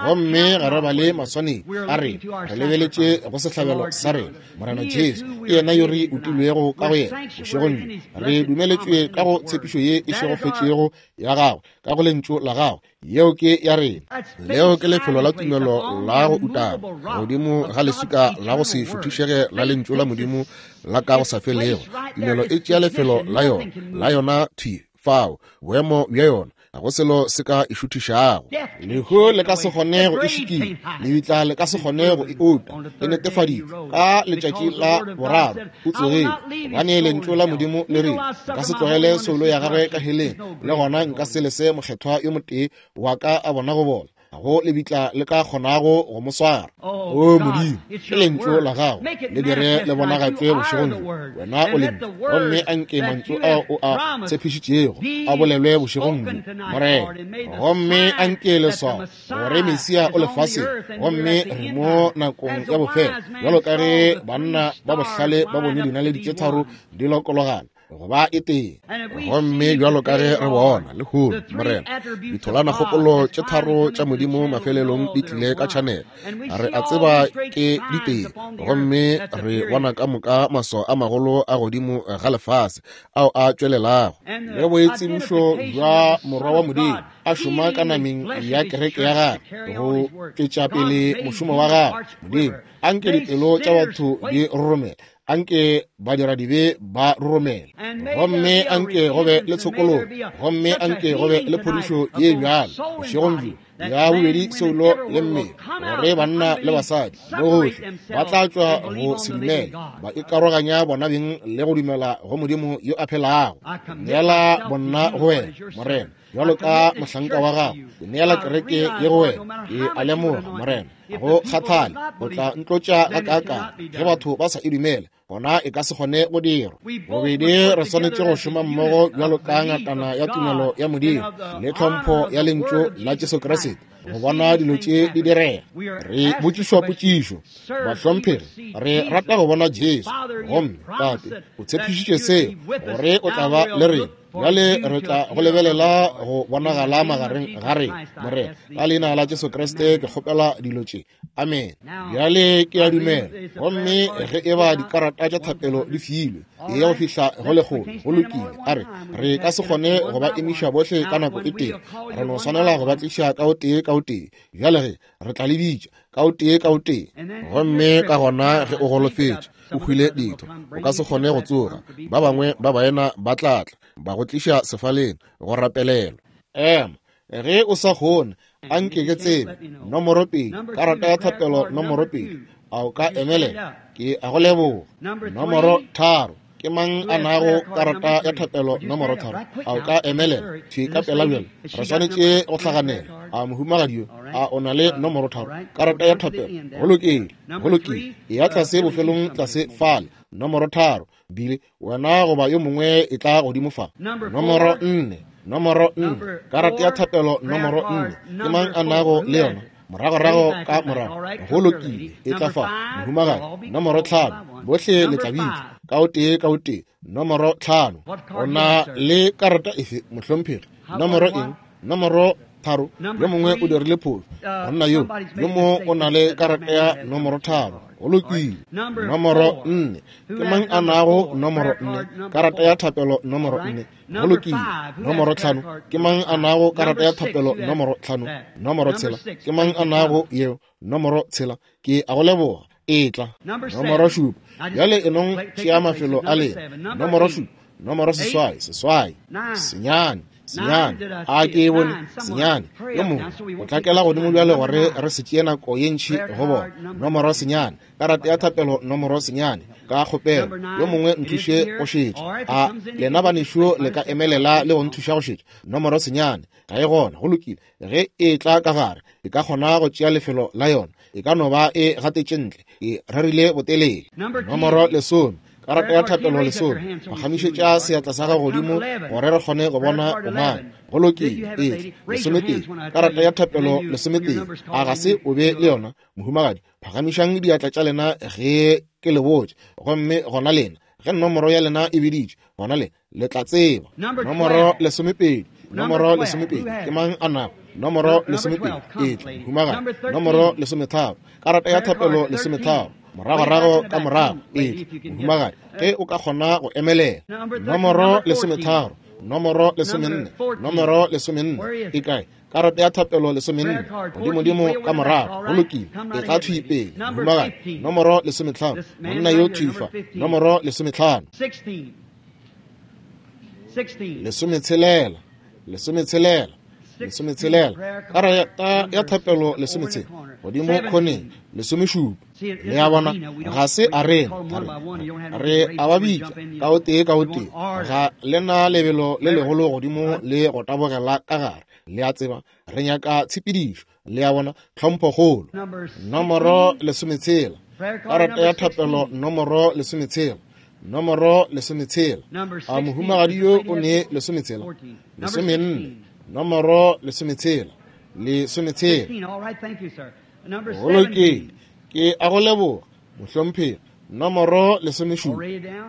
gomme ga re ba le maswanedi a rena. Re lebeletše go sehlabelo sa rena, Morena Jesu, ke yena yo re utilwego ka go yena bošegong bjo. Re dumeletšwe ka go tshepišo ye e šegofetšego ya gagwe, ka go lentšu la gagwe. Yeo ke ya rena. Leo ke lefelo la tumelo la go utama godimo ga leswika la go se šuthišege la lentšu la Modimo la ka go sa felego. Tumelo e tšea lefelo la yona, la yona thwi fao, boemo bja yona. Ga go selo se ka e šuthišago. Lehu le ka se kgone go e šikinya, lebitla le ka se kgone go e uta. E netefaditšwe ka letšatši la boraro o tsogile, gobane lentšu la Modimo le rile, nka se tlogele soulo ya gagwe ka heleng, le gona nka se lese mokgethwa yo motee wa ka a bona go bola. Ga go lebitla le ka kgonago go mo swara. O Modimo, ke lentšu la gago, le dire le bonagatšwe bošegong bjo. Wena o lentšu, gomme a nke mantšu ao o a tshepišitšego a bolelwe bošegong bjo, Morena. Gomme a nke leswao gore Mesia o lefaseng, gomme re mo nakong ya bofelo, bjalo ka ge banna ba bohlale ba bone dinaledi tše tharo di lokologana go ba e tee. Gomme bjalo ka ge re bona lehono, Morena, ditholanakgopolo tše tharo tša Modimo mafelelong di tlile ka tšhanelo. Re a tseba ke ditee, gomme re bona ka moka maswao a magolo a godimo ga lefase ao a tšwelelago, le boitsebišo bja Morwa wa Modimo a šoma ka nameng ya kereke ya gagwe go tšwetša pele mošomo wa gagwe. Modimo, anke dipelo tša batho di roromele, anke badiradibe ba roromele, gomme anke go be le tshokologo, gomme anke go be le phodišo ye bjalo bošegong bjo ya bobedi soulo le mmele, gore banna le basadi mo gohle ba tla tšwa go se dumele, ba ikaroganya bona beng le go dumela go Modimo yo a phelago. Neela bonna go wena, Morena, bjalo ka mohlanka wa gago. Ke neela kereke ye go wena. Ke a lemoga, Morena, go kgathale o tla ntlotša gakaakang. Ge batho ba sa e dumele, gona e ka se kgone go dirwa. Bobedi re swanetše go šoma mmogo bjalo ka ngatana ya tumelo ya Modimo le tlhompho ya lentšu la Jesu Kriste go bona dilo tše di direga. Re botšišwa potšišo, bahlomphegi, re rata go bona Jesu, gomme Tate o tshepišitše seo gore o tla ba le rena. Bjale re tla go lebelela go bonagala magareng ga rena, Morena. Ka leina la Jesu Kriste ke kgopela dilo tše. Amen. Bjale ke a dumela. Gomme ge e ba dikarata tša thapelo di filwe, e ya go fihla go lekgolo, go lokile. A re, re ka se kgone go ba emiša bohle ka nako e tee. Re no swanela go ba tliša ka o tee ka o tee. Bjale ge re tla le bitša ka o tee ka o tee. Gomme ka gona ge o golofetše, o hwile ditho, o ka se kgone go tsoga, ba bangwe ba baena ba tla tla ba go tliša sefaleng go rapelelwa. Ema, ge o sa kgone, a nke ke tsebe. Nomoro 2, karata ya thapelo nomoro 2, a o ka emelela? Ke a go leboga. Nomoro 3, ke mang a nago karata ya thapelo nomoro 3? A o ka emelela? Thwi ka pela bjale, re swanetše go hlaganela. A mohumagadi yo, a o na le nomoro 3, karata ya thapelo? Go lokile, go lokile. E ya tlase bofelong tlase fale, nomoro 3. Bile wena goba yo mongwe e tla godimo fa. Nomoro 4, nomoro 4, karata ya thapelo nomoro 4. Ke mang a nago le yona? Moragorago ka morago. Go lokile, e tla fa, mohumagadi. Nomoro 5, bohle le tla bitša ka o tee ka o tee. Nomoro 5, o na le karata efe, mohlomphegi? Nomoro eng? Nomoro 3. Yo mongwe o dirile phošo, monna yo yo mo o na le karata ya nomoro 3. Go lokile. Nomoro 4, ke mang a nago nomoro 4, karata ya thapelo nomoro 4? Go lokile. Nomoro 5, ke mang a nago karata ya thapelo nomoro 5? Nomoro 6, ke mang a nago yeo? Nomoro 6, ke a go leboga. E tla. Nomoro 7, bjale e nong tšea mafelo a lena. Nomoro 7, nomoro 8, 8, 9, 9, a ke e bone, 9. Yo mongwe o tlakela godimo bjale gore re se tšee nako ye ntši go bona. Nomoro 9, karata ya thapelo nomoro 9, ka kgopelo yo mongwe nthuše go šetša. A lena banešu le ka emelela le go nthuša go šetša? Nomoro 9 ga e gona. Go lokile. Ge e tla ka gare, e ka kgona go tšea lefelo la yona. E ka no ba e gatetše ntle, e rerile botelele. Nomoro 10, karata ya thapelo 10, phagamišetša seatla sa gago godimo gore re kgone go bona o mang. Go lokile. E 11, karata ya thapelo 11, a ga se o be le yona, mohumagadi? Phagamišang diatla tša lena ge ke le botša, gomme gona lena, ge nomoro ya lena e biditšwe, gona le le tla tseba. Nomoro 12, nomoro 12, ke mang a nago nomoro 12? E tla, mohumagadi. Nomoro 13, karata ya thapelo 13, moragorago ka morago. E tla, mohumagadi, ge o ka kgona go emelela. Nomoro 13, nomoro 14, nomoro 14, e kae? Karata ya thapelo 14, godimodimo ka morago. Go lokile, e tla thwi pele, mohumagadi. Nomoro 15, monna yo thwi fa. Nomoro 15. 16, 16, 16, karata ya thapelo 16, godimo khoneng 17. Le a bona, ga se a rena, re a ba bitša ka o tee ka o tee. Ga lena lebelo le legolo godimo le go tabogela ka gare. Le a tseba, re nyaka tshepedišo. Le a bona, tlhomphokgolo. Nomoro 16, karata ya thapelo nomoro 16, nomoro 16. A mohumagadi yo o ne 16, 14, nomoro 16, 16. Go lokile, ke a go leboga, mohlomphegi. Nomoro 17,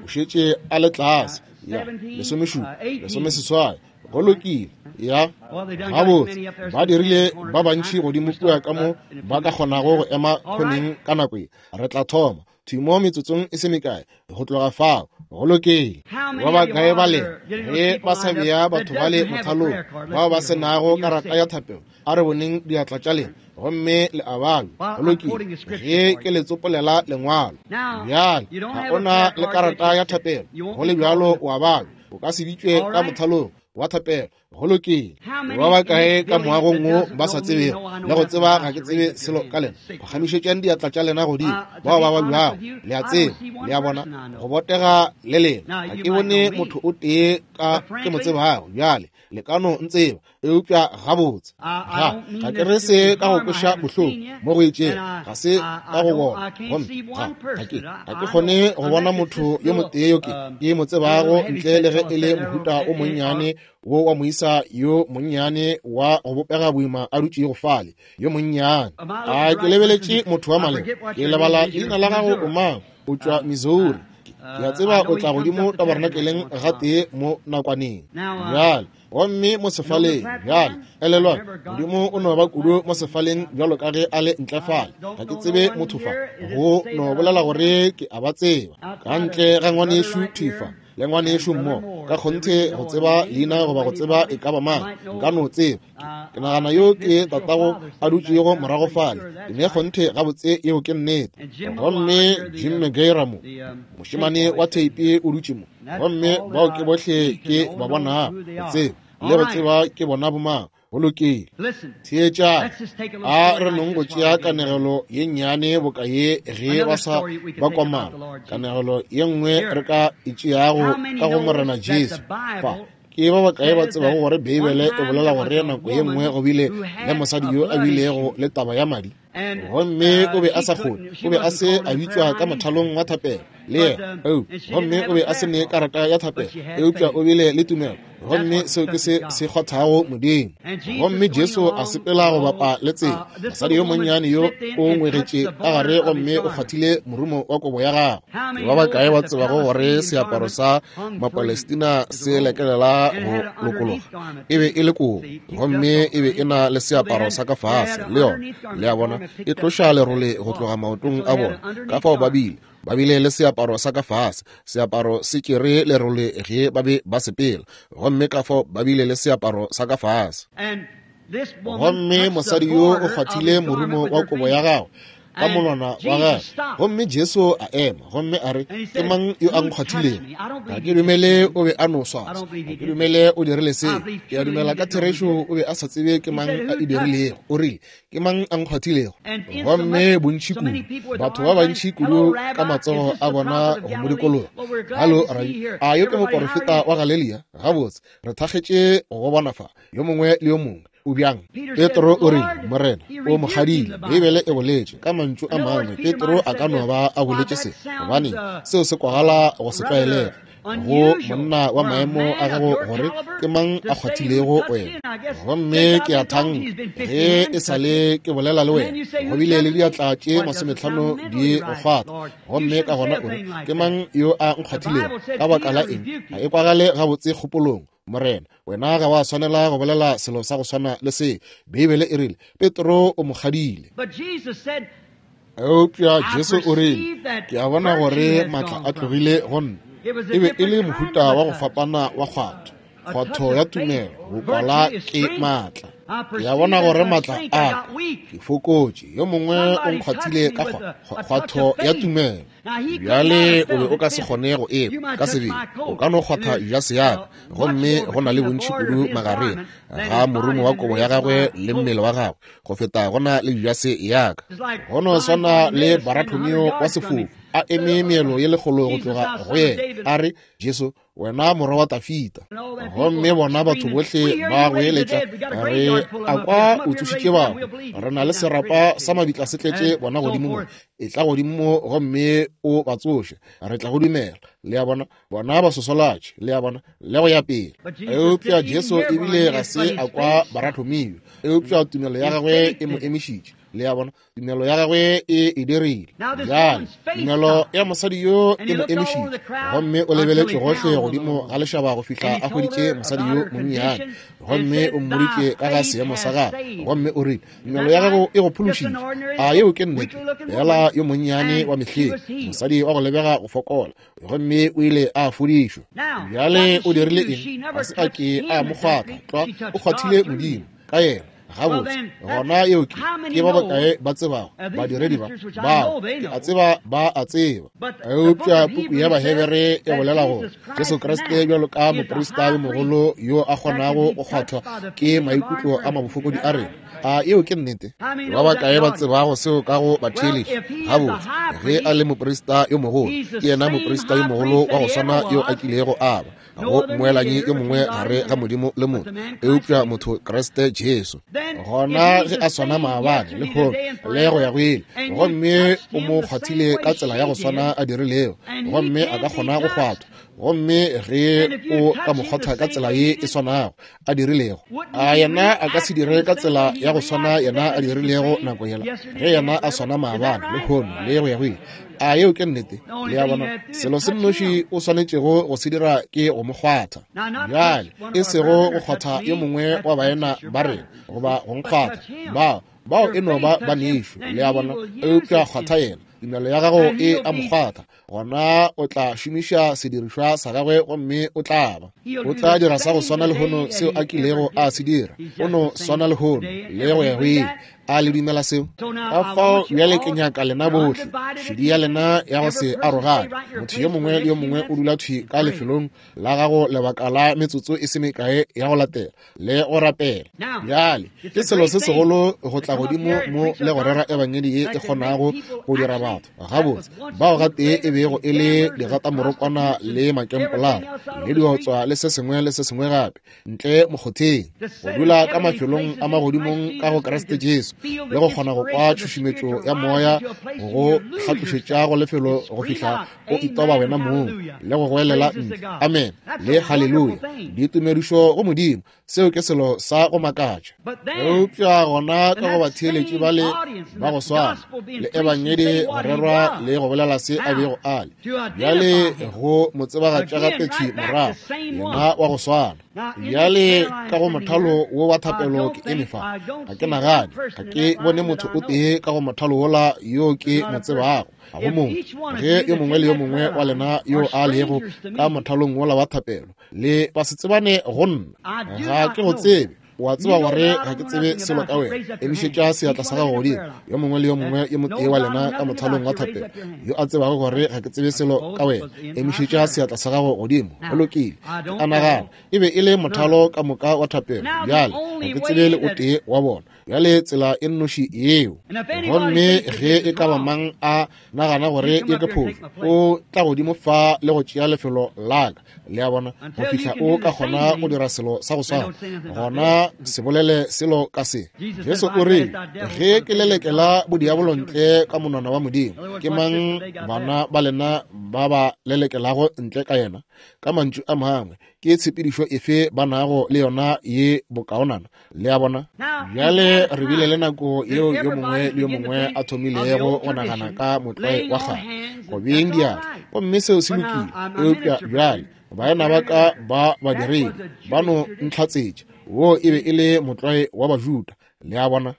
o šetše a le tlase. Ya 17, 18. Go lokile. Ya gabotse, ba dirile ba bantši godimo kua ka mo ba ka kgonago go ema khoneng ka nako ye. Re tla thoma thwi mo metsotsong e se mekae go tloga fao. Go lokile. Ba bakae ba lena ge ba sa bea batho ba le mothalong bao ba se nago karata ya thapelo? A re boneng diatla tša lena, gomme le a balwa. Go lokile, ge ke le tsopolela lengwalo. Bjale ga o na le karata ya thapelo, go le bjalo o a balwa. O ka se bitšwe ka mothalong wa thapelo. Go lokile. Ba bakae ka moagong wo ba sa tsebego le go tseba ga ke tsebe selo ka lena? Phagamišetšang diatla tša lena godimo, bao ba babjago. Le a tseba, le a bona, go botega le lena. Ga ke bone motho o tee ka ke mo tsebago bjale. Le ka no ntseba, eupša gabotse ga ke re se ka go kweša bohloko mo go itšego, ga se ka go bona. Gomme ga ke kgone go bona motho yo motee yo ke mo tsebago ntle le ge e le mohuta o monnyane wo wa moisa yo monnyane wa go bopega boima a dutšego fale, yo monnyane. A ke lebeletše motho wa maleba? Ke lebala leina la gago o mang? O tšwa Missouri. Ke a tseba o tla godimo tabernakeleng gatee mo nakwaneng. Bjale, gomme mo sefaleng, bjale, elelwang, Modimo o no ba kudu mo sefaleng bjalo ka ge a le ntle fale. Ga ke tsebe motho fa, go no bolela gore ke a ba tseba. Ka ntle ga ngwanešu thwi fa, le ngwanešu mmo, ka kgonthe go tseba leina goba go tseba e ka ba mang, nka no tseba. Ke nagana yo ke tatago a dutšego morago fale. Ke ne kgonthe gabotse yeo ke nnete. Gomme Jim McGuire mo, mošemane wa theipi o dutše mo. Gomme bao ke bohle ke ba bonago, go tseba le go tseba ke bona bomang. Go lokile. Theetšang, a re nong go tšea kanegelo ye nnyane boka ye ge ba sa ba komana, kanegelo ye nngwe re ka e tšeago ka go Morena Jesu. Fa ke ba bakae ba tsebago gore Beibele e bolela gore nako ye nngwe go bile le mosadi yo a bilego le taba ya madi, gomme o be a sa kgone, o be a se a bitšwa ka mothalong wa thapelo le yena, gomme o be a se ne karata ya thapelo, eupša o bile le tumelo, gomme seo ke se se kgothago Modimo. Gomme Jesu a sepela go bapa le tsela, mosadi yo monnyane yo o ngwegetše ka gare gomme o kgwathile morumo wa kobo ya gagwe. Ke ba bakae ba tsebago gore seaparo sa Mapalestina se lekelela go lokologa? E be e le kobo, gomme e be e na le seaparo sa ka fase le yona. Le a bona, e tloša lerole go tloga maotong a bona. Ka fao ba bile ba bile le seaparo sa ka fase, seaparo se tšere lerole ge ba be ba sepela, gomme ka fao ba bile le seaparo sa ka fase. Gomme mosadi yo o kgwathile morumo wa kobo ya gagwe ka monwana wa gagwe, gomme Jesu a ema gomme a re, ke mang yo a nkgwathilego? Ga ke dumele o be a no swaswa, ga ke dumele o dirile seo. Ke a dumela ka therešo o be a sa tsebe ke mang a e dirilego. O rile, ke mang a nkgwathilego? Gomme bontši kudu, batho ba bantši kudu ka matsogo a bona go mo dikologa. Halo, rabi, a yo ke moporofeta wa Galelia? Gabotse, re thakgetše go bona fa, yo mongwe le yo mongwe. O bjang? Petro o rile, Morena, o mo kgadile. Beibele e boletše ka mantšu a mangwe. Petro a ka no ba a boletše se, gobane seo se kwagala go se tlwaelege go monna wa maemo a gago gore ke mang a kgwathilego wena. Gomme ke a thanka ge e sa le ke bolela le wena, go bile le diatla tše 50 di go kgwatha, gomme ka gona o re, ke mang yo a nkgwathilego? Ka baka la eng, ga e kwagale gabotse kgopolong. Morena, wena ga wa swanela go bolela selo sa go swana le se. Beibele e rile Petro o mo kgadile. Eupša Jesu o rile, ke a bona gore maatla a tlogile go nna. E be e le mohuta wa go fapana wa kgwatho, kgwatho ya tumelo, go kwala ke maatla. Ke a bona gore maatla a ka ke fokotše, yo mongwe o nkgwathile ka kgwatho ya tumelo. Bjale o be o ka se kgone go ekwa ka sebele, o ka no kgwatha jase ya ka, gomme go na le bontši kudu magareng ga morumo wa kobo ya gagwe le mmele wa gagwe go feta go na le jase ya ka. Go no swana le Barathomeo wa sefofu a eme meelo ye lekgolo go tloga go yena, a re, Jesu, wena morwa wa Dafita. Gomme bona batho bohle ba goeletša, re a kwa o tsošitše bahu, re na le serapa sa mabitla se tletše bona godimo mo, e tla godimo mo gomme o ba tsoše, re tla go dumela. Le a bona, bona ba sosolatše, le a bona, le go ya pele. Eupša Jesu ebile ga se a kwa Barathomeo, eupša tumelo ya gagwe e mo emišitše. Le a bona, tumelo ya gagwe e e dirile. Bjale tumelo ya mosadi yo e mo emišitše, gomme o lebeletše gohle godimo ga lešaba go fihla a hweditše mosadi yo monnyane, gomme o mmoditše ka ga seemo sa gagwe, gomme o rile, tumelo ya gago e go phološitše. A yeo ke nnete? Fela yo monnyane wa mehleng, mosadi wa go lebega go fokola, gomme o ile a fodišwa. Bjale o dirile eng? Ga se a ke a mo kgwatha tlwa, o kgwathile Modimo ka yena. Gabotse, gona yeo ke ke ba bakae ba tsebago badiredi ba bao? Ke a tseba ba a tseba. Eupša puku ya Bahebere e bolela gore Jesu Kriste bjalo ka moprista yo mogolo yo a kgonago go kgwathwa ke maikutlo a mabofokodi a rena. A yeo ke nnete? Ba bakae ba tsebago seo ka go batheeletši? Gabotse, ge a le moprista yo mogolo, ke yena moprista yo mogolo wa go swana yo a kilego a ba. Go mmoelanyi yo mongwe gare ga Modimo le motho, eupša motho Kriste Jesu. Gona ge a swana maabane, lehono, le go ya go ile, gomme o mo kgwathile ka tsela ya go swana a dirilego, gomme a ka kgona go kgwathwa. Gomme ge o ka mo kgwatha ka tsela ye e swanago a dirilego, a yena a ka se dire ka tsela ya go swana yena a dirilego nako yela, ge yena a swana maabane, lehono, le go ya go ile. A yeo ke nnete? Le a bona, selo se nnoši o swanetšego go se dira ke go mo kgwatha. Bjale, e sego go kgwatha yo mongwe wa baena ba rena, goba go nkgwatha, bao e no ba banešu, le a bona, eupša kgwatha yena. Tumelo ya gago e a mo kgwatha, gona o tla šomiša sedirišwa sa gagwe gomme o tla ba. O tla dira sa go swana lehono seo a kilego a se dira. O no swana lehono le go ya go ile. A le dumela seo? Ka fao bjale ke nyaka lena bohle, šedi ya lena ya go se arogane. Motho yo mongwe le yo mongwe o dula thwi ka lefelong la gago lebaka la metsotso e se mekae ya go latela le go rapela. Bjale ke selo se segolo go tla godimo mo le go rera ebangedi ye e kgonago go dira batho gabotse bao gatee e bego e le digatamorokwana le makempolara le diotswa le se sengwe le se sengwe gape ntle mokgotheng, go dula ka mafelong a magodimong ka go Kriste Jesu le go kgona go kwa tšhušumetšo ya moya go hlatlošetša go lefelo go fihla o itoba wena mong le go goelela ntle amen le haleluya, ditumedišo go Modimo. Seo ke selo sa go makatša. Eupša gona ka go batheeletši bale ba go swana le ebangedi go rerwa le go bolela se a bego a le, bjale go mo tsebagatša gape thwi morago, yena wa go swana. Bjale ka go mothalo wo wa thapelo ke eme fa, ga ke nagane, ga ke bone motho o tee ka go mothalo wola yo ke mo tsebago. Ga go mongwe. Ge yo mongwe le yo mongwe wa lena yo a lego ka mothalong wola wa thapelo le ba se tsebane go nna, ga ke go tsebe, o a tseba gore ga ke tsebe selo ka wena, emišetša seatla sa gago godimo. Yo mongwe le yo mongwe yo motee wa lena ka mothalong wa thapelo yo a tsebago gore ga ke tsebe selo ka wena, emišetša seatla sa gago godimo. Go lokile. Ke a nagana e be e le mothalo ka moka wa thapelo. Bjale ga ke tsebe le o tee wa bona. Bjale tsela e nnoši yeo, gomme ge e ka ba mang a nagana gore ye ke phošo, o tla godimo fa le go tšea lefelo la ka, le a bona, go fihla o ka kgona go dira selo sa go swana, gona se bolele selo ka se. Jesu o rile, ge ke lelekela bodiabolo ntle ka monwana wa Modimo, ke mang bana ba lena ba ba lelekelago ntle ka yena? Ka mantšu a mangwe, ke tshepedišo efe ba nago le yona ye bokaonana? Le a bona? Bjale re bile le nako yeo yo mongwe le yo mongwe a thomilego go nagana ka motlwae wa kgale, go beeng diatla, gomme seo se lokile. Eupša bjale baena ba ka ba badiredi ba no ntlhatsetša, wo e be e le motlwae wa Bajuda. Le a bona?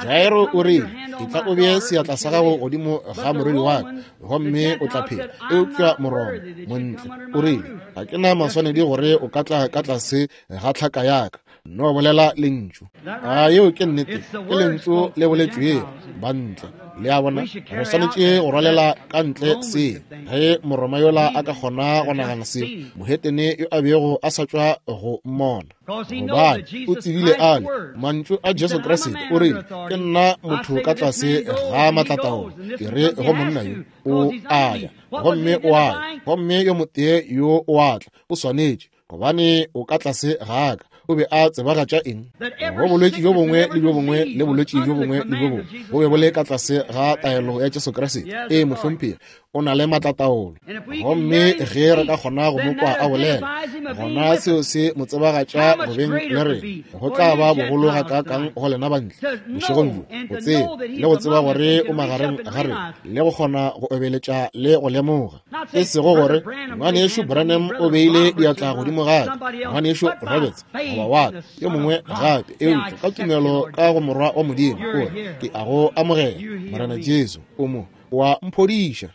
Jairo o rile, etla o bee seatla sa gago godimo ga morwedi wa ka, gomme o tla phela. Eupša Moroma montle o rile, ga ke na maswanedi gore o ka tla ka tlase ga tlhaka ya ka, no bolela lentšu. A yeo ke nnete? Ke lentšu le boletšwego bantle. Le a bona? Re swanetše go rwalela ka ntle se. Ge Moroma yola a ka kgona go nagana se, mohetene yo a bego a sa tšwa go mmona, gobane o tsebile ale mantšu a Jesu Kriste, o rile, ke nna motho ka tlase ga matlataolo, ke re go monna yo o a ya, gomme o a ya, gomme yo motee yo o a tla, o swanetše, gobane o ka tlase ga ka. O be a tsebagatša eng? Go bolwetši bjo bongwe le bjo bongwe le bolwetši bjo bongwe le bjo bongwe bo be bo le ka tlase ga taelo ya Jesu Kriste. Ee, mohlomphegi, o na le matlataolo. Gomme ge re ka kgona go mo kwa a bolela, gona seo se mo tsebagatša go beng le rena. Go tla ba bogolo gakaakang go lena bantle bošegong bjo, go tseba le go tseba gore o magareng ga rena, le go kgona go obeletša le go lemoga. E sego gore Ngwanešu Branham o beile diatla godimo ga ka, Ngwanešu Roberts goba wa ka, yo mongwe gape, eupša ka tumelo ka go Morwa wa Modimo, o re, ke a go amogela, Morena Jesu, o mo wa mphodiša.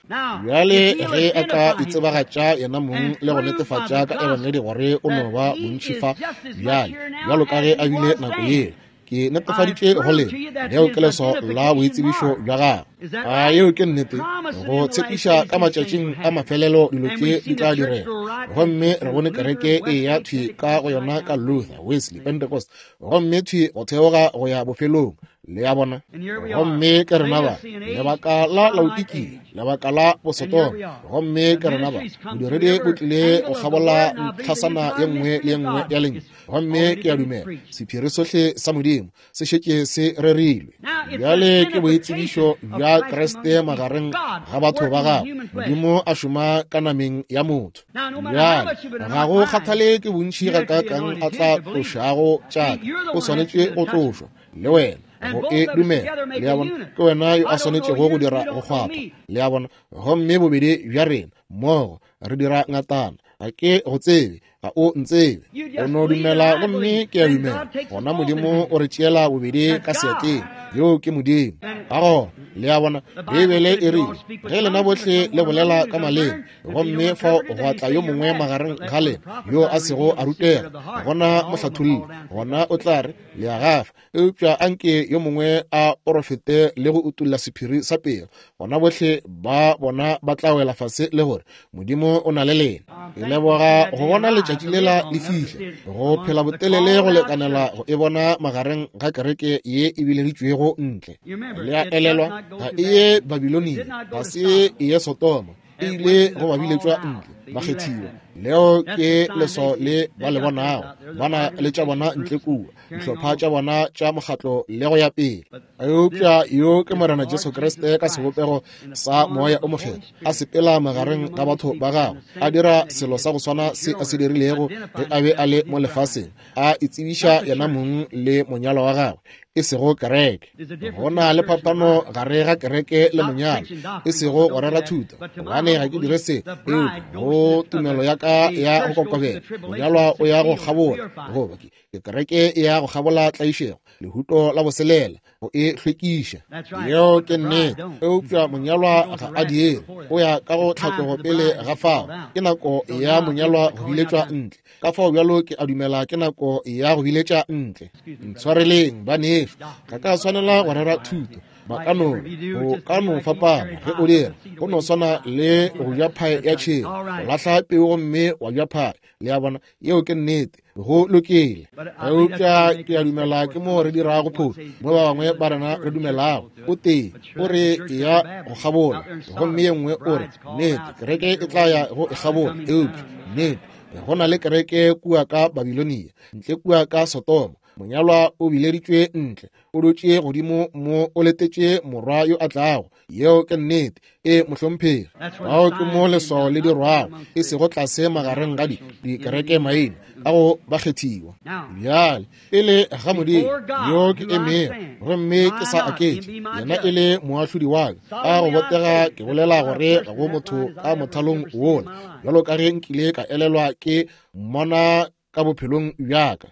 Bjale ge a ka itsebagatša yena mong le go netefatša ka ebangedi gore o no ba bontši fa bjale bjalo ka ge a bile nako yela, ke netefaditše go lena, leo ke leswao la boitsebišo bja gagwe. A yeo ke nnete? Go tshepiša ka matšatšing a mafelelo dilo tše di tla direga. Gomme re bone kereke e ya thwi ka go yona ka Luther, Wesley, Pentecost, gomme thwi go theoga go ya bofelong. Le a bona? Gomme ke rena ba, lebaka la Laodikia, lebaka la Bosodoma. Gomme ke rena ba, bodiredi bo tlile go kgabola ntlhasana ye nngwe le ye nngwe ya Lentšu. Gomme ke a dumela sephiri sohle sa Modimo se šetše se rerilwe. Bjale ke boitsebišo bja Kriste magareng ga batho ba gagwe, Modimo a šoma ka nameng ya motho. Bjale ga go kgathale ke bontši gakaakang a tla tlošago tšaka, o swanetše go tlošwa le wena go e dumela. Le a bona? Ke wena yo a swanetšego go dira go kgwatha. Le a bona? Gomme bobedi bja rena mmogo re dira ngatana. Ga ke go tsebe, ga o ntsebe, o no dumela gomme ke a dumela. Gona Modimo o re tšeela bobedi ka seatleng. Yoo ke Modimo. Ka gona, le a bona, Beibele e rile, ge lena bohle le bolela ka maleme, gomme fao gwa tla yo mongwe magareng ga lena yo a sego a rutega, gona mohlatholli, gona o tla re, le a gafa. Eupša anke yo mongwe a porofete le go utolla sephiri sa pelo, gona bohle ba bona ba tla wela fase le gore Modimo o na le lena. Ke leboga go bona letšatši lela le fihla, go phela botelele go lekanela go e bona magareng ga kereke ye e bileditšwego ntle. Le a elelwa, ga e ye Babilonia, ga se e ye Sodoma, e ile go ba biletšwa ntle, bakgethiwa. Leo ke leswao le ba le bonago, ba na le tša bona ntle kua, dihlopha tša bona tša mokgatlo le go ya pele. Eupša yo ke Morena Jesu Kriste ka sebopego sa Moya o Mokgethwa, a sepela magareng ga batho ba gagwe, a dira selo sa go swana se a se dirilego ge a be a le mo lefaseng, a itsebiša yena mong le monyalwa wa gagwe, e sego kereke. Go na le phapano gare ga kereke le monyalwa, e sego go rera thuto, gobane ga ke dire se, eupša go tumelo ya ka ya go kokobela, monyalwa o ya go kgabola, goba ke kereke e ya go kgabola tlaišego, lehuto la boselela, go e hlwekiša. Yeo ke nnete. Eupša monyalwa ga a diere, o ya ka go tlhatlogo pele ga fao. Ke nako ya monyalwa go biletšwa ntle. Ka fao bjalo ke a dumela ke nako ya go biletša ntle. Ntshwareleng banešu, ga ka swanela go rera thuto. Ba ka no, o ka no fapana ge o dira. Go no swana le go ja phae ya tšhego, go lahla peu gomme wa ja phae. Le a bona? Yeo ke nnete. Go lokile. Eupša ke a dumela ke mo re dirago phošo, mo ba bangwe ba rena re dumelago. O tee o re e ya go kgabola, gomme ye nngwe o re nnete kereke e tla ya go e kgabola. Eupša nnete go na le kereke kua ka Babilonia, ntle kua ka Sodoma. Monyalwa o bileditšwe ntle, o dutše godimo mo, o letetše morwa yo a tlago. Yeo ke nnete. E, mohlomphegi. Bao ke mo leswao le dirwago, e sego tlase magareng ga dikereke maina a go bakgethiwa. Bjale, pele ga Modimo yo ke emego gomme ke sa aketše, yena e le moahlodi wa ka, ka go botega ke bolela gore ga go motho ka mothalong wola, bjalo ka ge nkile ka elelwa ke mmona ka bophelong bja ka.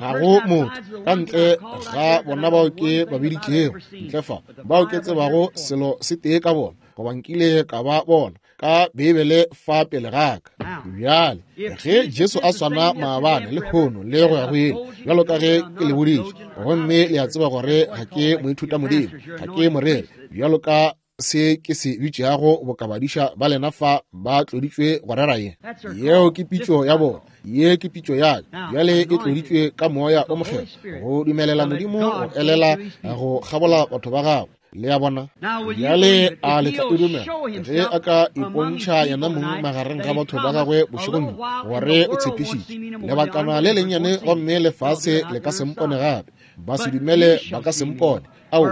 Ga go motho ka ntle ga bona bao ke ba biditšego ntle fa, bao ke tsebago selo se tee ka bona, goba nkile ka ba bona ka Beibele fa pele ga ka. Bjale ge Jesu a swana maabane le lehono le go ya go ile, bjalo ka ge ke le boditše, gomme le a tseba gore ga ke moithuta Modimo, ga ke moreri, bjalo ka se ke se bitšago bokabadiša ba lena fa ba tloditšwe go rera ye. Yeo ke pitšo ya bona, ye ke pitšo ya ka. Bjale e tloditšwe ka Moya o Mokgethwa go dumelela Modimo go elela go kgabola batho ba gagwe. Le a bona? Bjale a le tla e dumela ge a ka ipontšha yena mong magareng ga batho ba gagwe bošegong bjo, gore o tshepišitše lebakana le lennyane gomme lefase le ka se mpone gape, ba se dumele ba ka se mpone. Ao,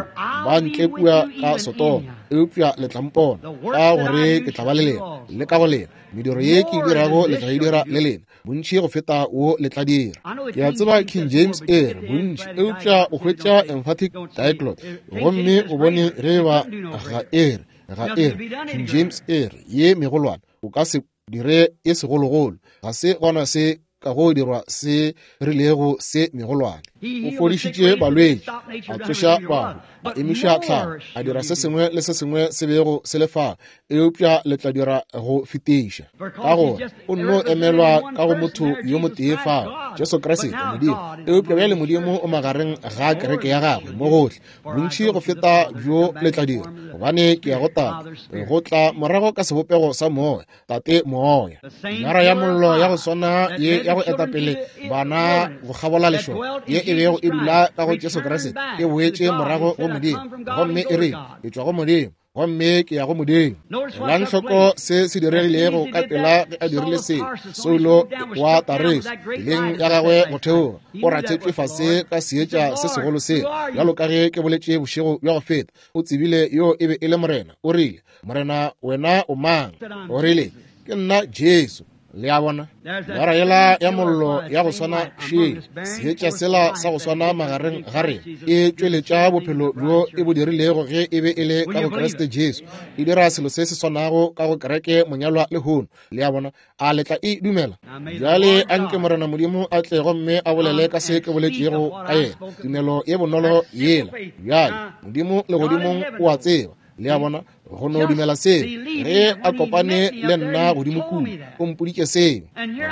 ba ntle kua ka Sodoma, eupša le tla mpona, ka gore ke tla ba le lena, le ka go lena. Mediro ye ke e dirago le tla e dira le lena, bontši go feta wo le tla dira. Ke a tseba King James e re bontši, eupša o hwetša emphatic diglot, gomme o bone ge ba ga e re, ga e re. King James e re ye megolwane, o ka se dire e segologolo, ga se gona se ka go dirwa se rilego se megolwane. O fodišitše balwetši, a tsoša bahu, a emiša tlhago, a dira se sengwe le se sengwe se bego se le fa, eupša le tla dira go fetiša, ka gore o nno emelwa ka go motho yo motee fao, Jesu Kriste Modimo. Eupša bjale Modimo o magareng ga kereke ya gagwe mo gohle, bontši go feta bjo le tla dira, gobane ke ya go Tate, go tla morago ka sebopego sa Moya, Tate Moya. Nara ya mollo ya go swana ye ya go etapele bana go kgabola lešoka, ye e bego e dula ka go Jesu Kriste, e boetše morago go Modimo, gomme e rile, ke tšwa go Modimo, gomme ke ya go Modimo. Elang hloko se se diregilego ka pela ge a dirile se. Saulo wa Tareso, tseleng ya gagwe go theoga, o rathetšwe fase ka seetša se segolo se, bjalo ka ge ke boletše bošego bja go feta. O tsebile yo e be e le Morena. O rile, Morena, wena o mang? O rile, Ke nna Jesu. Le a bona? Nara yela ya mollo ya go swana šele, seetša sela sa go swana magareng ga rena, e tšweletša bophelo bjo e bo dirilego ge e be e le ka go Kriste Jesu. E dira selo se se swanago ka go kereke monyalwa lehono. Le a bona? A le tla e dumela? Bjale a nke Morena Modimo a tle gomme a bolele ka se ke boletšego ka yena, tumelo ye bonolo yela. Bjale Modimo legodimong o a tseba. Le a bona? Go no dumela seo. Ge a kopane le nna godimo kua, o mpoditše seo,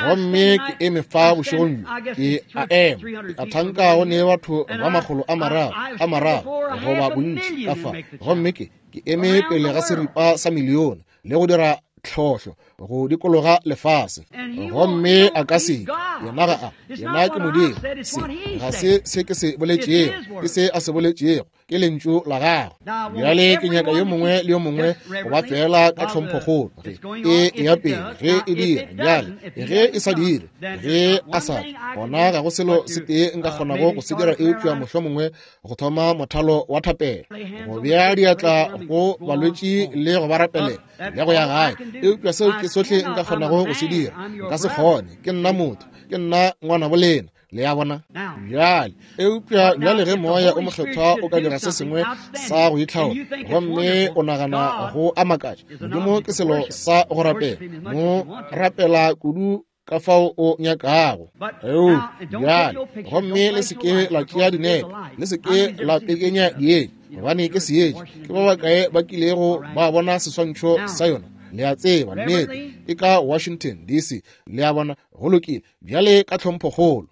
gomme ke eme fa bošegong bjo, ke a ema, ke a thanka go ne batho ba 300 goba bontši ka fa, gomme ke eme pele ga seripa sa milione le go dira tlhohlo go dikologa lefase, gomme a ka se, yena ga a, yena ke Modimo. Se ga se se ke se boletšego, ke se a se boletšego, ke lentšu la gagwe. Bjale ke nyaka yo mongwe le yo mongwe go ba feela ka tlhomphokgolo ge e eya pele, ge e dira bjale, ge e sa dire, ge a sa tle, gona ga go selo se tee nka kgonago go se dira eupša mohlomongwe go thoma mothalo wa thapelo, go bea diatla go balwetši le go ba rapelela le go ya gae. Eupša seo ke sohle nka kgonago go se dira. Nka se kgone, ke nna motho, ke nna ngwanabo lena. Le a bona? Bjale, eupša bjale ge Moya o Mokgethwa o ka dira se sengwe sa go itlhaola, gomme o nagana go a makatša, Modimo ke selo sa go rapela, mo rapela kudu ka fao o nyakago. Eupša bjale, gomme le se ke la tšea dinepe, le se ke la pekenya dietša, gobane ke seetša. Ke ba bakae ba kilego ba bona seswantšho sa yona? Le a tseba, nnete, e ka Washington DC. Le a bona? Go lokile. Bjale ka tlhomphokgolo,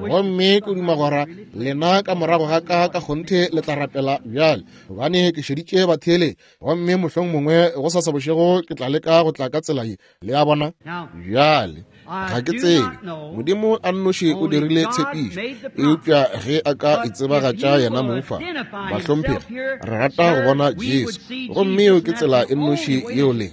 gomme ke duma gora lena ka morago ga ka ka kgonthe le tla rapela bjale, gobane ke šeditše batheeletši, gomme mohlong mongwe go sasa bošego ke tla leka go tla ka tsela ye. Le a bona? Bjale ga ke tsebe, Modimo a nnoši o dirile tshepišo, eupša ge a ka itsebagatša yena mong fa, bahlomphegi, re rata go bona Jesu, gomme yeo ke tsela e nnoši yeo le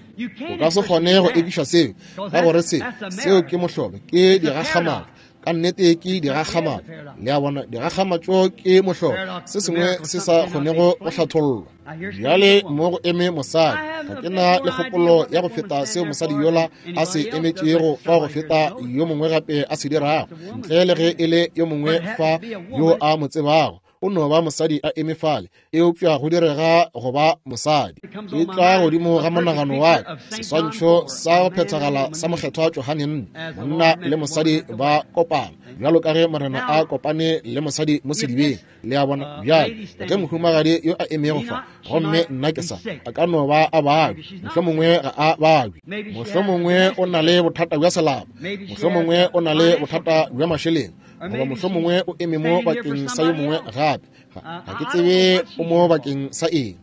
o ka se kgone go ekiša seo, ka gore se seo ke mohlolo, ke digakgamatšo, ka nnete ke digakgamatšo. Le a bona, digakgamatšo ke mohlolo, se sengwe se sa kgonego go hlathollwa. Bjale mo go eme mosadi, ga ke na le kgopolo ya go feta seo mosadi yola a se emetšego fa go feta yo mongwe gape a se dirago, ntle le ge e le yo mongwe fa yo a mo tsebago. O no ba mosadi a eme fale, eupša go direga go ba mosadi. E tla godimo ga monagano wa ka seswantšho sa go phethagala sa Mokgethwa Johane nne, monna le mosadi ba kopana, bjalo ka ge Morena a kopane le mosadi mo sedibeng. Le a bona? Bjale ge mohumagadi yo a emego fa, gomme nna ke sa, a ka no ba a babje, mohlomongwe ga a babje, mohlomongwe o na le bothata bja selapa, mohlomongwe o na le bothata bja mašeleng, goba mohlomongwe o eme mo bakeng sa yo mongwe gape. Ga ke tsebe o mo bakeng sa eng.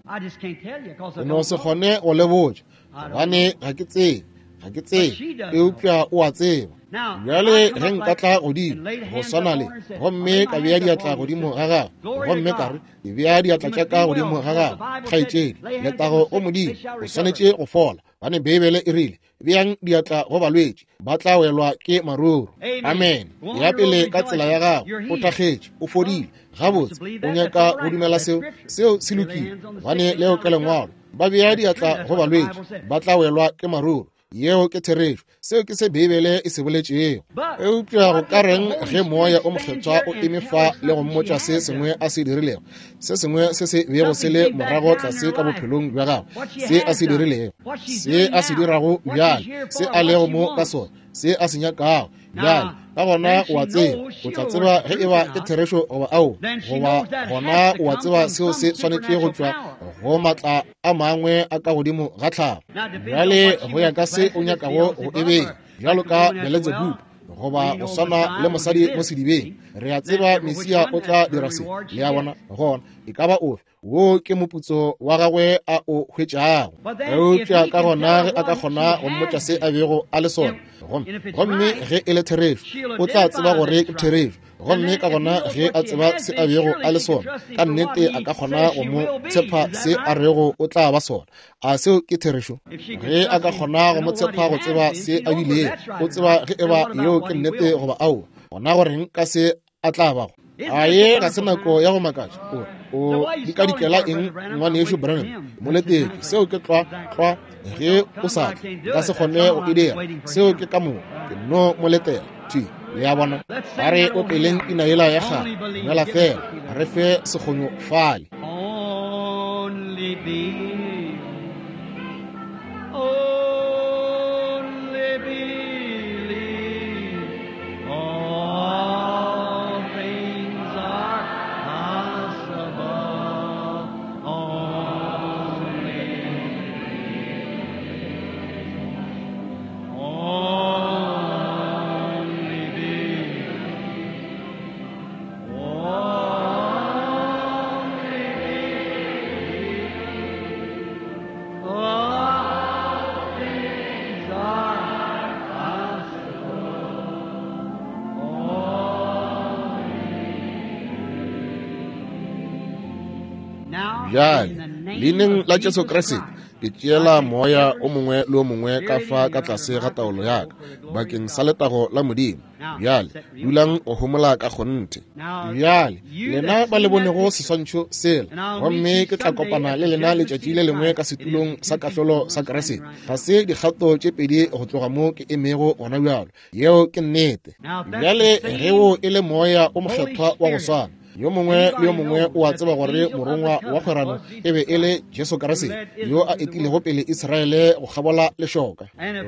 O no se kgone go le botša, gobane ga ke tsebe, ga ke tsebe, eupša o a tseba. Bjale ge nka tla godimo go swana le, gomme ka bea diatla godimo ga gagwe, gomme ka re, ke bea diatla tša ka godimo ga gagwe, kgaetšedi, letago go Modimo, o swanetše go fola, gobane Beibele e rile, beang diatla go balwetši, ba tla welwa ke maruru. Amen. Ya pele ka tsela ya gago, o thakgetše, o fodile. Gabotse, o nyaka go dumela seo? Seo se lokile, gobane leo ke Lengwalo. Ba bea diatla go balwetši, ba tla welwa ke maruru. Yeo ke therešo. Seo ke se Beibele e se boletšego. Eupša go ka reng ge Moya o Mokgethwa o eme fa le go mmotša se sengwe a se dirilego, se sengwe se se bego se le morago tlase ka bophelong bja gagwe, se a se dirilego, se a se dirago bjale, se a lego mo ka sona, se a se nyakago bjale? Ka gona o a tseba, o tla tseba ge e ba ke therešo goba ao, goba gona o a tseba seo se swanetše go tšwa go matla a mangwe a ka godimo ga tlhago. Bjale go ya ka se o nyakago go e bea, bjalo ka Beletsebubu goba go swana le mosadi mo sedibeng, re a tseba Mesia o tla dira se. Le a bona? Gona e ka ba ofe, wo ke moputso wa gagwe a o hwetšago. Eupša ka gona ge a ka kgona go mmotša se a bego a le sona, gomme ge e le therešo, o tla tseba gore ke therešo. Gomme ka gona ge a tseba se a bego a le sona, ka nnete a ka kgona go mo tshepa se a rego o tla ba sona. A seo ke therešo? Ge a ka kgona go mo tshepa go tseba se a bilego, o tseba ge e ba yeo ke nnete goba aowa, gona goreng ka se a tla bago? A ye ga se nako ya go makatša. O dikadikela eng, ngwanešu Branham? Mo letetše. Seo ke tlwa tlwa. Ge o sa tle, nka se kgone go e dira. Seo ke ka moka. Ke no mo letela. Thwi. Le a bona? Ba re o peleng pina yela ya kgale. Dumela fela. Re fe sekgonyo fale. Only believe. Only believe. All things are possible. Only believe. Only believe. Only believe. All things are possible. Bjale, leineng la Jesu Kriste, ke tšeela moya o mongwe le o mongwe ka fa ka tlase ga taolo ya ka, bakeng sa letago la Modimo. Bjale, dulang go homola ka kgonthe. Bjale, lena ba le bonego seswantšho sela, gomme ke tla kopana le lena letšatši le lengwe ka setulong sa kahlolo sa Kriste. Ga se dikgato tše pedi go tloga mo ke emego gona bjalo. Yeo ke nnete. Bjale, ge wo e le moya o mokgethwa wa go swana, yo mongwe le yo mongwe o a tseba gore morongwa wa kgwerano e be e le Jesu Kriste yo a etilego pele Israele go kgabola lešoka.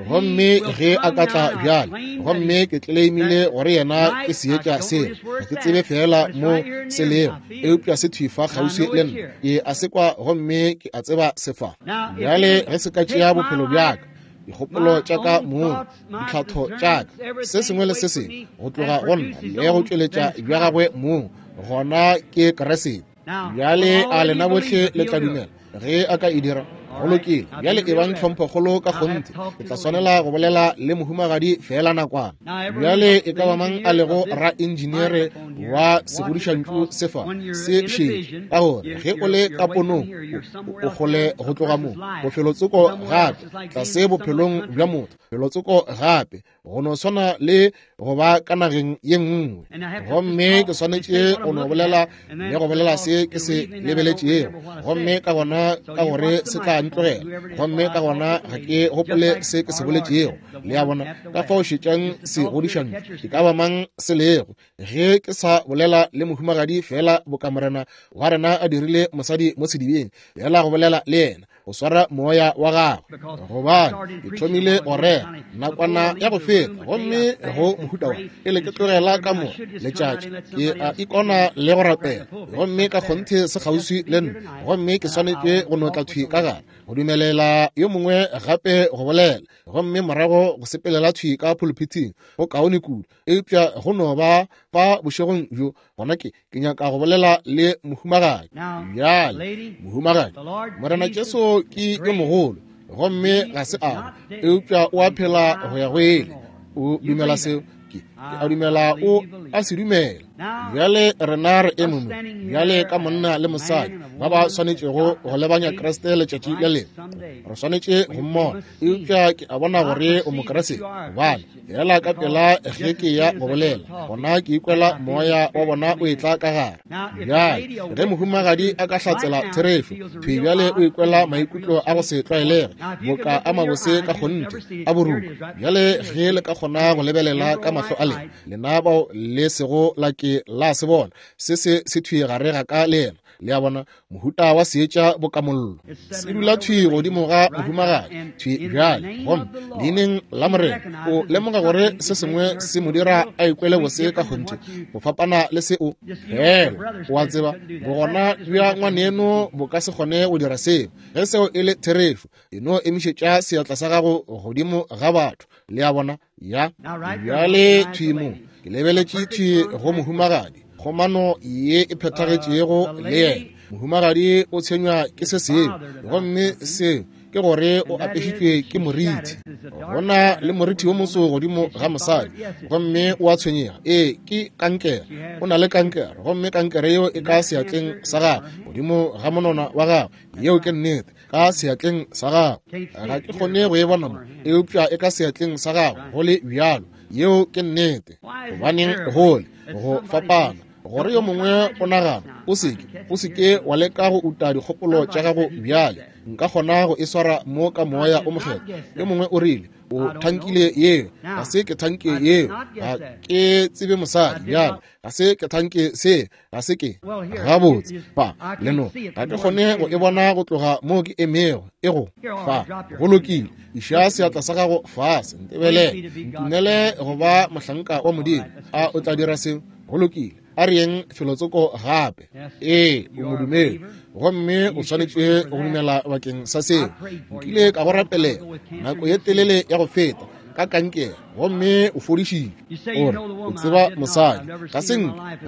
Gomme ge a ka tla bjale, gomme ke tleleimile gore yena ke seetša sela, ga ke tsebe feela mo se lego, eupša se thwi fa kgauswi le nna. Ke a se kwa gomme ke a tseba se fa. Bjale ge se ka tšea bophelo bja ka, dikgopolo tša ka mong, ditlhatho tša ka, se sengwe le se sengwe go tloga go nna le go tšweletša bja gagwe mong, gona ke Kriste. Bjale a lena bohle le tla dumela ge a ka e dira? Go lokile. Bjale e bang tlhomphokgolo ka kgonthe. Ke tla swanela go bolela le mohumagadi feela nakwana. Bjale e ka ba mang a lego ra-engineere wa segodišantšu se fa se šetše, ka gore ge o le ka ponong o kgole go tloga mo bofelotsoko gape, tlase bophelong bja motho, felotsoko gape, go no swana le go ba ka nageng ye nngwe. Gomme ke swanetše go no bolela le go bolela se ke se lebeletšego, gomme ka gona ka gore se tla ntlogela, gomme ka gona ga ke gopole se ke se boletšego. Le a bona? Ka fao šetšang segodišantšu e ka ba mang se lego. Ge ke sa bolela le mohumagadi feela boka Morena wa rena a dirile mosadi mo sedibeng, feela go bolela le yena, go swara moya wa gagwe, gobane ke thomile go rera nakwana ya go feta, gomme go mohuta wa pele ke tlogela ka mo letšatši, ke a ikona le go rapela, gomme ka kgonthe se kgauswi le nna, gomme ke swanetše go no tla thwi ka gare go dumelela yo mongwe gape go bolela, gomme morago go sepelela thwi ka pulpithing go kaone kudu. Eupša go no ba fa bošegong bjo, gona ke nyaka go bolela le mohumagadi. Bjale, mohumagadi, Morena Jesu ke yo mogolo, gomme ga se a, eupša o a phela go ya go ile. O dumela seo? Ke a dumela o a se dumela. Bjale rena re eme mo bjale ka monna le mosadi ba ba swanetšego go lebanya Kriste letšatši le lengwe. Re swanetše go mmona, eupša ke a bona gore o Mokriste, gobane fela ka pela ge ke ya go bolela, gona ke ikwela moya wa bona o etla ka gare. Bjale ge mohumagadi a ka hlatsela therešo thwi bjale, o ikwela maikutlo a go se tlwaelege, boka a mabose ka kgonthe a boruka. Bjale ge le ka kgona go lebelela ka mahlo a lena, lena bao le sego la ke la se bona, se se se thwi gare ga ka le yena. Le a bona, mohuta wa seetša bokamollo se dula thwi godimo ga mohumagadi thwi bjale. Gomme leineng la Morena o lemoga gore se sengwe se mo dira a ikwele bose ka kgonthe go fapana le se o fela o a tseba. Bogona bja ngwaneno bo ka se kgone go dira seo. Ge seo e le therešo, e no emišetša seatla sa gago godimo ga batho. Le a bona? Ya bjale thwi mo ke lebeletše thwi go mohumagadi, kgomano ye e phethagetšego le yena. Mohumagadi o tshwenywa ke se sengwe, gomme seo ke gore o apešitšwe ke moriti. Go na le moriti wo moso godimo ga mosadi, gomme o a tshwenyega. Ee, ke kankere. O na le kankere, gomme kankere yeo e ka seatleng sa gagwe, godimo ga monona wa gagwe. Yeo ke nnete, ka seatleng sa gagwe. Ga ke kgone go e bona mo, eupša e ka seatleng sa gagwe go le bjalo. Yeo ke nnete. Gobaneng gole go fapana gore yo mongwe o nagana, o seke wa leka go uta dikgopolo tša gago bjale. Nka kgona go e swara mo ka moya o mokgethwa. Yo mongwe o rile o thankile yeo. Ga se ke thanke yeo. Ga ke tsebe mosadi bjale. Ga se ke thanke se. Ga se ke. Gabotse fa leno ga ke kgone go e bona go tloga mo ke emego. E go fa go lokile. Iša seatla sa gago fase, ntebelele, ntumele go ba mohlanka wa Modimo. A o tla dira seo? Go lokile. A re yeng felotsoko gape. Ee, o modumedi, gomme o swanetše go dumela bakeng sa seo. Nkile ka go rapelela nako ye telele ya go feta ka kankere, gomme o fodišitšwe. O re o tseba mosadi.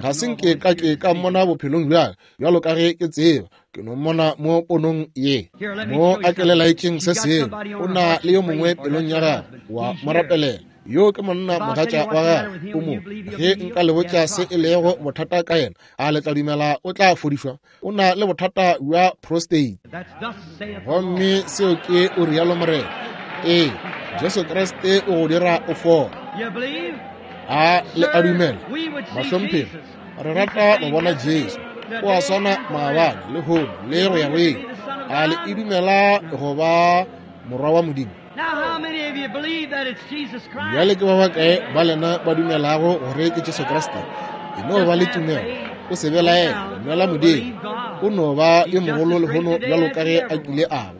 Ga se nke ka ke ka mmona bophelong bjaka, bjalo ka ge ke tseba. Ke no mmona mo ponong ye mo a kelelaetšeng se sengwe. O na le yo mongwe pelong ya gagwe, wa mo rapelela. Yo ke monna mogatša wa gagwe o mo. Ge nka le botša se e lego bothata ka yena, a le tla dumela o tla fodišwa? O na le bothata bja prostate, gomme seo ke o rialo Morena. Ee, Jesu Kriste o go dira o fola. A le a dumela? Bahlomphegi, re rata go bona Jesu. O a swana maabane, lehono, le go ya go ile. A le e dumela go ba Morwa wa Modimo? Bjale ke ba bakae ba lena ba dumelago gore ke Jesu Kriste? E no ba le tumelo, o se belaele, dumela Modimo. O no ba yo mogolo lehono bjalo ka ge a kile a ba.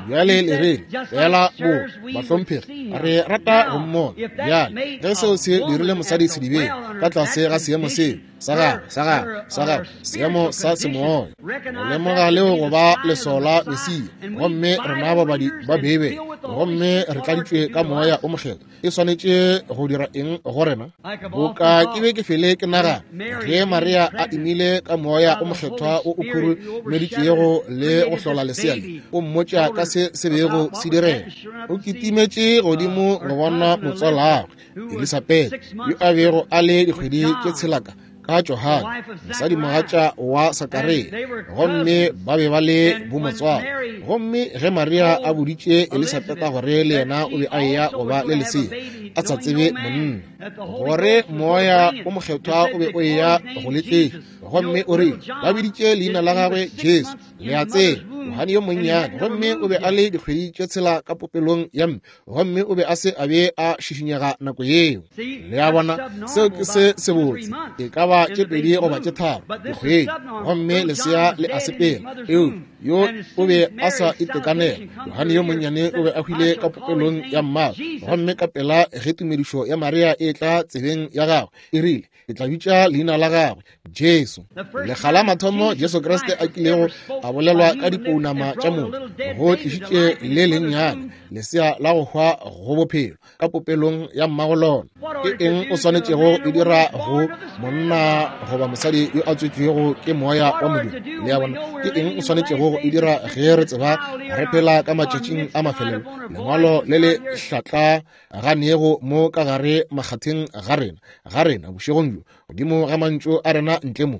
Bjale le re fela bo bahlomphegi, re rata go mmona. Bjale ge seo se dirile mosadi sedibeng ka tlase ga seemo seo sa gagwe seemo sa semoya, go lemoga leo go ba leswao la Mesia, gomme rena babadi ba Beibele, gomme re tladitšwe ka moya o mokgethwa, e swanetše go dira eng go rena? Boka ke be ke fele ke nagana ge Maria a imile ka moya o mokgethwa o o khurumeditšego le go hlola lesea le, o mmotša ka se se bego se direga. O kitimetše godimo go bona motswalagwe Elisabeth, yo a bego a le dikgwedi tše tshelaka ka Johane, mosadimogatša wa Sakaria, gomme ba be ba le bomotswalo. Gomme ge Maria a boditše Elisabetha gore le yena o be a eya go ba le lesea a sa tsebe monna, gore moya o mokgethwa o be o eya go le tletša, gomme o rile ba biditše leina la gagwe Jesu. Le a tseba, Johane yo monnyane, gomme o be a le dikgwedi tše tshela ka popelong ya mme, gomme o be a se a be a šišinyega nako yeo. Le a bona, seo ke se sebotse, e ka ba tše 2 goba tše 3 dikgwedi, gomme lesea le a sepela. Eupša yo o be a sa itekanela. Johane yo monnyane o be a hwile ka popelong ya mmagwe, gomme ka pela ge tumedišo ya Maria e tla tsebeng ya gagwe, e rile, ke tla bitša leina la gagwe Jesu. Lekga la mathomo Jesu Kriste a kilego a bolelwa ka dipounama tša motho, go tlišitše le lennyane lesea la go hwa go bophelo ka popelong ya mmago lona. Ke eng o swanetšego e dira go monna goba mosadi yo a tswetšwego ke moya wa Modimo? Le a bona? Ke eng o swanetšego go e dira ge re tseba re phela ka matšatšing a mafelelo? Lengwalo le le hlatla ganego mo ka gare makgatheng ga rena bošegong bjo, godimo ga mantšu a rena ntle mo,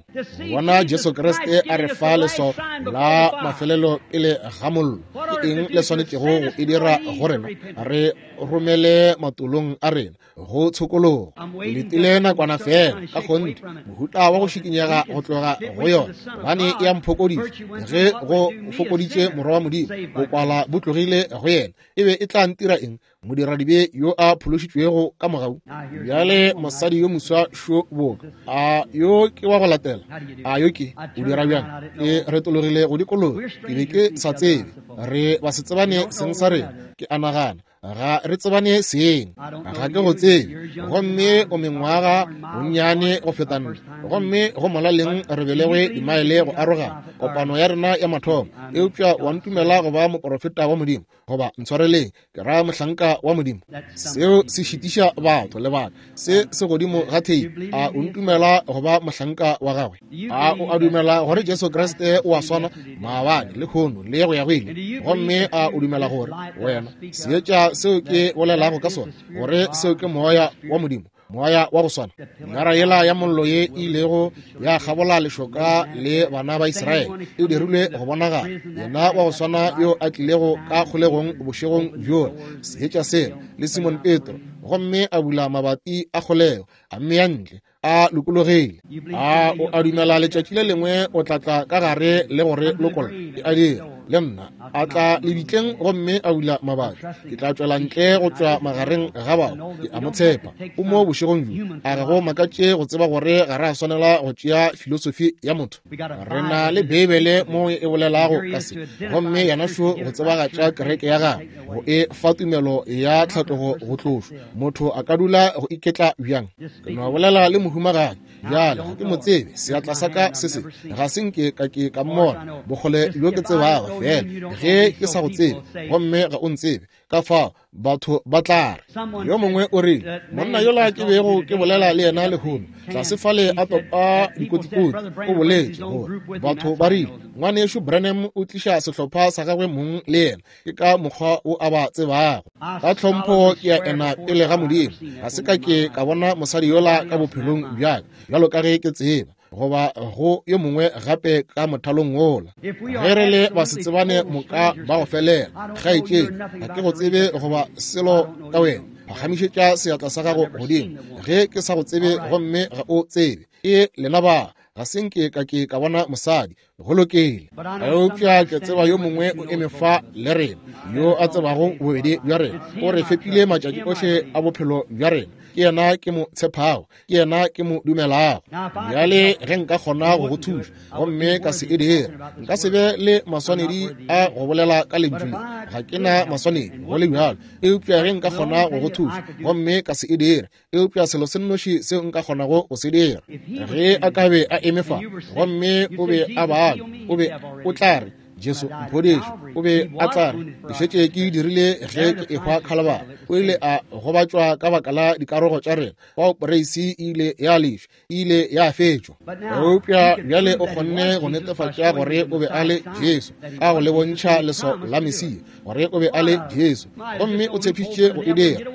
bona Jesu Kriste a re fa leswao la mafelelo pele ga mollo. Ke eng le swanetšego go e dira go rena? Re romele matolong a rena go tshokologo. Ke letile nakwana fela, ka kgonthe, mohuta wa go šikinyega go tloga go yona, gobane e a mphokodiša. Ge go fokoditše Morwa wa Modimo, bokwala bo tlogile go yena, e be e tla ntira eng, modiradibe yo a phološitšwego ka mogau? Bjale mosadi yo moswa šo boka a yo ke wa go latela, a yo ke o dira bjang? Ke retologile go dikologa, ke be ke sa tsebe, re ba se tsebane seng sa rena, ke a nagana ga re tsebane seng, ga ke go tsebe, gomme o mengwaga bonnyane go feta nna, gomme go molaleng re belegwe dimaele go arogana kopano ya rena ya mathomo, eupša wa ntumela go ba moporofeta wa Modimo, goba ntshwareleng, ke ra mohlanka wa Modimo. Seo se šitiša batho lebaka se se godimo ga theipi. A o ntumela go ba mohlanka wa gagwe? A o a dumela gore Jesu Kriste o a swana maabane, lehono le go ya go ile? Gomme a o dumela gore wena seetša seo ke bolelago ka sona, gore seo ke Moya wa Modimo, moya wa go swana nara yela ya mollo ye e ilego ya kgabola lešoka le bana ba Israele e dirilwe go bonagala, yena wa go swana yo a tlilego ka kgolegong bošegong bjola, seetša sela le Simon Petro, gomme a bula mabati a kgolego, a mmea ntle a lokologile. A o a dumela letšatši le lengwe o tla tla ka gare le gore lokolla? Ke a dira le nna. A tla lebitleng gomme a bula mabati, ke tla tšwela ntle go tšwa magareng ga bao. Ke a mo tshepa. O mo bošegong bjo. A ga go makatše go tseba gore ga re a swanela go tšea filosofi ya motho? Re na le Beibele mo e bolelago ka se, gomme yena šo go tsebagatša kereke ya gagwe, go e fa tumelo ya tlhatlogo go tlošwa. Motho a ka dula go iketla bjang? Ke no bolela le mohumagadi bjale, ga ke mo tsebe, seatla sa ka se se ga se nke ka ke ka mmona, bokgole bjo ke tsebago fela ge ke sa go tsebe, gomme ga o ntsebe, ka fao batho ba tla re. Yo mongwe o rile, monna yola ke bego ke bolela le yena lehono tlase fale a topa dikotikoti, o boletše gore batho ba rile ngwanešu Branham o tliša sehlopha sa gagwe mong le yena, ke ka mokgwa o a ba tsebago. Ka tlhompho ke a ena pele ga Modimo, ga se ka ke ka bona mosadi yola ka bophelong bjaka bjalo ka ge ke tseba, goba go yo mongwe gape ka mothalong wola. Ge re le basetsebane moka ba go felela, kgaetšedi, ga ke go tsebe goba selo ka wena, phagamišetša seatla sa gago godimo ge ke sa go tsebe gomme ga o tsebe. E lena ba, ga se nke ka ke ka bona mosadi, go lokile, eupša ke tseba yo mongwe o eme fa le rena yo a tsebago bobedi bja rena, o re fepile matšatši ohle a bophelo bja rena. Ke yena ke mo tshepago, ke yena ke mo dumelago. Bjale ge nka kgona go go thuša gomme ka se e dire, nka se be le maswanedi a go bolela ka lentšu le, ga ke na maswanedi go le bjalo, eupša ge nka kgona go go thuša gomme ka se e dire, eupša selo se nnoši seo nka kgonago go se dira, ge a ka be a eme fa gomme o be a bala, o be o tla re, Jesu mphodiše, o be a tla re, ke šetše ke dirile ge ke ehwa Khalabara. O ile a gobatšwa ka baka la dikarogo tša rena, fao poreisi e ile ya lešwa, e ile ya fetšwa. Eupša bjale o kgonne go netefatša gore o be a le Jesu, ka go le bontšha leswao la Mesia, gore o be a le Jesu, gomme o tshepišitše go e dira.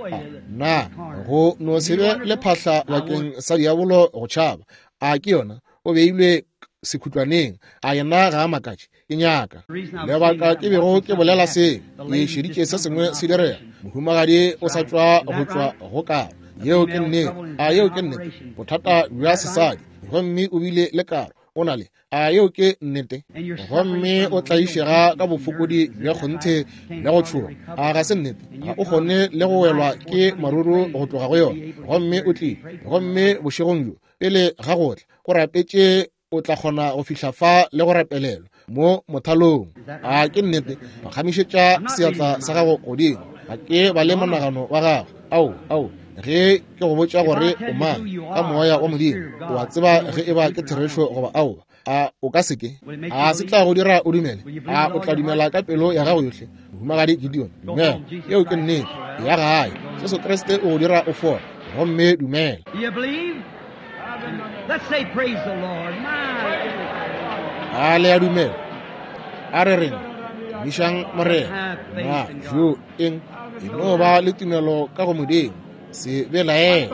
Na go no se be le phahla bakeng sa diabolo go tšhaba? A ke yona? O beilwe sekhutlwaneng. A yena ga a makatše? Ke nyaka lebaka ke bego ke bolela se, ke šeditše se sengwe se direga. Mohumagadi o sa tšwa go tšwa go karo. Yeo ke nnete. A yeo ke nnete? Bothata bja sesadi, gomme o bile le karo. O na le. A yeo ke nnete? Gomme o tlaišega ka bofokodi bja kgonthe bja go tšhoga. A ga se nnete? Ga o kgone le go welwa ke maruru go tloga go yona. Gomme o tlile, gomme bošegong bjo pele ga go tla, o rapetše o tla kgona go fihla fa le go rapelelwa mo mothalong. A ke nnete? Phagamišetša seatla sa gago godimo. Ga ke ba le monagano wa gago. Ao, ao, ge ke go botša gore o mang ka moya wa Modimo, o a tseba ge e ba ke therešo goba aowa. A o ka se ke? A se tla go dira o dumele? A o tla dumela ka pelo ya gago yohle? Mohumagadi Gideon, dumela. Yeo ke nnete. Ya gae. Jesu Kriste o go dira o fole. Gomme dumela. A le a dumela? A re reng, tumišang Morena. Na jo eng? E no ba le tumelo ka go Modimo. Se belaele.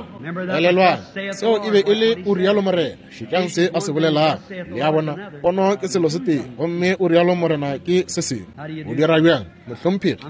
Elelwang, seo e be e le o rialo Morena. Šetšang se a se bolelago. Le a bona, pono ke selo se tee, gomme o rialo Morena ke se sengwe. O dira bjang, mohlomphegi?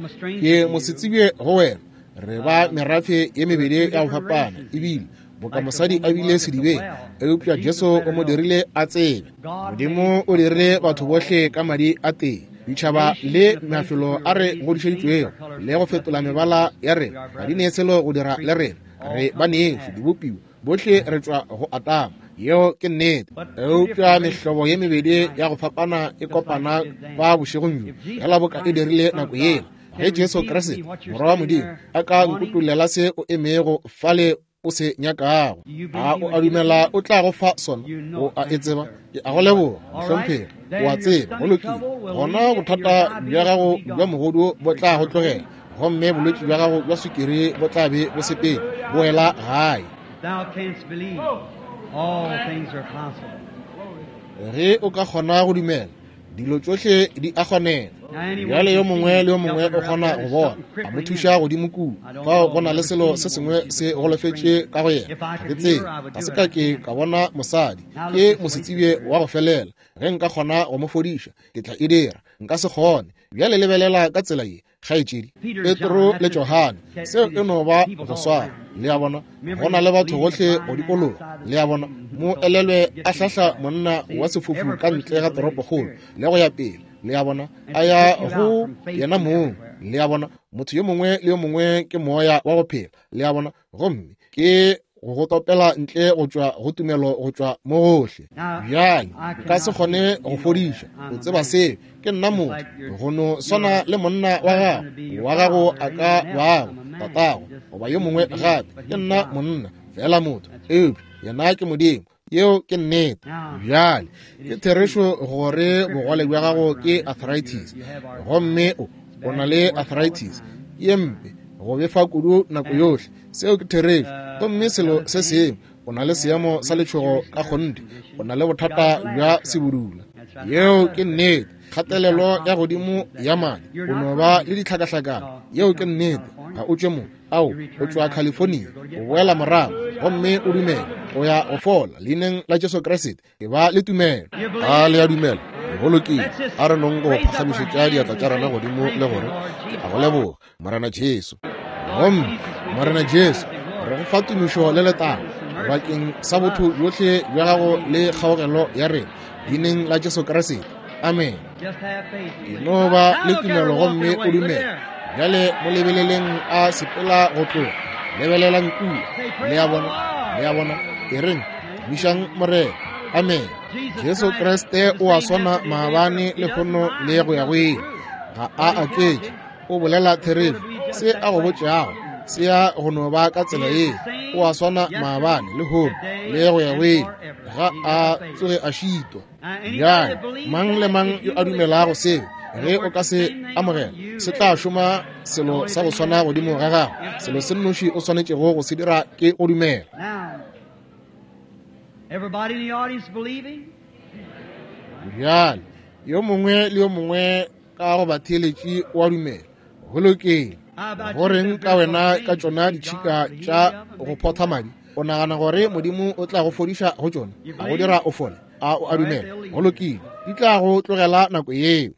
Ke mosetsebje go wena. Re ba merafe ye mebedi ya go fapana, ebile boka mosadi a bile sedibeng, eupša Jesu o mo dirile a tsebe. Modimo o dirile batho bohle ka madi a tee. Ditšhaba le mafelo a re godišeditšwego le go fetola mebala ya rena ga di ne selo go dira le rena. Re banešu, dibopiwa bohle re tšwa go Atama. Yeo ke nnete. Eupša mehlobo ye mebedi ya go fapana e kopana fa bošegong bjo, fela boka e dirile nako yela. Ge Jesu Kriste, Morwa wa Modimo, a ka nkutollela se o emego fale o se nyakago, a o a dumela o tla go fa sona? O a e tseba. Ke a go leboga, mohlomphegi. O a tseba. Go lokile. Gona bothata bja gago bja mogodu bo tla go tlogela, gomme bolwetši bja gago bja sukiri bo tla be bo sepele. Boela gae. Ge o ka kgona go dumela, dilo tšohle di a kgonega. Bjale yo mongwe le yo mongwe o kgona go bona, a mo thuša godimo kua. Fao go na le selo se sengwe se golofetše ka go yena. Ga ke tsebe, ga se ka ke ka bona mosadi. Ke mosetsebje wa go felela. Ge nka kgona go mo fodiša, ke tla e dira. Nka se kgone. Bjale lebelela ka tsela ye, kgaetšedi. Petro le Johane, seo e no ba go swana. Le a bona, go na le batho gohle go dikologa. Le a bona, mo elelwe a hlahla monna wa sefofu ka ntle ga toropokgolo le go ya pele. Le a bona, a ya go yena mong. Le a bona, motho yo mongwe le yo mongwe ke moya wa go phela. Le a bona, gomme ke go go topela ntle go tšwa go tumelo go tšwa mo gohle. Bjale nka se kgone go fodiša, o tseba seo. Ke nna motho, go no swana le monna wa gago, wa gago a ka bago tatago goba yo mongwe gape. Ke nna monna fela, motho, eupša yena ke Modimo. Yeo ke nnete. Bjale ke therešo gore bogole bja gago ke arthritis, gomme o na le arthritis ye mpe go befa kudu nako yohle. Seo ke therešo. Gomme selo se sengwe, o na le seemo sa letšhogo ka kgonthe, o na le bothata bja sebudula. Yeo ke nnete. Kgatelelo ya godimo ya madi, o no ba le ditlhakahlakano. Yeo ke nnete. Ga o tšwe mo. Ao, o tšwa California. O boela morago gomme o dumele, o ya go fola leineng la Jesu Kriste. E ba le tumelo. A le a dumela? Go lokile. A re nong go phagamišetša diatla tša rena godimo le gore, ke a go leboga, Morena Jesu. Gomme Morena Jesu, re go fa tumišo le letago bakeng sa botho bjohle bja gago le kgaogelo ya rena, leineng la Jesu Kriste. Amen. E no ba le tumelo gomme o dumele. Bjale mo lebeleleng a sepela go tloga. Lebelelang kua. Le a bona? Le a bona? E reng, tumišang Morena. Amen. Jesu Kriste o a swana maabane, lehono le go ya go ile. Ga a aketše. O bolela therešo. Se a go botšago se ya go no ba ka tsela ye. O a swana maabane, lehono le go ya go ile. Ga a tsoge a šitwa. Bjale mang le mang yo a dumelago seo, ge o ka se amogela, se tla šoma selo sa go swana godimo ga gago. Selo se nnoši o swanetšego go se dira ke go dumela. Bjale yo mongwe le yo mongwe ka go batheeletši wa dumela. Go lokile. Go reng ka wena ka tšona ditšhika tša go photha madi? O nagana gore Modimo o tla go fodiša go tšona, a go dira o fole? A o a dumela? Go lokile. Di tla go tlogela nako yeo.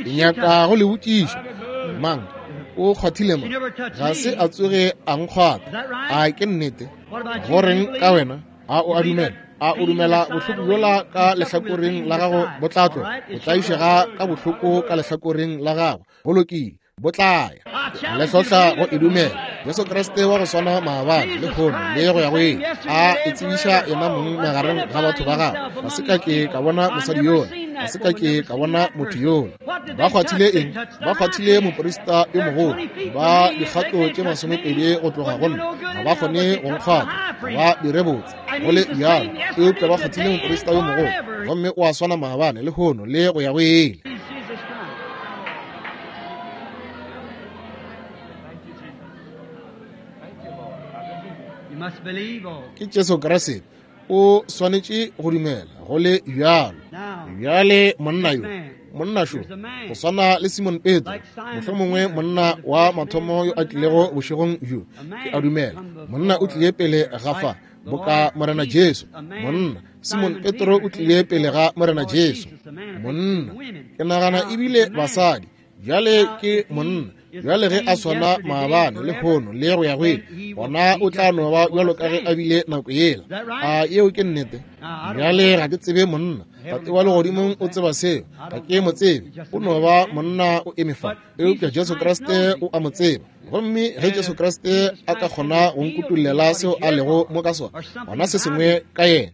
Ke nyaka go le botšiša, mang o kgwathile mo? Ga se a tsoge a nkgwatha. A ke nnete? Go reng ka wena? A o a dumela? A o dumela bohloko bjola ka lehlakoreng la gago bo tla tloga? O tlaišega ka bohloko ka lehlakoreng la gago. Go lokile, bo tla ya. Le hlohla go e dumela. Jesu Kriste wa go swana maabane, lehono le go ya go ile, a e tsebiša yena mong magareng ga batho ba gagwe. Ga se ka ke ka bona mosadi yola, ga se ka ke ka bona motho yola. Ba kgwathile eng? Ba kgwathile moprista yo mogolo. Ba dikgato tše 20 go tloga go nna, ga ba kgone go nkgwatha, ga ba dire botse go le bjalo. Eupša ba kgwathile moprista yo mogolo, gomme o a swana maabane, lehono le go ya go ile. Ke Jesu Kriste. O swanetše go dumela go le bjalo. Bjale monna yo, monna šo, go swana le Simon Petro, mohlomongwe monna wa mathomo yo a tlilego bošegong bjo, ke a dumela monna o tlile pele ga fa boka Morena Jesu. Monna Simon Petro o tlile pele ga Morena Jesu. Monna, ke nagana ebile basadi. Bjale ke monna. Bjale ge a swana maabane, lehono, le go ya go ile, gona o tla no ba bjalo ka ge a bile nako yela. A yeo ke nnete? Bjale ga ke tsebe monna. Tate wa legodimong o tseba seo. Ga ke mo tsebe. O no ba monna o eme fa. Eupša Jesu Kriste o a mo tseba. Gomme ge Jesu Kriste a ka kgona go nkutollela seo a lego mo ka sona, gona se sengwe ka yena,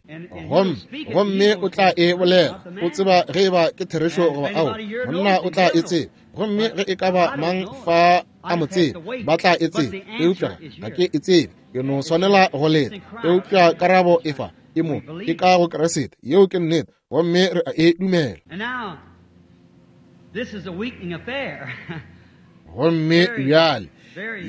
gomme, gomme o tla e bolela. O tseba ge eba ke therešo goba ao. Monna o tla e tseba. Gomme ge e ka ba mang fa a mo tseba, ba tla e tseba. Eupša ga ke e tsebe. Ke no swanela go leta. Eupša karabo e fa, e mo, e ka go Kriste. Yeo ke nnete. Gomme re a e dumela. Gomme bjale,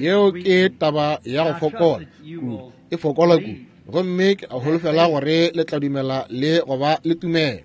yeo ke taba ya go fokola kudu, e fokola kudu. Gomme ke a holofela gore le tla dumela le go ba le tumelo.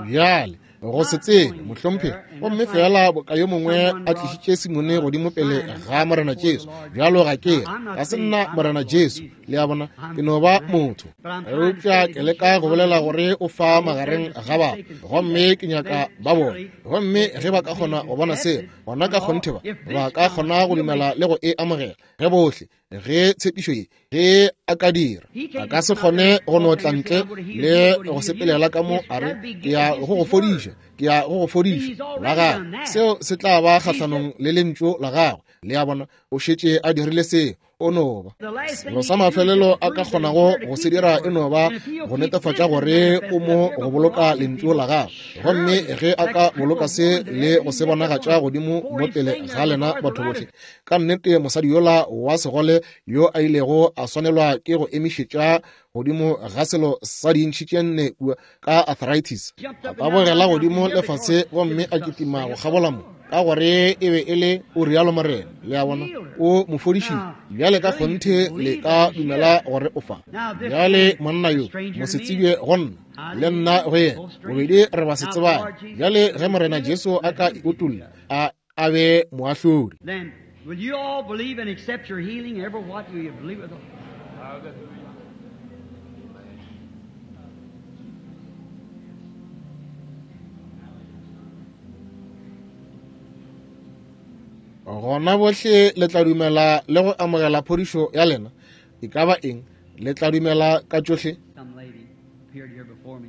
Bjale, go se tsebe, mohlomphegi, gomme feela boka yo mongwe a tlišitše Simone godimo pele ga Morena Jesu. Bjalo ga ke re, ga se nna Morena Jesu, le a bona, ke no ba motho. Eupša ke leka go bolela gore o fa magareng ga batho, gomme ke nyaka ba bone. Gomme ge ba ka kgona go bona seo, gona ka kgonthe ba, ba ka kgona go dumela le go e amogela. Ge bohle, ge tshepišo ye, ge a ka dira, a ka se kgone go no tla ntle le go sepelela ka mo a re, ke ya go go fodiša, ke ya go go fodiša la gagwe. Seo se tla ba kgahlanong le lentšu la gagwe. Le a bona, o šetše a dirile seo. O no ba selo sa mafelelo a ka kgonago go se dira e no ba go netefatša gore o mo go boloka lentšu la gagwe. Gomme ge a ka boloka se le go se bonagatša godimo mo pele ga lena batho bohle, ka nnete mosadi yola wa segole yo a ilego a swanelwa ke go emišetša godimo ga selo sa dintšhi tše nne kua ka arthritis, a tabogela godimo lefase gomme a kitima go kgabola mo, ka gore e be e le o rialo Morena. Le a bona, o mo fodišitše. Bjale ka kgonthe le ka dumela gore o fa. Bjale monna yo mosetsebje go nna, le nna go yena, bobedi re ba se tsebane. Bjale ge Morena Jesu a ka utolla, a a be moahlodi. Then will you all believe and accept your healing, ever what you believe with? Gona bohle le tla dumela le go amogela phodišo ya lena. E ka ba eng? Le tla dumela ka tšohle? Some lady appeared here before me.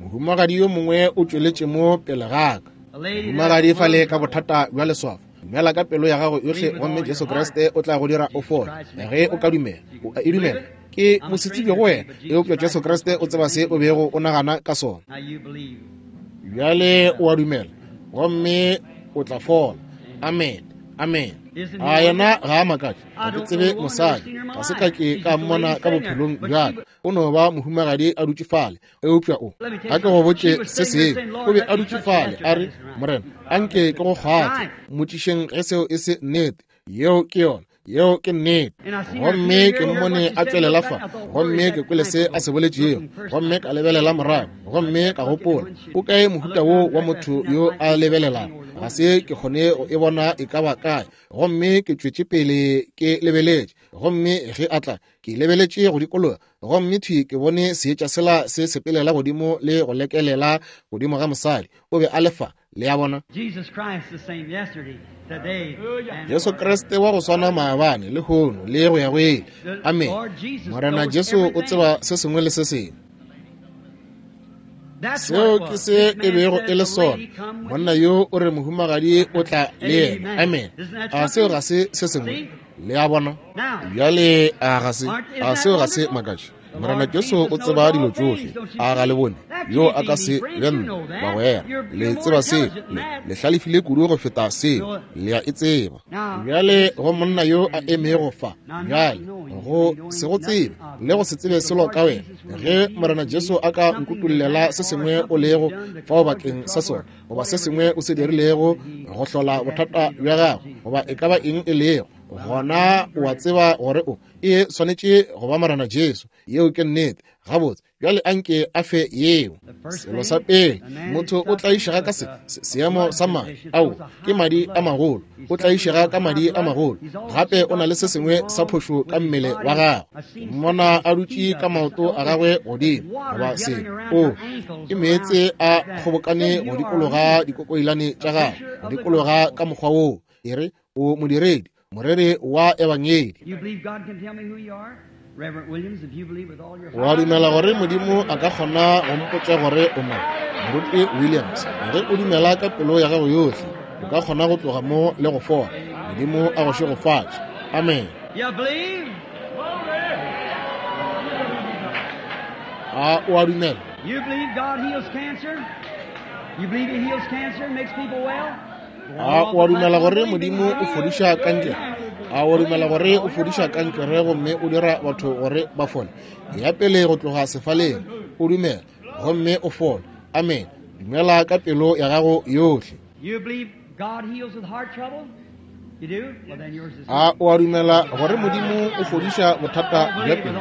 Mohumagadi yo mongwe o tšweletše mo pele ga ka. Mohumagadi fale ka bothata bja leswafo. Dumela ka pelo ya gago yohle gomme Jesu Kriste o tla go dira o fole. Ge o ka dumela, o a e dumela. Ke mosetsebje go wena, eupša Jesu Kriste o tseba se o bego o nagana ka sona. Bjale o a dumela gomme o tla fola. Amen. Amen. A yena ga a makatše? Ga ke tsebe mosadi, ga se ka ke ka mmona ka bophelong bja ka. O no ba mohumagadi a dutše fale, eupša o, a ke go botše se sengwe, o be a dutše fale a re, Morena, a nke ke go kgwathe. Mmotšišeng ge seo e se nnete. Yeo ke yona. Yeo ke nnete. Gomme ke mmone a tšwelela fa, gomme ke kwele se a se boletšego, gomme ka lebelela morago, gomme ka gopola, o kae mohuta wo wa motho yo a lebelelago? Ga se ke kgone go e bona e ka ba kae. Gomme ke tšwetše pele ke lebeletše, gomme ge a tla, ke lebeletše go dikologa, gomme thwi ke bone seetša sela se sepelela godimo le go lekelela godimo ga mosadi. O be a le fa. Le a bona? Jesu Kriste wa go swana maabane, lehono, le go ya go ile. Amen. Morena Jesu o tseba se sengwe le se sengwe. Seo ke se e bego e le sona. Monna yo o re mohumagadi o tla le yena. Amen. A seo ga se se sengwe? Le a bona? Bjale a ga se, a seo ga se makatše? Morena Jesu o tseba dilo tšohle. A ga le bone? Yo a ka se be nna, bagwera. Le tseba seo. Le, le hlalefile kudu go feta seo. Le a e tseba. Bjale go monna yo a emego fa, bjale, go se go tsebe, le go se tsebe selo ka wena, ge Morena Jesu a ka nkutollela se sengwe o lego fao bakeng sa sona, goba se sengwe o se dirilego go hlola bothata bja gago, goba e ka ba eng e lego, gona o a tseba gore o e swanetše go ba Morena Jesu. Yeo ke nnete. Gabotse. Bjale anke a fe yeo. Selo sa pele, motho o tlaišega ka se, seemo sa madi. Ao, ke madi a magolo. O tlaišega ka madi a magolo. Gape o na le se sengwe sa phošo ka mmele wa gagwe. Mmona a dutše ka maoto a gagwe godimo, goba se, o, ke meetse a kgobokane go dikologa dikokoilane tša gagwe, go dikologa ka mokgwa woo. E re, o modiredi, moreri wa ebangedi. Wa dumela gore Modimo a ka kgona go mpotša gore o mang? Moruti Williams, ge o dumela ka pelo ya gago yohle, o ka kgona go tloga mo le go fola. Modimo a go šegofatše. Amen. A o a dumela? A o a dumela gore Modimo o fodiša kankere? A o dumela gore o fodiša kankere gomme o dira batho gore ba fole? Ya pele go tloga sefaleng, o dumela gomme o fole. Amen. Dumela ka pelo ya gago yohle. A o a dumela gore Modimo o fodiša bothata bja pelo?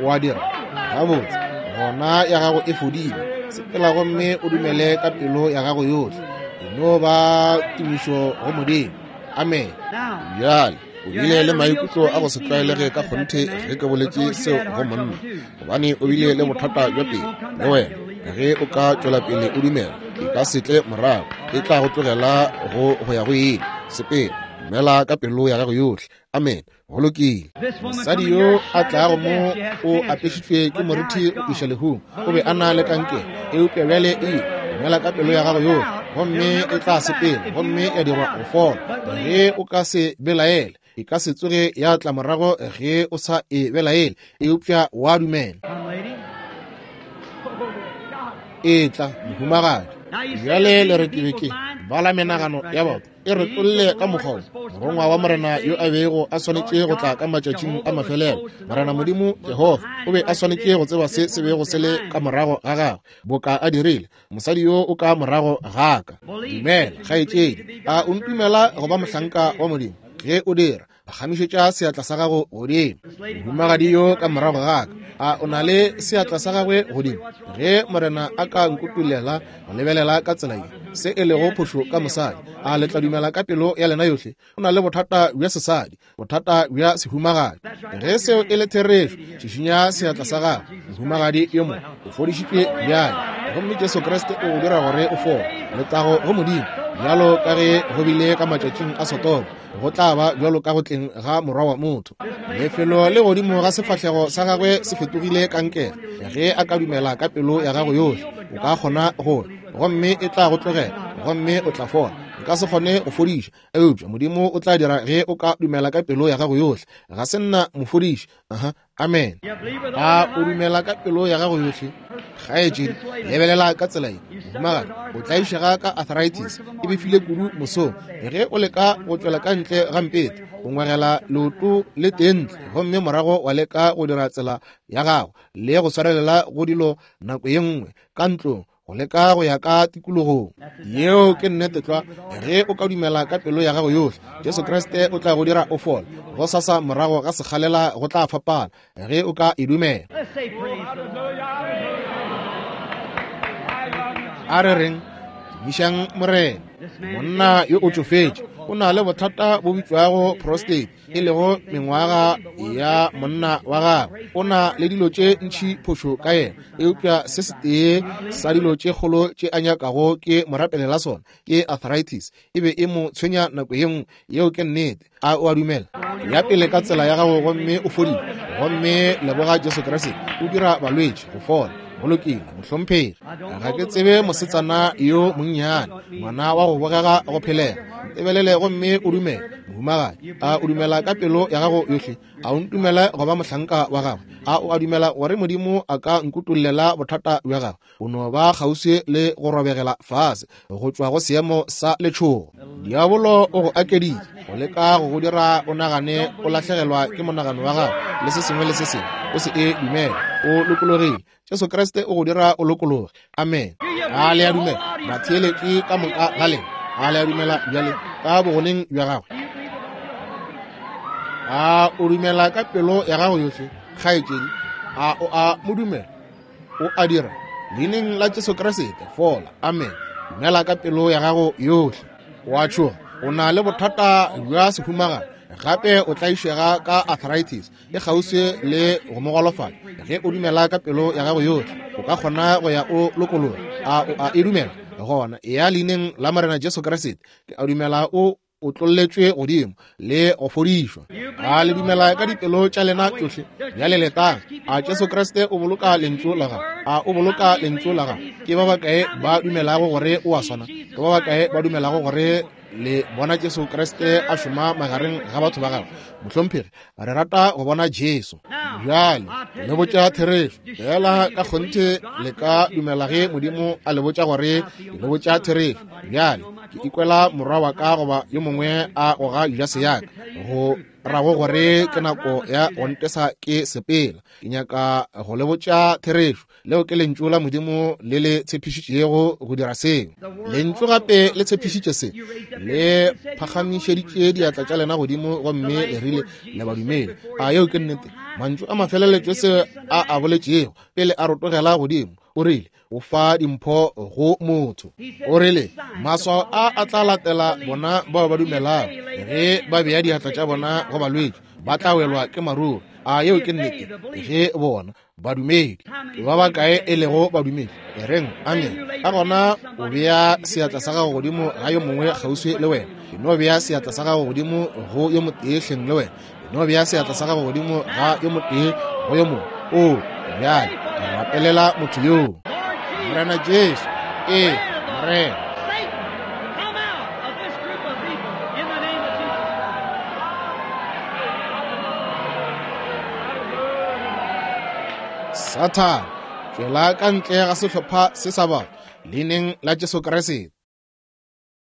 O a dira? Gabotse, gona ya gago e fodile. Sepela gomme o dumele ka pelo ya gago yohle. E no ba tumišo go Modimo. Amen. Bjale, o bile le maikutlo a go se tlwaelege ka kgonthe ge ke boletše seo go monna, gobane o bile le bothata bja pelo. Le wena, ge o ka tšwela pele o dumela, e ka se tle morago, e tla go tlogela go go ya go ile. Sepela, dumela ka pelo ya gago yohle. Amen. Go lokile. Mosadi yo a tlago mo o apešitšwe ke morithi go iša lehung. O be a na le kankere, eupša bjale e dumela ka pelo ya gago yohle, gomme e tla sepela gomme ya dirwa go fola. Ge o ka se belaele, e ka se tsoge ya tla morago ge o sa e belaele, eupša wa dumela. E tla, mohumagadi. Bjale le re ke be ke bala menagano ya batho e re tolle ka mokgwa wo. Morongwa wa Morena yo a bego a swanetše go tla ka matšatšing a mafelelo, Morena Modimo Jehofa, o be a swanetše go tseba se se bego se le ka morago ga gagwe, boka a dirile mosadi yo o ka morago ga ka. Dumela, kgaetšedi. A o ntumela go ba mohlanka wa Modimo? Ge o dira, phagamišetša seatla sa gago godimo. Mohumagadi yo ka morago ga ka, a o na le seatla sa gagwe godimo? Ge Morena a ka nkutulela go lebelela ka tsela ye, se e lego phošo ka mosadi, a le tla dumela ka pelo ya lena yohle? O na le bothata bja sesadi, bothata bja sehumagadi. Ge seo e le therešo, šišinya seatla sa gago. Mohumagadi yo mongwe o fodišitšwe bjale, gomme Jesu Kriste o go dira gore o fole. Letago go Modimo, bjalo ka ge go bile ka matšatšing a Sodoma, go tla ba bjalo ka go tleng ga Morwa wa motho. Lefelo le godimo ga sefahlego sa gagwe se fetogile kankere. Ge a ka dumela ka pelo ya gago yohle, o ka kgona go, gomme e tla go tlogela, gomme o tla fola. Nka se kgone go fodiša, eupša Modimo o tla dira ge o ka dumela ka pelo ya gago yohle. Ga se nna mofodiši. Aha, amen. A o dumela ka pelo ya gago yohle? Kgaetšedi, lebelela ka tsela ye. Mohumagadi, o tlaišega ka arthritis, e befile kudu mosong. Ge o leka go tšwela ka ntle ga mpete, o ngwegela leoto le tee ntle, gomme morago wa leka go dira tsela ya gago le go swarelela go dilo nako ye nngwe ka ntlong, go leka go ya ka tikologong. Yeo ke nnete tlwa. Ge o ka dumela ka pelo ya gago yohle, Jesu Kriste o tla go dira o fole. Go sasa morago ga sekgalela go tla fapana, ge o ka e dumela. A re reng, tumišang Morena. Monna yo o tšofetše, o na le bothata bo bitšwago prostate, e lego mengwaga ya monna wa gagwe. O na le dilo tše ntši phošo ka yena, eupša se setee sa dilo tše kgolo tše a nyakago ke mo rapelela sona ke arthritis. E be e mo tshwenya nako ye nngwe. Yeo ke nnete. A o a dumela? Ya pele ka tsela ya gago gomme o fodile, gomme leboga Jesu Kriste. O dira balwetši go fola. Go lokile, mohlomphegi. Ga ke tsebe mosetsana yo monnyane, ngwana wa go bogega go phelega. Ntebelele gomme o dumele, mohumagadi. A o dumela ka pelo ya gago yohle? A o ntumele go ba mohlanka wa gagwe? A o a dumela gore Modimo a ka nkutollela bothata bja gago? O no ba kgauswi le go robegela fase go tšwa go seemo sa letšhogo. Diabolo o go akeditše go leka go go dira o nagane o lahlegelwa ke monagano wa gago le se sengwe le se sengwe. O se e dumele. O lokologile. Jesu Kriste o go dira o lokologe. Amen. A le a dumela? Batheeletši ka moka ga lena, a le a dumela bjale ka bogoneng bja gagwe? A o dumela ka pelo ya gago yohle, kgaetšedi? A o a mo dumela? O a dira? Leineng la Jesu Kriste, fola. Amen. Dumela ka pelo ya gago yohle. O a tšhoga. O na le bothata bja sehumagadi. Gape o tlaišega ka arthritis e kgauswi le go mo golofala. Ge o dumela ka pelo ya gago yohle, o ka kgona go ya o lokologa. A o a e dumela? Gona eya leineng la Morena Jesu Kriste. Ke a dumela o otlolletšwe godimo le go fodišwa. A le dumela ka dipelo tša lena tšohle? Bjale letang. A Jesu Kriste o boloka lentšu la gagwe? A o boloka lentšu la gagwe? Ke ba bakae ba dumelago gore o a swana? Ke ba bakae ba dumelago gore le bona Jesu Kriste a šoma magareng ga batho ba gagwe? Mohlomphegi, re rata go bona Jesu. Bjale le botša therešo fela ka kgonthe le ka dumela ge Modimo a le botša gore le botša therešo. Bjale ke ikwela morwa wa ka goba yo mongwe a goga jase ya ka, go rago gore ke nako ya go ntesa ke sepela. Ke nyaka go le botša therešo. Leo ke lentšu la Modimo le le tshepišitšego go dira seo. Lentšu gape le tshepišitše se. Le phagamišeditše diatla tša lena godimo gomme le rile le badumedi. A yeo ke nnete? Mantšu a mafelelo Jesu a a boletšego pele a rotogela godimo, o rile, o fa dimpho go motho. O rile, maswao a a tla latela bona bao ba dumelago. Ge ba bea diatla tša bona go balwetši, ba tla welwa ke maruru. A yeo ke nnete? Ge bona badumedi, ke ba bakae e lego badumedi? E reng amen. Ka gona o bea seatla sa gago godimo ga yo mongwe kgauswi le wena. E no bea seatla sa gago godimo go yo motee hleng le wena. E no bea seatla sa gago godimo ga yo motee go yo mongwe. O bjale rapelela motho yoo. Morena Jesu, ee, Morena. Sathane, tšwela ka ntle ga sehlopha se sa batho, leineng la Jesu Kriste.